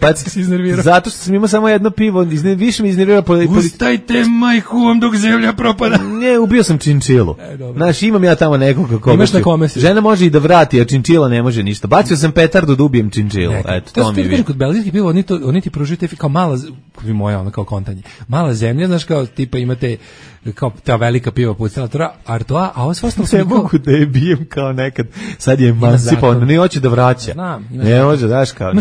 Zato što sam imao samo jedno pivo. Više mi iznervirao. Ustajte majku vam dok zemlja propada. Ne, ubio sam činčilu. Znaš, imam ja tamo nekog kako. Imaš na kome si. Žena može i da vrati, a činčila ne može ništa. Bacio sam petardu da ubijem činčilu. Eto, to mi je. Kod belgijskih piva pivo, oni ti pružuju te kao mala, moja ono kao kontanje, mala zemlja, znaš, kao tipa imate kao ta velika piva pucala Artois, a ovo sve ostalo ne mogu da je bijem kao nekad, sad je emancipovan, ne hoće da vraća. Znam, ne može, daš kao.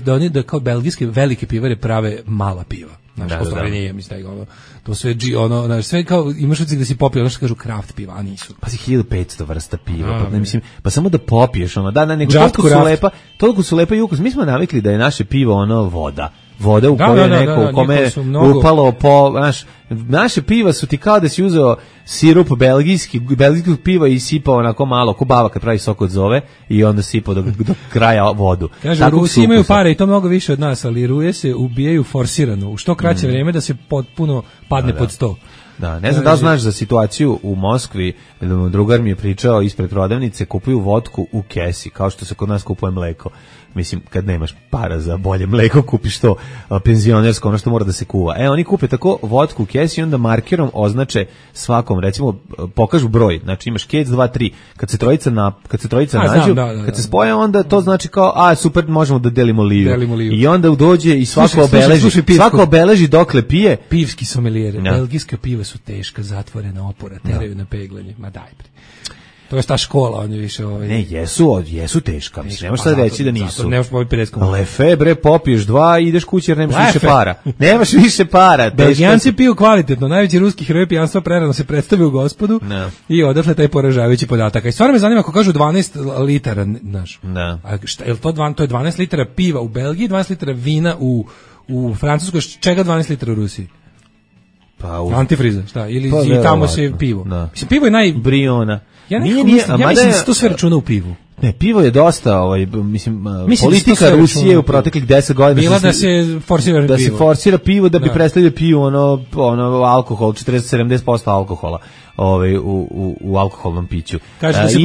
Da oni da kao belgijske velike pivare prave mala piva. Znaš, postoje nije, mislim, to sve znaš, sve kao, imaš ucik da si popio, ono što kažu kraft piva, a nisu. Pa si 1500 vrsta piva, pa samo da popiješ, nego toliko su lepa i ukus. Mi smo navikli da je naše pivo voda u kojoj neko, u kome je upalo naše piva su ti kao da si uzeo sirup belgijskog piva i sipao onako malo, ko baba kad pravi sok od zove i onda sipao do kraja vodu. Kaže, Rusi imaju pare i to mnogo više od nas, ali Ruje se ubijaju forsirano, u što kraće vreme da se potpuno padne pod sto. Da, ne znam da li znaš za situaciju u Moskvi, drugar mi je pričao ispred prodavnice, kupuju vodku u kesi, kao što se kod nas kupuje mleko. Mislim, kad nemaš para za bolje mleko, kupiš to penzionersko, ono što mora da se kuva. Oni kupe tako vodku u kesi i onda markerom označe svakom, recimo, pokažu broj, znači imaš kec 2, 3, kad se trojica nađu, kad se spoje, onda to znači kao, super, možemo da delimo liju. I onda dođe i svako obeleži dokle pije. Pivski sommelier, belgijska piva su teška, zatvorena opora, teraju na peglanje, ma daj bre. To je ta škola, on je više Ne, jesu teška, mislim, nemaš sad reći da nisu. Nemaš popiti 50 kuna. Lefebre, popiješ 2 i ideš kući jer nemaš više para. Nemaš više para. Belgijanci piju kvalitetno, najveći ruski heroj pijanstva prerano se predstavio u Gospodu i odatle taj poražavajući podatak. I stvarno me zanima ako kažu 12 litara, znaš. Je to je 12 litara piva u Belgiji, 12 litara vina u Francuskoj, čega 12 litara u Rusiji? Antifriza, šta? Ili tamo se pivo. Mislim, pivo je Briona. Ja mislim da se to sve računa u pivu. Ne, pivo je dosta, mislim politika Rusije u proteklih 10 godina bila da se forsira pivo da bi predstavljao pivo alkohol, 40-70% alkohola u alkoholnom piću. Kaže da se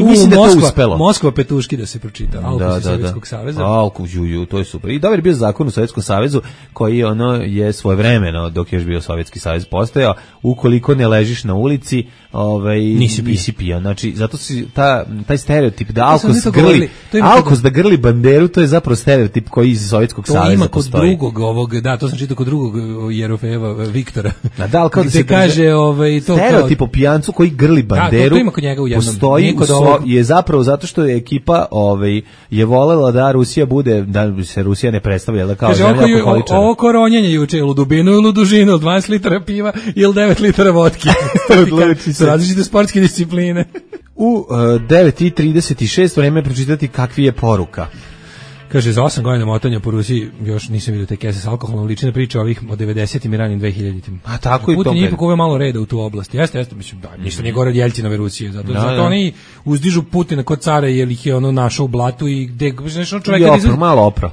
Moskva petuški da se pročita, alkohol Sovjetskog saveza. To je super. I dobar je bio zakon u Sovjetskom savezu koji je svojevremeno dok je još bio Sovjetski savez postojao, ukoliko ne ležiš na ulici, nisi pio. Znači, zato si taj stereotip da alkos da grli banderu, to je zapravo stereotip koji iz Sovjetskog saveza postoji. To ima kod drugog to sam čitao kod drugog Jerofejeva Viktora. Da se kaže stereotip o pijancu koji grli banderu postoji je zapravo zato što je ekipa je volela da Rusija bude, da se Rusija ne predstavlja kao zemlja alkoholičara. Ovo koronjenje juče u dubinu ili u dužinu, 12 litara piva ili 9 litara vodke. Različite sportske discipline. U 9:36 vreme pročitati kakvi je poruka. Kaže, za 8 godina motanja po Rusiji još nisam vidio te kese s alkoholom, lične priče ovih od 90-im i ranim 2000-im. A tako i to. Putin je ipak uveo malo reda u tu oblast. Jeste, mislim, ništa nije gore od Jeljcinove Rusije. Zato oni uzdižu Putina kod cara jer ih je našao u blatu i gde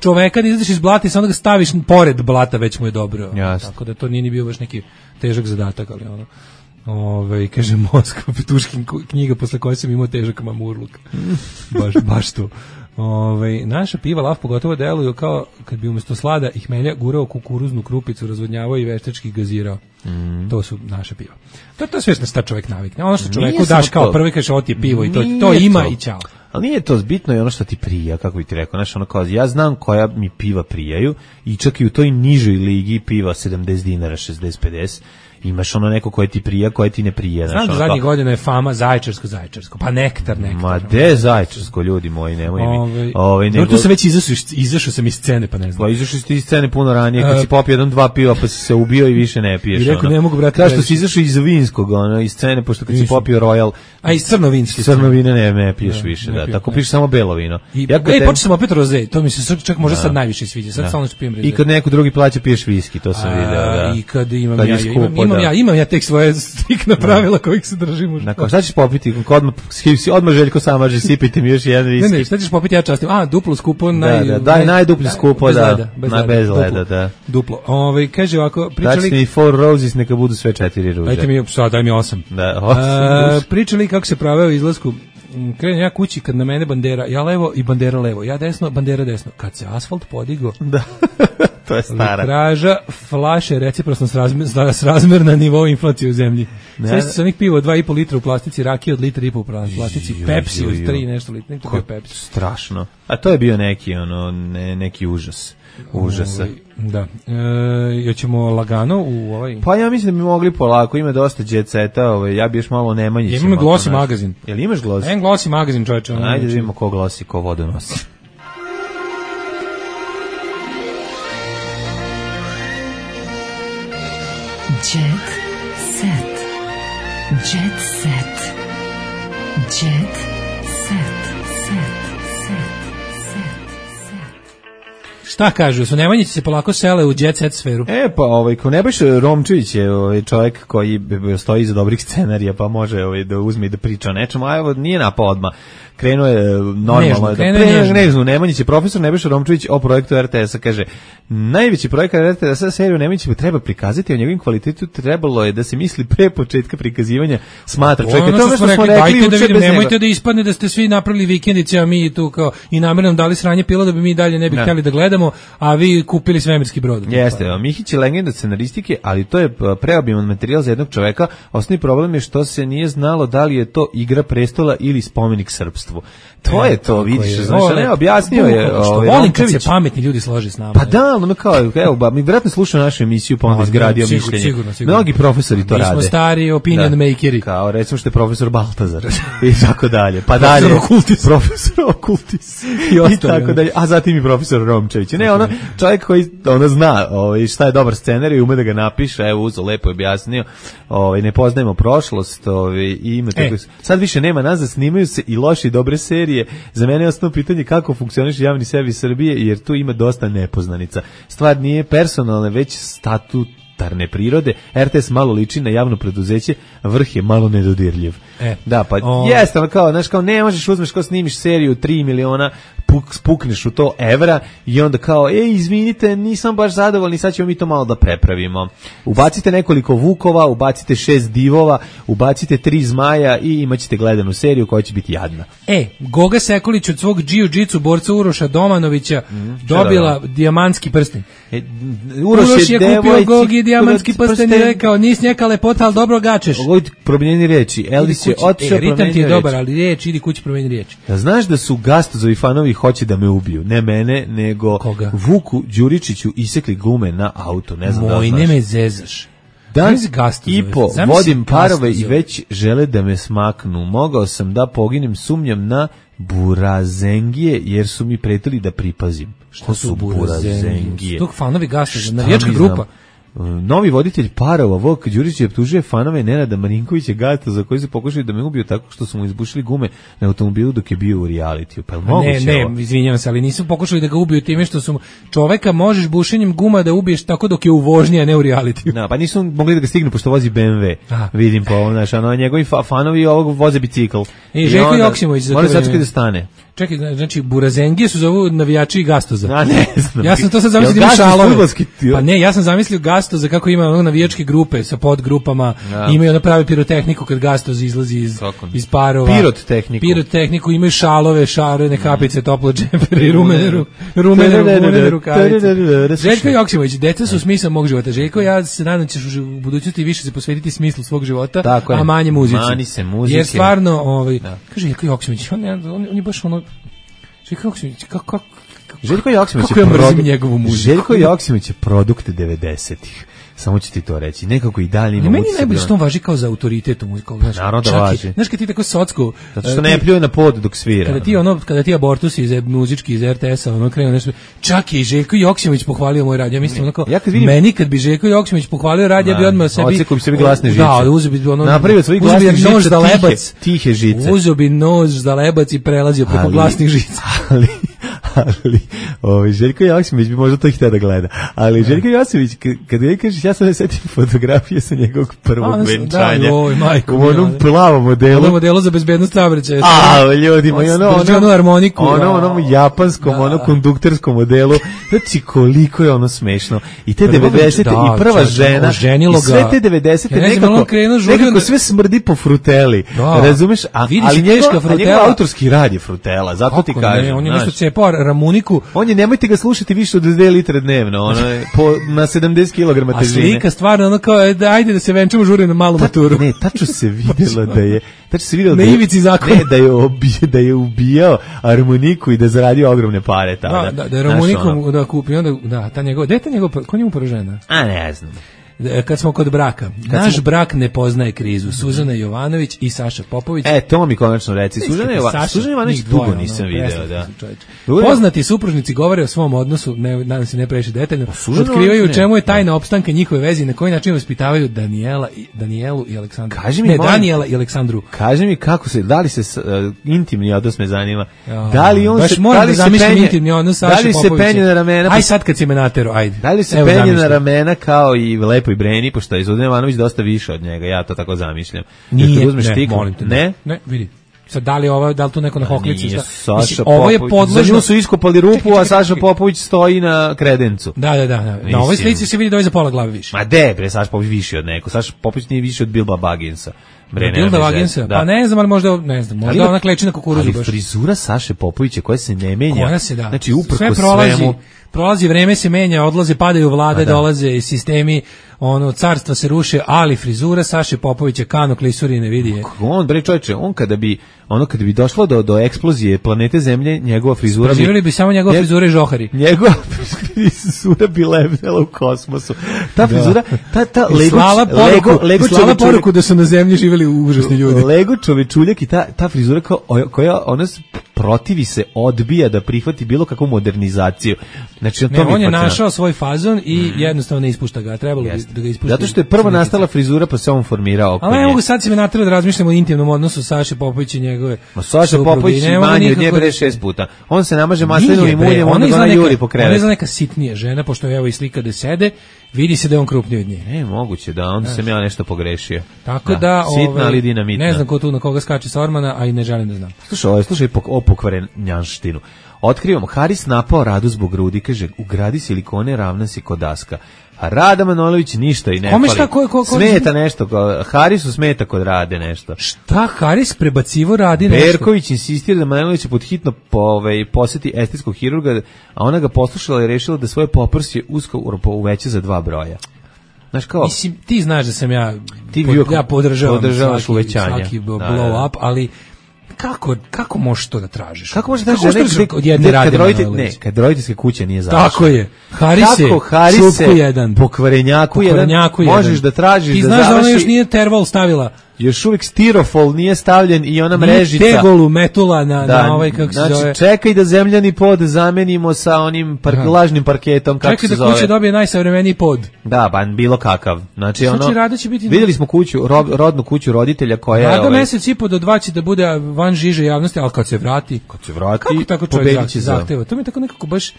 čoveka da izlaziš iz blata i samo da ga staviš pored blata, već mu je dobro. Tako da to nije ni bio baš neki težak zadatak, ali kaže Moskva, Petuškin knjiga posle koje sam imao težak mamurluk. Baš to. Naša piva lav pogotovo deluju kao kad bi umjesto slada i hmelja gurao kukuruznu krupicu, razvodnjavao i veštački gazirao. To su naša piva. To je sve što čovjek navikne. Ono što čovjeku daš kao prvi kažeš ovo ti je pivo i to ima i ćao. Ali nije to bitno, je ono što ti prija, kako bi ti rekao. Znaš, ja znam koja mi piva prijaju i čak i u toj nižoj ligi piva 70 dinara, 60-50. Imaš neko koje ti prija, koje ti ne prija. Znam da zadnjih godina je fama Zaječarsko, pa nektar. Ma de Zaječarsko, ljudi moji, nemoj mi. Tu sam već izašao sam iz scene, pa ne znam. Pa izašao si iz scene puno ranije, kad si popio 1-2 piva, pa si se ubio i više ne piješ. I rekao, ne mogu brati. Kao što si izašao iz vinskog, iz scene, pošto kad si popio Royal. A iz crnovinske. Crnovine ne piješ više, da. Tako piješ samo belo vino. Počeo sam opet roze, to mi se čak možda sad najviše sviđa. Sad samo što pijem roze. I kad neko drugi plaća, piješ viski, to sam video. I kad imam ja tek svoje striktna pravila kojih se držim. Nakon, šta ćeš popiti? Odmah Željko Samađe, sipajte mi još jedan viski. Ne, šta ćeš popiti, ja častim. Duplo skupo. Daj najduplje skupo, bez leda, da. Duplo. Kaže ovako, pričali... Daći mi 4 roses, neka budu sve 4 ruže. Daj mi 8. Da, 8. Pričali kako se praveo izlasku. Krenem ja kući kad na mene bandera, ja levo i bandera levo, ja desno, bandera desno. Kad se asfalt podigo, To je stara. Litraža flaše reciprosno srazmerna na nivou inflacije u zemlji. Sve se onih pivo 2,5 litra u plastici, rakije od litra i po u plastici, Pepsi od 3 nešto litra, neko bio Pepsi. Strašno. A to je bio neki neki užas. Užasa. Da. Hoćemo lagano u ovaj. Pa ja mislim da bi mogli polako, ima dosta jet seta, ja bi još malo Nemanjića. Imamo Glossy magazin. Jel imaš Glossy? Glossy magazin, čoveče. Ajde da vidimo ko Glossy, ko vodu nosi. Jet set. Jet set. Jet set. Šta kažu, su Nemanjići se polako sele u jet set sferu? Pa ko Nebojša Romčević je čovjek koji stoji iza dobrih scenarija, pa može da uzme i da priča o nečemu, a evo nije napao odmah. Krenuo je normalno. Nežno, Nemanjić je profesor Nebojša Romčević o projektu RTS-a, kaže, najveći projekat RTS-a seriju Nemanjića treba prikazati, o njegovim kvalitetu trebalo je da se misli pre početka prikazivanja smatra čovjeka. To što smo rekli da vidim, nemojte da ispadne da ste svi napravili vikendice, a mi tu kao i namjerno nam dali sranje pila da bi mi dalje ne bi htjeli da gledamo, a vi kupili svemirski brod. Jeste, Mihić je legenda scenaristike, ali to je preobiman materijal za jednog čoveka. Osnovni problem je što se nije znalo da li je to Igra prestola ili spomenik srpstvu. To je to, vidiš, znači ne objasnio je volim kad se pametni ljudi slože s nama. Pa da, ono kao, evo, mi vjerojatno slušaju našu emisiju, pa onda izgradio mišljenje. Sigurno. Mnogi profesori to rade. Mi smo stari opinion makeri. Kao, recimo što je profesor Baltazar i tako dalje. Pa dalje, profesor Okultis i tako dalje. A zatim i profesor Romčević. Ne, ono, čovjek koji zna šta je dobar scenarij i ume da ga napiše, evo, uzo, lepo je objasnio, ne poznajemo prošlost, i ima tako. Sad više nema nas da snimaju se i loše i dobre serije. Za mene je osnovno pitanje kako funkcioniše javni servis Srbije, jer tu ima dosta nepoznanica. Stvar nije personalna, već statutarne prirode. RTS malo liči na javno preduzeće, vrh je malo nedodirljiv. Da, pa jeste, kao ne možeš uzmeš kao snimiš seriju 3 miliona, spukneš u to evra i onda kao, izvinite, nisam baš zadovoljni, sad ćemo mi to malo da prepravimo. Ubacite nekoliko Vukova, ubacite 6 divova, ubacite 3 zmaja i imaćete gledanu seriju koja će biti jadna. Goga Sekulić od svog jiu-jitsu borca Uroša Domanovića dobila dijamantski prsten. Uroš je kupio Gogi dijamantski prsten i rekao, nis njeka lepota, ali dobro gačeš. Promijeni riječi. Elvis je otišao, ritam ti je dobar, ali riječ, idi kući, promijeni riječi. Znaš da su Gastozovi fanovi hoće da me ubiju, ne mene, nego koga? Vuku Đuričiću isekli gume na auto, ne znam da znaš. Ne me zezaš. Dan i po vodim parove i već žele da me smaknu. Mogao sam da poginem, sumnjam na burazengije, jer su mi pretili da pripazim. Šta su burazengije? Tog fanovi Gastoza, navijačka grupa. Novi voditelj parova Vuk Đurić je optužio fanove Nenada Marinkovića Gastoza koji su pokušali da me ubiju tako što su mu izbušili gume na automobilu dok je bio u realitiju. Pa ne, izvinjavam se, ali nisu pokušali da ga ubiju time što su čoveka možeš bušenjem guma da ubiješ tako dok je u vožnji, a ne u realitiju. Pa nisu mogli da ga stignu pošto vozi BMW. Vidim po ovom, njegovi fanovi ovog voze bicikl. Željko Joksimović za to vreme. Da stane. Čekaj, znači burazengije su zovu navijači Gastoza. Ne znam. Ja sam to sad zamislio da ima šalove. Pa ne, ja sam zamislio Gastoza kako ima navijačke grupe sa podgrupama, imaju ono pravi pirotehniku kad Gastoz izlazi iz parova. Pirotehniku, imaju šalove, šarene kapice, toplo džempere i rumene rukavice. Željko Joksimović, deca su smisao mog života. Željko, ja se nadam ćeš u budućnosti više se posvetiti smislu svog života, a manje muzici. Mani se muzike. Jer stvarno, kaže Željko Joksimović, on je baš ono Željko Joksimović je produkt 90-ih. Samo ću ti to reći. Nekako i dalje ima. Meni najbolje što on važi kao za autoritet u muziku. Naravno da važi. Znaš kad ti tako socko... Zato što ne pljuje na pod dok svira. Kada ti abortusi muzički iz RTS-a krenu nešto... Čak je i Željko Joksimović pohvalio moj radio. Ja mislim meni kad bi Željko Joksimović pohvalio radio, ja bi odmah sebi... Ocekao bi sebi glasne žice. Da, uzeo bi napravio svoj glasnih žica, tihe žice. Uzeo bi nož za lebac i prelazio preko glasnih žica. Ali Željko Joksimović bi možda to htio da gleda. Ali Željko Joksimović, kada je kažeš, ja sam ne setim fotografije sa njegovog prvog venčanja. U onom plavom modelu. Ono modelu za bezbednost saobraćaja. Ljudima, i ono harmoniku. Onom japanskom, konduktorskom modelu. Znači, koliko je ono smešno. I te 90-te, i prva žena, i sve te 90-te, nekako sve smrdi po fruteli. Razumeš? Ali njegov autorski rad je frutela, zato ti kažem. On je nešto cepao Ramuniku. On ljudi, nemojte ga slušati više od 2 litre dnevno, ono je na 70 kg težine. A slika stvarno ono kao, ajde da se venčamo, žuri na malu maturu. Ne, tačno se vidjela na ivici zakona. Ne, da je ubijao harmoniku i da zaradio ogromne pare tada. Da je harmonikom da kupi, onda, da, ta njegova, gde je ta njegova, ko njemu poražena? A ne znam. Kad smo kod braka, naš brak ne poznaje krizu. Suzana Jovanović i Saša Popović. To mi konačno reci. Suzana Jovanović dugo nisam video, da. Poznati supružnici govore o svom odnosu, nadam se ne previše detaljno, otkrivaju u čemu je tajna opstanka njihove veze i na koji način vaspitavaju Danijelu i Aleksandru. Danijela i Aleksandru. Kaži mi kako se, da li se intimni odnos me zanima. Da li on se, da li se penje na ramena? Aj sad kad si me natero, ajde. Da li se penje na ramena kao i Lepo i Breni, pošto je Zuzana Jovanović dosta više od njega, ja to tako zamišljam. Nije, molim te. Ne, vidi. Sad, da li tu neko na hoklici? Nije, Saša Popović. Za nju su iskopali rupu, a Saša Popović stoji na kredencu. Da. Na ovoj slici se vidi da je za pola glave više. Ma bre, Saša Popović više od neko. Saša Popović nije više od Bilba Bagginsa. Bilba Bagginsa? Pa ne znam, ali možda ona kleči na kukuruzu baš. Ali frizura Saše Popovića koja se ne menja. Koja se, da. Znači, uprko svemu. Prolazi vreme, se menja, odlaze, padaju vlade, dolaze sistemi, carstva se ruše, ali frizura Saše Popovića kano klisuri ne vidi je. On, bre čovječe, kada bi došlo do eksplozije planete Zemlje, njegova frizura preživjeli bi samo njegova frizura i žohari. Njegova frizura bi lebdela u kosmosu. Ta frizura, ta Slava poruku da su na Zemlji živjeli užasni ljudi. Lego čovečuljak i ta frizura koja ona protivi se, odbija da prihvati bilo kakvu modernizaciju. Znači, on je našao svoj fazon i jednostavno ne ispušta ga. Trebalo bi da ga ispušta. Zato što je prvo nastala frizura, pa se on formirao oko nje. Ali ne mogu sad se me natrati da razmišljamo o intimnom odnosu Saše Popović i njegove Saša Popović manje od nje 6 puta. On se namaže maslinovim uljem, onda ga ona juri po krevetu. Ona je za neka sitnija žena, pošto evo i slika da sede, vidi se da je on krupniji od nje. Ne, moguće da, onda sam ja nešto pogrešio. Tako da, sitna ali dinamitna. Ne znam ko tu na koga skače sa ormana, a i ne želim da znam. Slušaj o pokvarenjanštinu. Otkrivamo, Haris napao Radu zbog grudi, kaže, ugradi silikone, ravna si kod daska. A Rada Manojlović ništa i ne fali. Smeta nešto, Harisu smeta kod Rade nešto. Šta Haris prebacivo radi nešto? Berković insistira da Manojlović pod hitno poseti estetskog hirurga, a ona ga poslušala i rešila da svoje poprsje uskoro uveća za 2 broja. Znaš kao? Mislim, ti znaš da sam ja podržavam svaki blow up, ali kako možeš to da tražiš? Kako možeš da tražiš od jedne Rade Manojlović? Ne, kad roditeljske kuće nije završeno. Tako je. Harise, pokvarenjaku jedan, možeš da tražiš da završi. Ti znaš da ona još nije terval stavila. Još uvijek stirofol nije stavljen i ona mrežica. Nije tegolu metula na ovaj, kako se zove. Znači, čekaj da zemljani pod zamenimo sa onim lažnim parketom, kako se zove. Čekaj da kuća dobije najsavremeniji pod. Da, bilo kakav. Znači, vidjeli smo rodnu kuću roditelja koja je... Rada mesec i po do 2 će da bude van žiže javnosti, ali kad se vrati, kako tako čovjek zahteva? To mi je tako nekako baš,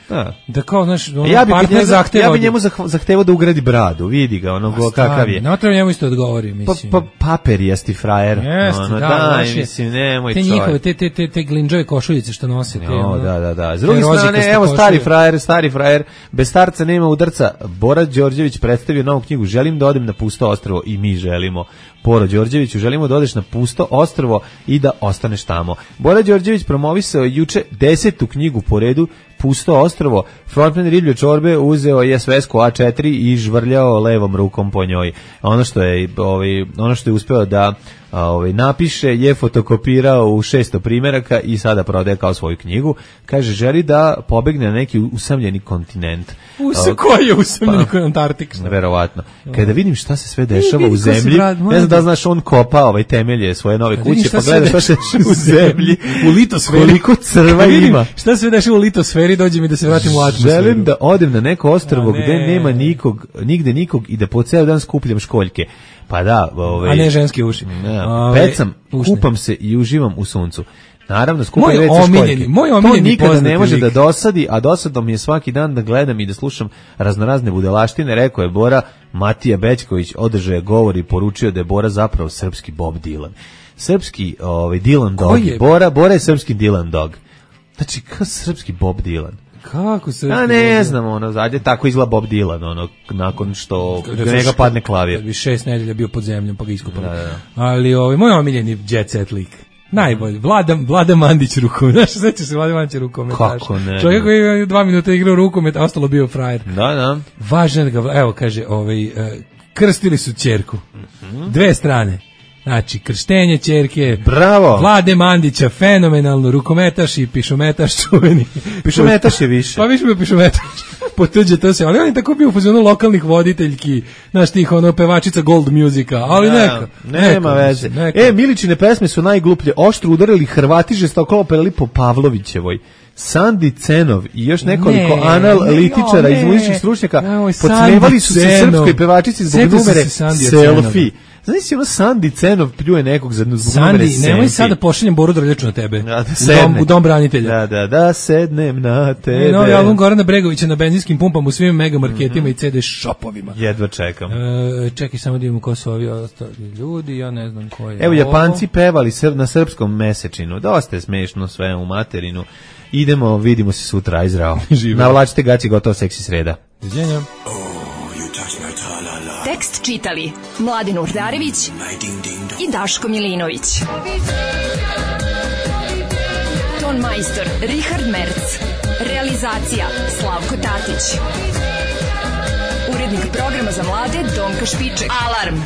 da kao, znaš, partner zahteva. Ja bi njemu zahtevao da ugradi bradu, vidi ga, kakav je. Ne treba njemu isto odgovori, mislim. Paper jesti frajer. Mislim, nemoj čovjek. Te njihove, te glinđove košuljice što nose. Da. S druge strane, evo stari frajer, bez starca nema udarca. Bora Đorđević predstavio novu knjigu Želim da odem na pusto ostrvo i mi želimo. Bora Đorđeviću, želimo da odeš na pusto ostrvo i da ostaneš tamo. Bora Đorđević promovisao juče 10. knjigu po redu Pusto ostrvo. Frontman Riblje čorbe uzeo je svesku A4 i žvrljao levom rukom po njoj. Ono što je uspeo da napiše je fotokopirao u 600 primjeraka i sada prodaje kao svoju knjigu. Kaže, želi da pobegne na neki usamljeni kontinent. Koji je usamljeni Antarktik? Verovatno. Kada vidim šta se sve dešava u zemlji, ne znam da znaš, on kopa temelje svoje nove kuće, pa gleda šta se dešava u zemlji, u litosferi. Koliko crva ima. Šta se dešava u litosferi, dođe mi da se vratim u atmosferu. Želim da odem na neko ostrvo gde nema nigde nikog i da po ceo dan skupljam školjke. Pa da, a ne ženske uši. Pecam, kupam se i uživam u suncu. Naravno, skupam već školjke. To nikada ne može da dosadi, a dosadno mi je svaki dan da gledam i da slušam raznorazne budalaštine. Rekao je Bora, Matija Bećković održao je govor i poručio da je Bora zapravo srpski Bob Dylan. Srpski Dylan Dog. Bora je srpski Dylan Dog. Znači, kao srpski Bob Dylan. Kako se... ne znam, zadnje tako izgleda Bob Dylan, nakon što njega padne klavir. Kad bi 6 nedelja bio pod zemljom, pa ga iskupali. Ali moj omiljeni jet set lik. Najbolji. Vlada Mandić rukomet. Znaš, sećaš se Vlada Mandić rukometaš? Kako ne? Čovjek koji je 2 minuta igrao rukomet, a ostalo bio frajer. Da. Važno je da ga, evo kaže, krstili su ćerku. 2 strane. Znači, krštenje ćerke. Bravo. Vlade Mandića, fenomenalno, rukometaš i pišometaš čuveni. Pišometaš je više. Pa više bio pišometaš. Potuđe to se, ali on je tako bio u fazonu lokalnih voditeljki, znaš tih pevačica Gold Musika, ali nema veze. Miličine pesme su najgluplje, oštro udarili Hrvati, žestoko opevali po Pavlovićevoj. Sandi Cenov i još nekoliko analitičara iz muzičkih stručnjaka podsmevali su se srpskoj pevačici zbog numere Selfie. Znaš si ono Sandi Cenov pljuje nekog zbog numere Selfie. Nemoj sad da pošaljem Boru Drljaču na tebe. U dom branitelja. Da sednem na tebe. Novi album Gorana Bregovića na benzinskim pumpama u svim megamarketima i CD shopovima. Jedva čekam. Čekaj samo da imamo ko su ovi ostali ljudi, ja ne znam ko je. Evo, Japanci pevali na srpskom mesečinu. Dosta je smešno sve u materinu. Idemo, vidimo se sutra, aj zdravo. Navlačite gaći, gotovo seksi sreda. Viđenja. Tekst čitali Mladin Urdarević i Daško Milinović. Ton majstor Richard Merc. Realizacija Slavko Tatić. Urednik programa za mlade Donka Špiček. Alarm!